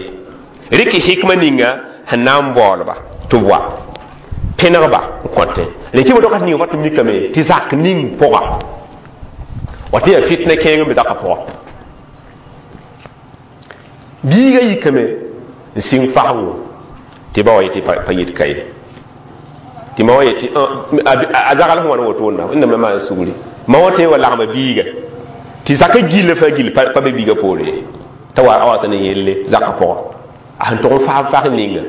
rɩk hikma ninga sẽn na n baoolba tɩ b wa pẽnegba n kõtẽ rẽ kɩ wakat ninga wat n mikame tɩ zak ning pʋga wa tɩ yaa fitna kẽeng n be zakã pʋga biiga yikame n sɩng fasgo tɩ ba wa yetɩ pa yit ka ye tɩ ma wa yetɩ a zagl sẽn wa ne wotone wẽnnaam la maan sugri Ma wã tõe n wa lagma biiga tɩ zakã gillã fãa gill pa be biigã poore ye t'a wa a wa ne yelle zakã pʋgã a sẽn tʋg n faam fas ninga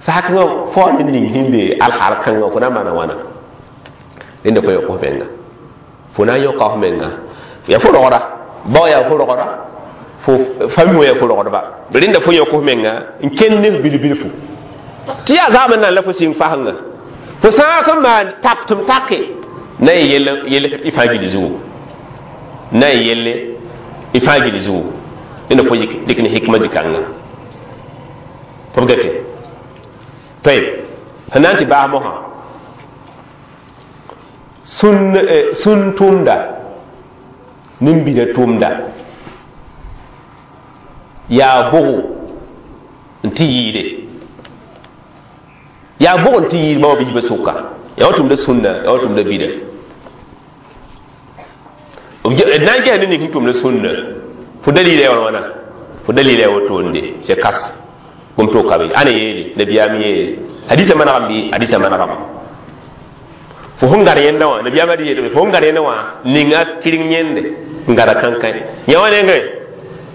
sakã fo ne ning sẽn be alhaal kãngã fo na n maana wãna rẽnda fo yõk f menga fo na n yõka f menga yaa fo rogda bao yaa fo rogda fo fami wã yaa fo rogdba rẽnda fo yõk f menga n kend ne f bil-bilfu tɩ yaa zaam n nan la fo sɩng fasengã fo sã n maan tak tɩ m take na y yell yell y fãa gil zugu na y yelle y fãa gil zugu rẽnda fo dɩk ne hikma zĩ-kãnga fo b gete tayb sẽn na n tɩ baas mosã sũn sũn tʋmda nin-bida tʋmda yaa bʋgo n tɩ yɩɩde yaa bʋg n tɩ yɩɩd bãmb biibã sʋka yaa wa tʋmda sũnna yaa wa tʋmda bida d na n ges ne ning sẽn tʋmda sũnna fo dalila ya wãna fo dalila ya wotonde c'est kas bũmb to ka be ãna yeele nabiyaam yeele hadisa manegame bɩ hadisa manegame fo sẽn gar yẽnda wã nabiyaamã d yeelame fo sẽn gar yẽnda wã ninga kɩreng yẽnde n gara kãnkãe yã wã nengẽ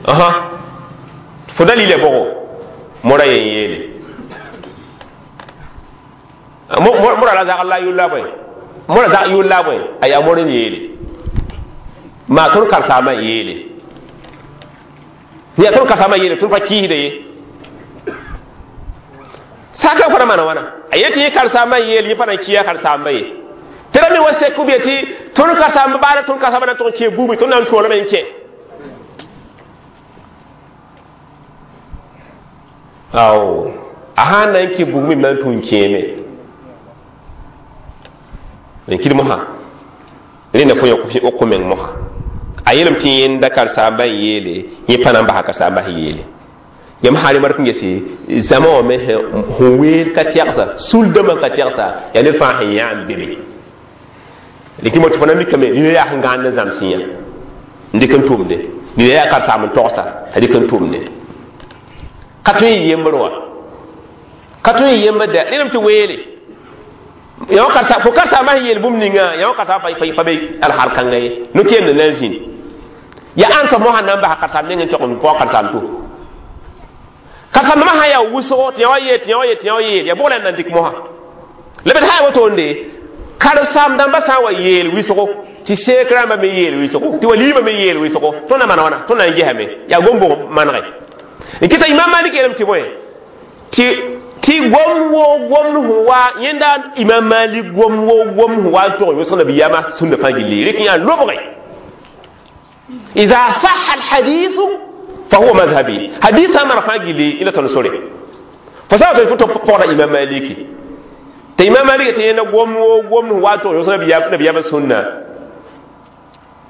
asa fo dalila bʋgo mora yen yeele mora la zagl la a yʋl la bõe mora zag yʋl la bõe a yaa mor n yeele maa tõnd karsaamã yeele yaa tõnd karsaamã yeele tõnd pa kɩɩsda ye saka fo ra maana wãna a yetɩ yẽ karsaambã n yeel yẽ pa na n kɩa karsaambã ye tɩ ra me wa sek b yetɩ tõnd karsaamba baala tõnd karsaambã na n tʋg n kẽ buubẽ tõnd na n toolame n kẽ ao a sã n na n kẽ bugmẽ na n tũ n kẽeme n kɩd mosã rẽnda fo yõk meng mosã a yeelame tɩ yẽnda karsaambã n yeele yẽ pa na n basa karsaambã sẽn yeele yam sã rẽmd n gese zãma wã me sẽn weer ka tɛgsa sul-dãmbã ka tɛgsa yaa ned fãa sẽn yã n be be dɩk tɩ fo na mikame nina yaa sẽn gãand n zãms yã n dɩk n tʋmde nina yaa karsaam n togsa t'a dɩk n tʋmde ka tõe n yembr wã ka tõe n yembr dɛ rẽndame tɩ weele yã wã karsa fo karsaambã sẽn yeel bũmb ninga yã wã karsaambã pa be alhaal kãnga ye no-kẽemd na n zĩnd yaa ãn soab mosã na n basa karsaam neng n tog n paoog karsaam to karsaambã sã yaa wʋsgo tɩ yã wa yeel tɩ yã wa yeel tɩ yã wa yeel yaa bʋg la n na n dɩk mosã la bd sã n wotoonde karsaam dãmbã sã n wa yeel wɩsgo tɩ seek rãmbã me yeel wɩsgo tɩ waliimã me yeel wɩsgo tõnd na maana wãna tõnd na n gesame yaa gom-bʋg manege n kɩta imam malik yeelame tɩ bõe tɩ tɩ gom woo gomd sẽn wa yẽnda imam malik gom woo gomd sẽn wa n tog wʋsg nabiyaamã sũnda fãa gilli rek yã lobge إذا صح الحديث فهو مذهبي حديث أمر فاجلي إلى تنصري فسألت الفتوى فورا إمام مالك تي إمام مالك تي نقوم وقوم واتو يوصل بيا نبيا بسنة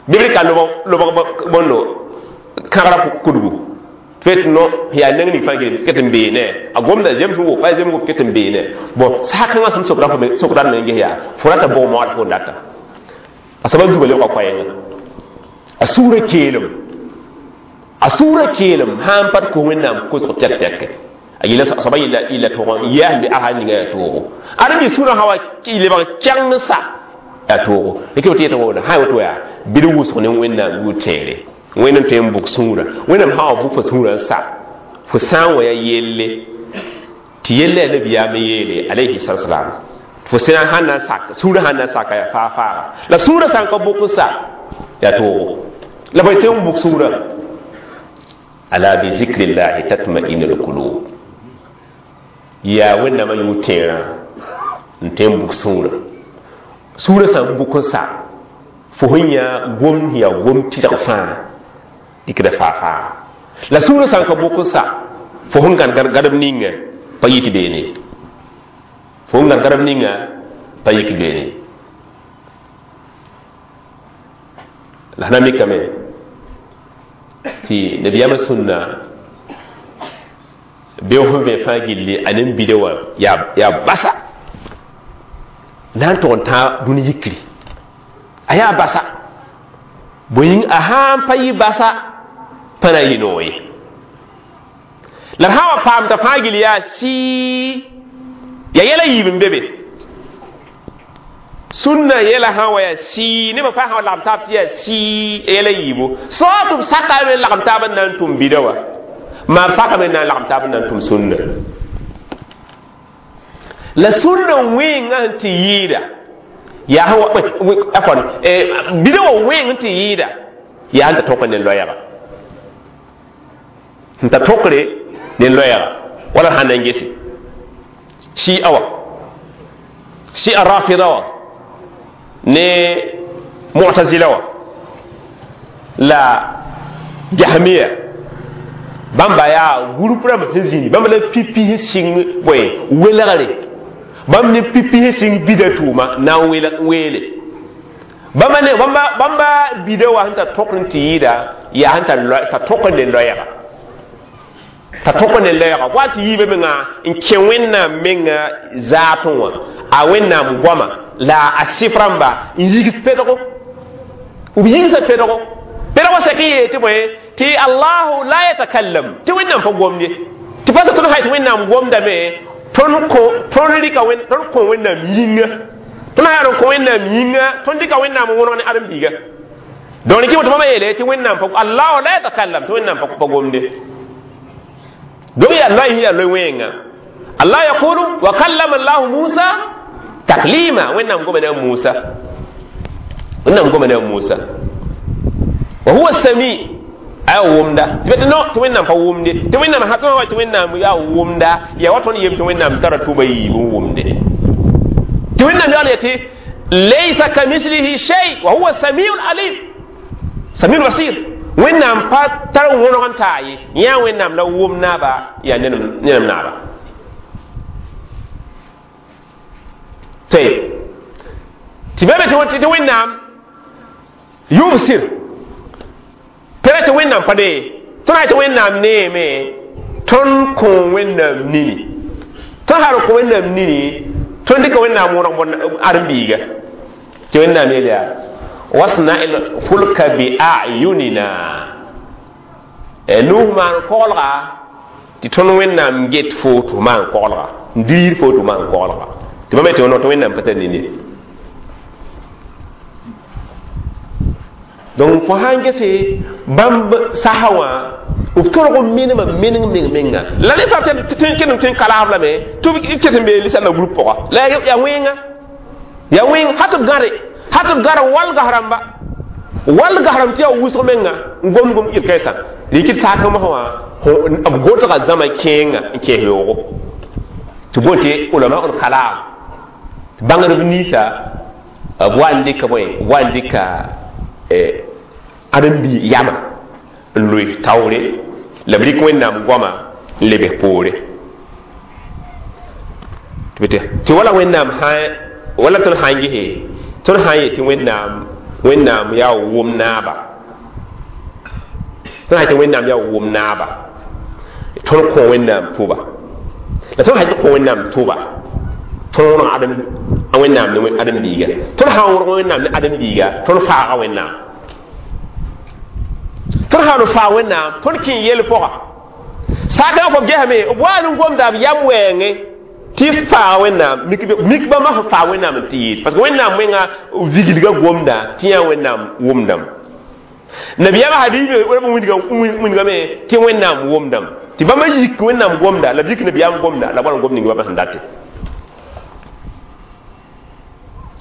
بيبرك لو لو بونو كارا كودو فيت نو هي نغني فاجلي كتم بينه أقوم ده جيمس وو فاي جيمس وو كتم بينه بون ساكن أسم سكران سكران نيجي يا فراتا بو موات فونداتا أسباب زبالي وقايا a sũurã keelem a sũurã keelem sã n pa tɩ kos wẽnnaam kosg tɛk tɛke a yella soaba yella yella toogã n yaas bɩ asa ninga yaa toogo ad bɩ sũurã sã wa lebg kɛgeng sa yaa toogo rɩk b tɩ yetɩ woto sã woto yaa bɩ d wʋsg ne wẽnnaam yʋʋr tẽere wẽnnaam tõe n bʋk sũurã wẽnnaam sã wa bʋk fo sũurã n sa fo sã n wa yaa yelle tɩ yella yaa nabiyaam n yeele alayhi salatu wasalam fo sẽn sãn na n sak sũurã sãn na n saka yaa faa faaga la sũurã sã n ka bʋk n sa yaa toogo la bai tõe n bʋk sũurã ala bi zikrillahi tatma'inu lqulub yaa wẽnnaamã yʋʋr tẽerã n tõe n bʋk sũurã sũurã sã n bʋk n sa fo sẽn yã gom yaa gom tɩrg fãa dɩkda faa faa la sũurã sã n ka bʋk n sa fo sẽn gãd gãdem ninga pa yik beene fo sẽn gãd gãdem ninga pa yik beene la sẽn na mikame tɩ nabiyaamã sũnna beoog sẽn vẽ fãa gilli a nin-bida wã yaa basa na n tʋg n tãag dũni yikri a yaa basa bõe yĩng a sã n pa yɩ basa pa na n yɩ noog ye la d sã n wa paam t'a fãa gill yaa sɩɩ yaa yɛla yiib n be be Sunna yɛla sã wa yaa sɩɩ nebã fãa sã wa lagem taab tɩ yaa sɩɩ yɛla yiibu soa tɩ b sakame n lagem taab n na n tʋm bida wã maa b sakame n na n lagem taab n na n tʋm sunna la sunna wẽnga sẽn tɩ yɩɩda yaa sẽn bida wã wẽng n tɩ yɩɩda yaa sẽn ta tõk ne loɛɛga sẽn ta tõkre ne loɛɛga wala sãn na n gese shi'a wa shi'a rafida wa ne mu'tazila wa la jahmiya bãmba yaa groupe rãmb sẽn zĩni bãmb la pipi sẽn sɩng bõe welgre bãmb ne pipi sẽn sɩng bida tʋʋma na n weele bãmba ne bãmba bãmba bida wa sẽn ta tõk n tɩ yɩɩda yaa sẽn ta tõk ne loɛɛga ta tõk ne loɛɛga wa tɩ yiibã menga n kẽ wẽnnaam menga zaatẽ wã a wẽnnaam goama la a sɩf rãmba n yigs pedgo b yigsa pedgo pedgo sɛk n yee tɩ bõe tɩ allahu la yatakallam tɩ wẽnnaam pa gomd ye tɩ pa tõnd sã tɩ wẽnnaam gomdame tõnd kõ tõnd rɩka tõnd kõ wẽnnaam yĩnga tõnd sã yaa n kõ wẽnnaam yĩnga tõnd dɩka wẽnnaam wõneg ne ãdem-biiga donc rɩkɩ tɩ bãmba yeele tɩ wẽnnaam pa allahu la yatakallam tɩ wẽnnaam pa gomde donc yaa loy yaa loy wẽnga allah yaqulu wa kallama allahu musa taklima wẽnnaam goma ne a musa wẽnnaam goma ne a musa wa huwa sami aya wʋmda tɩ tɩ no tɩ wẽnnaam pa wʋmde tɩ wẽnnaam sã tõnd wa tɩ wẽnnaam yaa wʋmda yaa wa tõnd yem tɩ wẽnnaam tara tʋba yiib n wʋmde tɩ wẽnnaam yaool ya tɩ laysa kamislihi shay wa huwa samiu alim samiu basir wẽnnaam pa tar wõneg n taa ye yã wẽnnaam la wʋm naaba yaa nenem naaba tɩ tɩ bame tɩ wẽnnaam yubsir pera tɩ wẽnnaam pa dee tõnd sã tɩ wẽnnaam neeme tõnd kõ wẽnnaam nini tõnd sã kõ wẽnnaam nini tõnd dɩka wẽnnaam wõneg bõn ãdem-biiga tɩ wẽnnaam yeel yaa wasna il fulka bi ayunina nuh maan koglga tɩ tõnd wẽnnaam get foto maan koglga n diir foto maan koglga tɩ bãmb tɩ tɩ wẽnnaam pa tar nini donc fo sãn gese bãmb sasa wã b tolg n menemã meneng meng menga la ne fãa tɩ ken tɩ n kalaab lame tɩ b ket n bee lisãmbã group pʋga la yaa wẽnga yaa wẽng ha tɩ b gãde ha tɩ b gãd walgas rãmba walgas rãmb tɩ yaa wʋsg menga n gom gom yel-kɛɛsã rɩk saak mosã wã b gotga zãma kẽenga n kẽes yoogo tɩ boon tɩ ulama l kalaam tɩ bãngdb ninsã b wa n dɩka bõe b wa n dɩka ãdem-bi yama n loe taoore la b rɩk wẽnnaam goama n lebs poore tɩ wala wẽnnaam sã wala tõnd sã n gese tõnd sã n yet tɩ wẽnnaam wẽnnaam yaa wʋm naaba tõnd sã tɩ wẽnnaam yaa wʋm naaba tõnd kõ wẽnnaam tʋba la tõnd sã tɩ kõ wẽnnaam tʋba tõnd wõneg ãdem wẽnnaam ne ãdem-biiga tõnd sã n wõneg wẽnnaam ne ãdem-biiga tõnd faaga wẽnnaam tõnd sã n faag wẽnnaam tõnd kẽ yel pʋga saakã fo gesame b wa n gomda b yam wɛɛngẽ tɩ faaga wẽnnaam mik bãmba sẽn faag wẽnnaam n tɩ yɩɩd parce que wẽnnaam menga vigilga gomda tɩ yã wẽnnaam wʋmdame nabiyaamã hadiis wĩndgame tɩ wẽnnaam wʋmdame tɩ bãmba yik wẽnnaam gomda la b yik nabiyaam gomda la b wa n gom ning bãmba sẽn date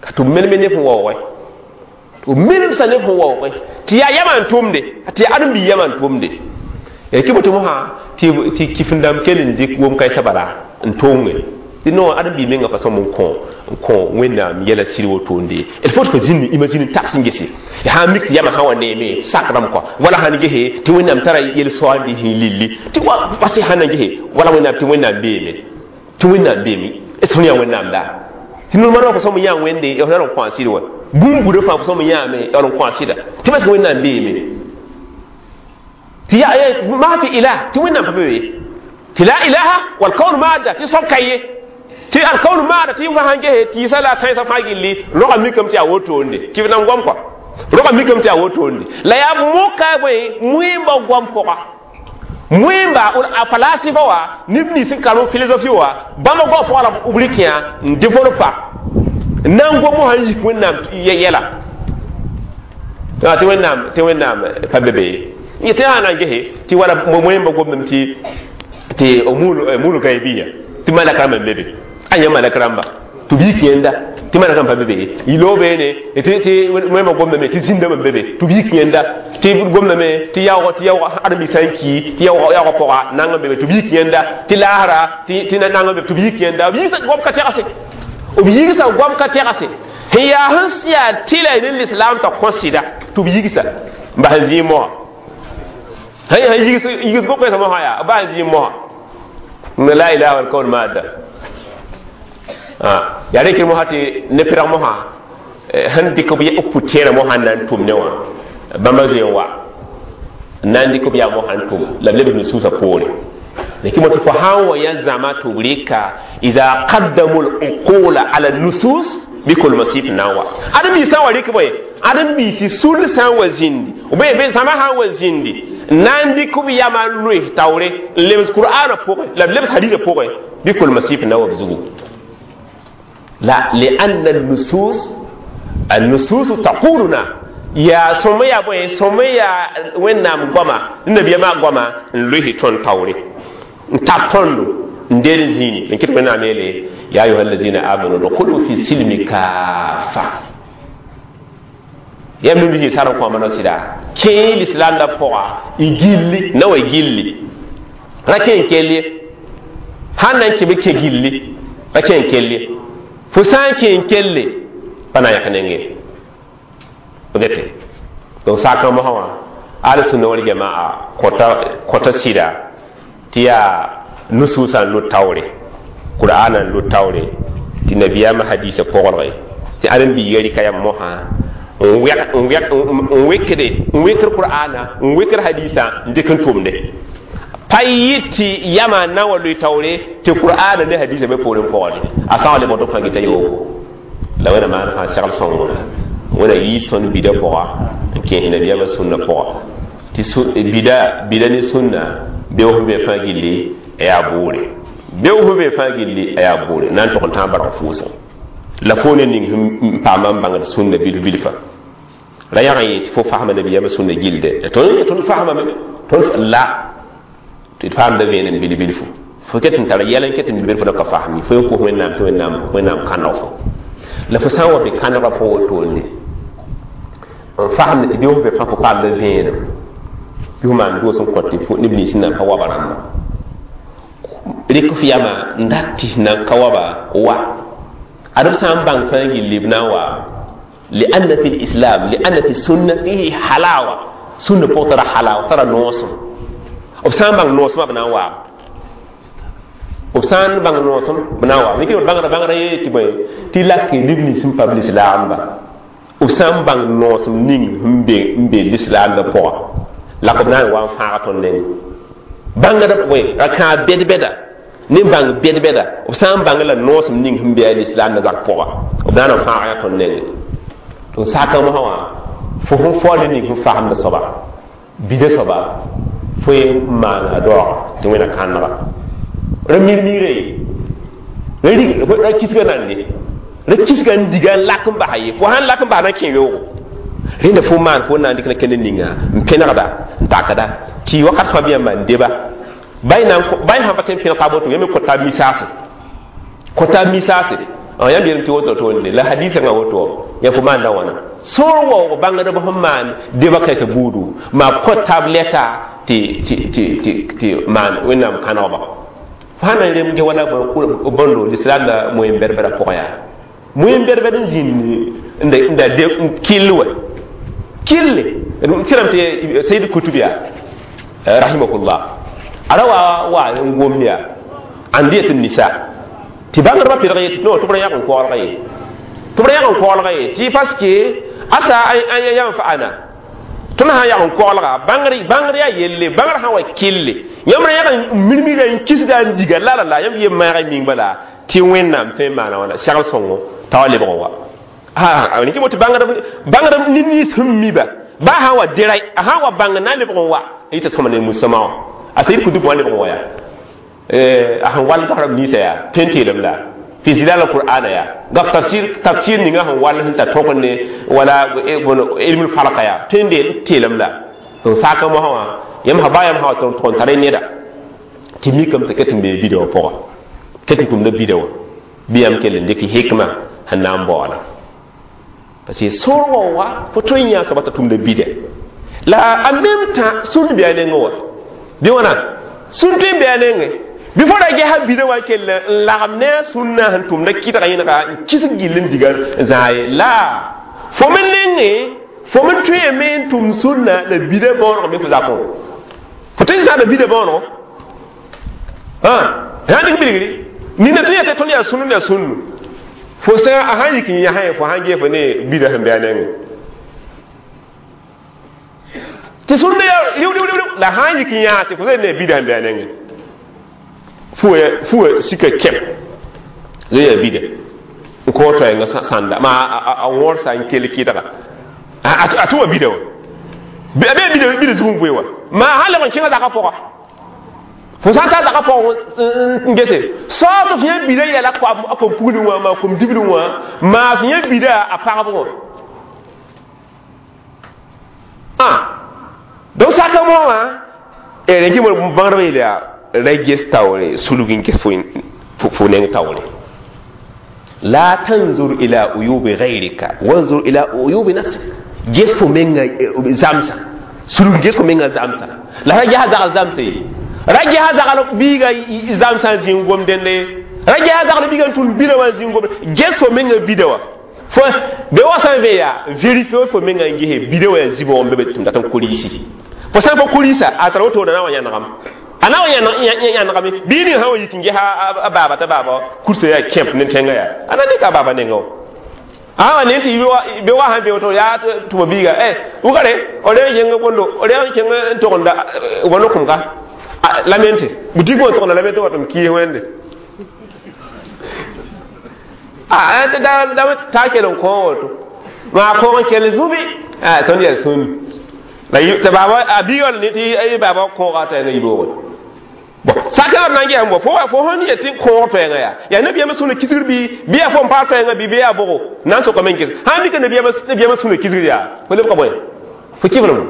ka tɩ b meneme neb sẽn waoogẽ tɩ b menemsa neb sẽn waoogẽ tɩ yaa yamã n tʋmde tɩ yaa ãdem-biig yamã n tʋmde kɩ boto mosã tɩ kifin-dãmb kell n dɩk wom-kãensã bala n tonge tɩ no ãdem-biig menga pa sõm n kõ n kõ wẽnnaam yɛla sɩd wotonde il faut tɩ fo zĩnd imagine taks n gese sã n mik tɩ yamã sã wa neeme sak rãmb kɔ wala sãn gese tɩ wẽnnaam tara yel-soaandi sẽn lilli tɩ wa pase sãn na gese wala wẽnnaam tɩ wẽnnaam beeme tɩ wẽnnaam beeme est ce fõn yaa wẽnnaam la tɩ normalement fo sõm n yã wẽnde ya n kõ a sɩd wa bũmb buda fãa fo sõm n yãame ya n kõ a sɩda tɩ bas wẽnnaam beeme tɩ yaa maa fi ilah tɩ wẽnnaam pa be tɩ la ilaha walkaun maada tɩ soab ka ye tɩ alkaun maada tɩ fa sãn gese tɩɩsã la tãensã fãa gilli rogã mikame tɩ yaa wotoonde tɩ b nan goam kɔ rogã mikame tɩ yaa wotoonde la yaa moka bõe wẽmba goam pʋga wẽmba a falasifa wa neb nins n karem philosophie wa bãmba goam pʋga la b rɩk yã n développa N na n gom mosã n yik Wẽnnaam yɛla tɩ Wẽnnaam tɩ Wẽnnaam pa be be ye. Tɩ yaa na n gese tɩ wala moẽmba gomdame tɩ tɩ mul gaibiya, tɩ malak rãmba n be be, a yã malak rãmba tɩ b yik yẽnda tɩ malak rãmb pa be be. Yɩ beene tɩ wẽnnaamã gomdame tɩ zĩndame n be be, tɩ b yik yẽnda, tɩ gomdame tɩ yaoog tɩ yaoog ãdem-biig sã n ki, tɩ yaoogã pʋga nang n be be, tɩ b yik yẽnda, tɩ laasra tɩ nang n be, tɩ b yik yẽnda. B yigsa goam ka tɛgse, b yigsa goam ka tɛgse sẽn yaa sẽn yaa tɩla ne lislaam t'a kõ sɩda, tɩ b yigsa n bas n zĩig moasã. Sẽn yigs gom-kãensã mosã yaa b bas n zĩig moasã la ilaha wal kawn maada. Yaa rẽkr mosã tɩ ne pɩrg mosã sẽn dɩk b pʋ-tẽerã mosã n na n tʋm ne wã, bãmba zoe n wa n na n dɩk b yaa mosã n tʋm la b lebs nusuusã poore. Lakin tɩ fo sã n wa yã zãma tɩ b rɩka ida qaddamu luqula ala nusus bɩ kolmasɩf n na n wa ãdem-biis sã n wa rɩk bõe, ãdem-biisi sul sã n wa zĩndi b zãma sã n wa zĩndi n na n dɩk b yamã n loes taoore n lebs Qur'aanã pʋgẽ la b lebs hadisã pʋgẽ, bɩ kolmasɩf n na wa b zugu. La lianna النصوص النصوص تقولنا yaa sõm yaa bõe, sõm yaa Wẽnnaam goama, nabiyaamã goama n loes tõnd taoore n tar tõndo n deel n zĩini n kɩt. Wẽnnaam yeele: ya ayuha allazina amanu dkhulu fi silmi kafa. Yam nim zĩ sar n kõama no sɩda kẽe lislaam la pʋga y gilli na wa gilli ra kẽ n kell ye. Sãn na n kẽ bɩ kẽ gilli ra kẽ n kell ye. Fo sã n kẽ n kelle pa na n yãk nenge gete. Donc sakã mosã wã, al sunna wal jamaa kota kota sɩda tɩ yaa nusuusã n lut taoore, Qur'aanã n lut taoore, tɩ nabiyaamã hadisa pʋgrge, tɩ ãdem-biiga rɩka yam mosã n wekde n wekr Qur'aana n wekr hadisa n dɩk n tʋmde pa yɩ tɩ yama n na n wa loe taoore tɩ Qur'aana ne hadisa be poorẽ pʋgde a sã n wa lebg tɩ fãa gita yooko la Wẽna maan fãa segl sõngo. Wẽna yiis tõnd bida pʋga n kẽes nabiyaamã sũnna pʋga, tɩ bida bida ne sũnna beoog sẽn be fãa gilli a yaa bʋʋre, beoog sẽn be fãa gilli a yaa bʋʋre na n tog n tãag barg fʋʋsẽ la fo ne ning sẽn paama n bãngd sũnna bilf bilfa ra yãg n yẽ tɩ fo fasma nabiyaamã sũnna gilde. Tõnd tõnd fasmame tõnd la tɩ d faamda vẽenem bil bilfu. Fo ket n tara yɛl n ket n bil bilfu la ka fasem ye. Fo yen kos Wẽnnaam tɩ Wẽnnaam Wẽnnaam kãneg fo la fo sã n wa be kãnegã pʋgẽ wotone n fasem tɩ beoog be fãa fo paamda vẽenem bɩ fo maan doos n kõt tɩ neb nins sẽn na n pa waba rãmba rɩk f yama n dat tɩ sẽn na n ka waba wa ad b sã n bãng fãa gilli b na n wa. لأن في الإسلام، لأن في السنة فيه حلاوة. سنة pʋgẽ tara halawa, tara noosem. B sã n bãng noosmã, b na n waam. B sã n bãng noosem, b na n waam. Rɩk bãngrã bãngrã yee tɩ bõe tɩ lak neb nins sẽn pa b lislaamba, b sã n bãng noosem ning sẽn be n be lislaamdã pʋga la b na n wa n fãag tõnd neng bãngd bõe ra kãab bɛd-bɛda ne bãng bɛd-bɛda. B sã n bãng la noosem ning sẽn be a lislaamdã zak pʋga, b na n fãag ya tõnd nenge. Tɩ sakã mosã wã fo sẽn faool ning sẽn fasemda soaba bida soaba fo ye n maana a daooga tɩ Wẽna kãnega ra mir-mire ye, ra kisga nande, ra kisga n diga n lak n basa ye. Fo sãn lak n bas na kẽ yoogo rẽnda fo maan fo na n dɩk na kẽnd ninga n pẽnegda n takda tɩ wakat fãa bɩ yãmba n deba bay sãn pa tõe n pẽneg taab woto, yãmb kõ taab misaase, kõ taab misaase. Yãmb yeelame tɩ woto toonde la hadisã woto ya fo maanda wãna sõor waoog bãngdb sẽn maan deba kãensã buudu maa kõ taab lɛta tɩ tɩ tɩ tɩ tɩ maan Wẽnnaam kãnegba. Fo sã na n rem ge wala bõndo lislaam la moyen bɛd-bɛdã pʋgã yaa moyen bɛd-bɛd n zĩnd n da kell wa kille tɩrame tɩ Sayd Kutub yaa rahimahullah a ra wa wa n gom yaa andiyat nisa tɩ bãngdbã pɩlg ye tɩ no tɩ b ra yãg n koɔlga ye, tɩ b ra yãg n koɔlga ye, tɩ parce que asa an yanfa'ana tõnd sã n yag n koɔlga bãngr bãngr yaa yelle bãngr sã n wa kille yãmb ra yãg n mirmira n kisga n diga la la la yãmb yem maag ming bala tɩ Wẽnnaam tõe n maana wãna segl sõngo t'a wa lebg n wa rẽk tɩ bãngd bãngd ned nins sẽn miba ba sã n wa dera a sã n wa bãng na n lebg n wa yɩta sõma ne musama wã a Sayd Kutub wã lebg n wa yaa a sẽn wall basrab ninsã yaa tõe n teelem la Fi zilal alqur'ana ya gaf tafsir tafsir ninga sẽn wall sẽn ta tõk ne wala ilmul falka ya tõe n deel teelem la donc saaka mosã wã yãmb sã baa yãmb sã wa tɩ n tara neda tɩ mikame tɩ ket n bee bida wã pʋga ket n tʋmda bida wã bɩ yãmb kell n dɩk hikma sẽn na n baoola parce que sorgɔ wa fo tõe n yã soaba t'a tʋmda bida la en même temps sũn bɩ a nengẽ wa bɩ wãna sũn tõe n bɩ a nengẽ bɩ fo ra gesa bida wã kell n lagem ne a sũnna sẽn tʋmda kɩdga yẽnega n kisg gill n diga n zãa ye la fo me nengẽ fo me tõeme n tʋm sũnna la bida bõonego me fo zakõ fo tõe n zãada bida bõonego sã dɩk bilgri nina tõe yã tɩ tõnd yaa sũnnu yaa sũnnu fo sã a sãn yik n yãsẽ fo sãn ges fo ne bida sẽn be a nengẽ tɩ sũnna yaa rɩʋ rɩʋ rɩʋ la sãn yik n yãas tɩ fo sã ne bida sẽn be a nengẽ fuwa fuwa sika kɛm zai yaa bida n kõ toɛɛngã sãnda maa a wõrsa n kell kɩdga a tʋma bida wã a bee bida bida zug n vʋe wã maa sãn leb n kẽngã zakã pʋga fo sã n taa zakã pʋgẽ n gese sao tɩ f yã bida yɛla a kom puglẽ wã maa kom diblẽ wã maa f yã bida a pagb wã donc saka mo wã rẽn kɩ bãngdbã yeel yaa ra ges taoore sulg n ges fo neng taoore la tanzur ila uyubi gayrika wanzur ila uyubi nafsik ges fo menga zamsa sulg ges fo menga zamsa la ra gesa zagl zamsa ye ra gesa zagl biiga zamsã zĩig gom dẽnde ra gesa zagl biiga n tʋm bida wã zĩig gomde ges fo menga bida wã fo be wa sã n ve yaa vérifie fo menga n gese bida wã yaa zibg n be be tɩ m dat n koriisi fo sã n pa koriisa a tara wotone na wa yãnegame a na wa yãnegame bii ning sã wa yik n ges a baaba t'a baaba kursa yaa kẽmp ne tẽngã yaa a na dɩka a baaba nengã wã a wa ne tɩ be wa sã n be woto yaa tʋma biiga eh wʋgre o reg n kẽng bõndo o reg n kẽng n togenda wãno kʋmga lamente boutique wã togenda lamente wa tɩ m kiis wẽnde a da ta kell n kõ woto maa kõg n kell zũbi tõnd yaa sũn la tɩ baaba a biiga wall ne tɩ baaba kõoga t'a yẽnga yiboogẽ bon sakã b na n gesame bɔ fo fo sẽn yet tɩ kõog toɛɛngã yaa yaa nabiyaamã sũna kisgr bɩ bɩ yaa fo n paam toɛɛngã bɩ bɩ yaa bʋgo na n sokame n ges sã n mika nabiyaamã sũna kisgr yaa fo lebka bõe fo kɩflem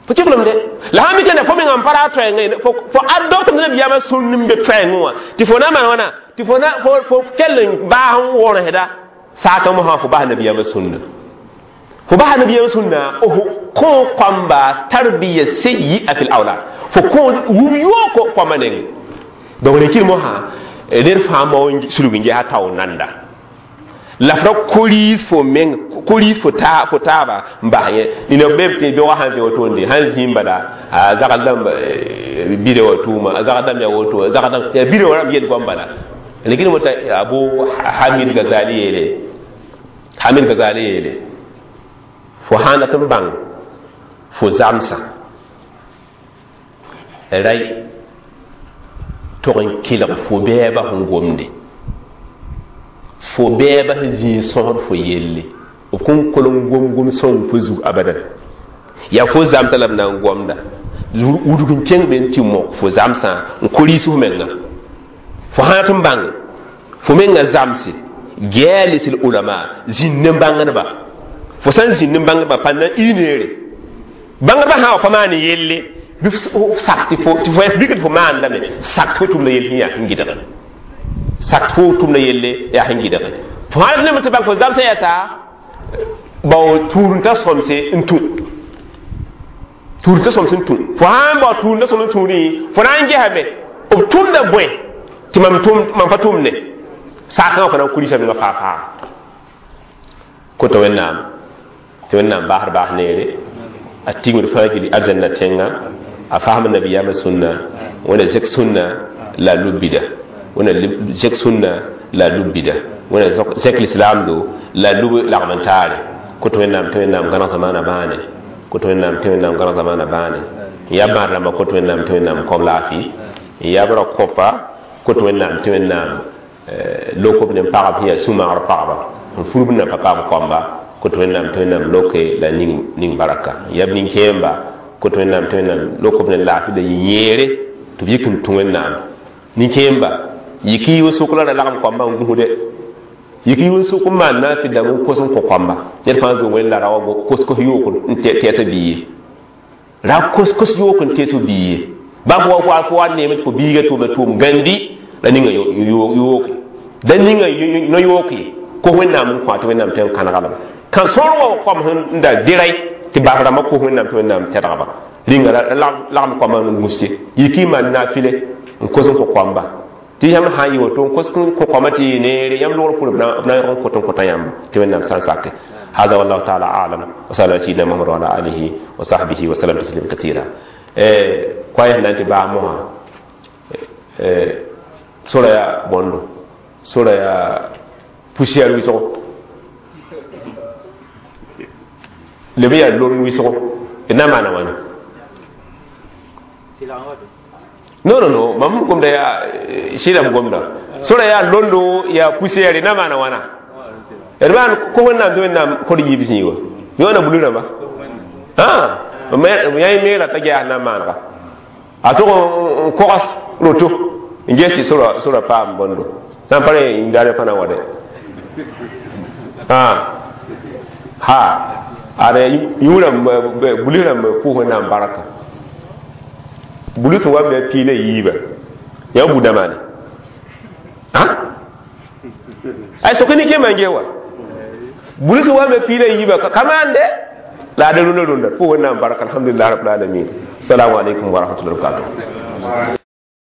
fo kɩflem de la sã n mika ne fo mengã n pa ra toɛɛngã fo adoptame nabiyaamã sũn n be toɛɛngẽ wã tɩ fo na maan wãna tɩ fo na fo kell n baas n wõrsda saakã mosã fo bas nabiyaamã sũnna fo bas nabiyaamã sũnna f kõ kãmba tarbiya sayyi'a fil awlad fo kõ wub yooko kãmba nengẽ donc rẽkɩr mosã ned fãa mao sulg n gesa tao nanda la f ra koriis fo meng koriis fo taa fo taaba n bas yẽ nina b tɩ beoogã sãn vẽ wotoonde sãn zĩim bala a zagl dãmb bida wã tʋʋma a zagl dãmb yaa woto a zagl dãmb yaa bida wã rãmb yel goam bala rẽkɩr mo t'a Abu Hamid Gazali yeele Hamid Gazali yeele fo sãn dat n bãng fo zamsã ray tog n kelg fo bɛɛba sẽn gomde fo bɛɛba sẽn zĩig sõsd fo yelle b kõn koleng gom-gom sõng fo zug abadan yaa fo zamsã la b na n gomda wudg n kẽng be n tɩ mok fo zamsã n koriis f menga fo sã tɩ n bãng fo menga zamse jalis ulama zĩnd ne bãngdba fo sã n zĩnd ne bãngdba pendant une heure bãngdba sã wa pa maan yelle bɩ sak tɩ fo tɩ fo bɩk tɩ fo maandame sak tɩ fo tʋmda yell sẽn yaa sẽn gɩdge sak tɩ fo tʋmda yelle yaa sẽn gɩdge fo sã ne tɩ bãng fo zamsã yaa t'a bao tuurentã sõmse n tũ tuurentã sõms n tũ fo sã n bao tuurentã sõms n tũudẽ fo na n gesame b tʋmda bõe tɩ mam tʋm mam pa tʋmne saakã wã fo na n kurisa menga faa faa koto wẽnnaam tɩ wẽnnaam baasd baas neere a tigmd fãa gilli arzãnna tẽnga a fasm nabiyaamã sũnna wẽna zek sũnna la lub bida wẽna zek sũnna la lub bida wẽna zek lislaamdo la lub lagm n taare koto wẽnnaam tɩ wẽnnaam gãneg zamaana bãane koto wẽnnaam tɩ wẽnnaam gãneg zamaana bãane n yaa bãad rãmba koto wẽnnaam tɩ wẽnnaam kõb laafɩ n yaa b ra kõpa koto wẽnnaam tɩ wẽnnaam lokob ne pagb sẽn yaa sũ-maagr pagba n furb na pa paam kɔmba koto wẽnnaam tɩ wẽnnaam loke la ning ning baraka n yaa b nin-kẽemba koto wẽnnaam tɩ wẽnnaam lokob ne laafɩ la yẽ yẽere tɩ b yik n tũ wẽnnaam nin-kẽemba Yik y wʋsg la ra lagem koambã n gũsde, yik y wʋsg n maan naafɩl dãmb n kos n kõ koamba. Ned fãa zoe wẽnd la ra wa kos-kos yook n tɛɛs a bii ye, ra kos-kos yook n tees b bii ye. Bãmb wa fo fo wa neeme tɩ fo biiga tʋʋmda tʋʋm gãndi la ninga yooke da ninga no-yooke kos Wẽnnaam n kõ tɩ Wẽnnaam tõe n kãnega lame. Kã sõor wa koam sẽn da dɩray tɩ bas rãmbã kos Wẽnnaam tɩ Wẽnnaam tɛdgba rĩnga lagem koamã n gũs ye. Yiki n maan naafɩle n kos n kõ koamba tɩ yãmb sã n yɩ woto n kos n kõ koamã tɩ yɩ neere yãmb logr pʋr b na n yõg n kot n kõta yãmba tɩ Wẽnnaam sã n sake. هذا والله تعالى اعلم، وصلى على سيدنا محمد وعلى اله وصحبه وسلم تسليما كثيرا. koa nan tɩ baa mosã sora yaa bõndo, sora yaa poussière wɩsgo, leb yaa lor wɩsgo, d na n maana wãna? Non, non, non, mam gomda yaa sɩdame gomda. Sora yaa londo, yaa poussière, na maana wãna? D maan ko Wẽnnaam tɩ Wẽnnaam kod yiib zĩig wa yõona bulu rãmba yã meera t'a ges na n maanega a tog n kogs roto n ges tɩ sora sora paam bõndo sã n pa rẽ yĩndaare fãna wa dɛ ha ad yũ rãmb bulu rãmb pʋʋs Wẽnnaam barka. Bulu sẽn wa me pii la yiiba yã buda maane ay soke ni kẽema n ges wa bulu sẽn wa me pii la yiiba ka maan de la ad rũndã rũndã pʋʋs Wẽnnaam barka. Alhamdulillah rabbil alamin. Assalamu alaikum wa rahmatullahi wa barakatuh.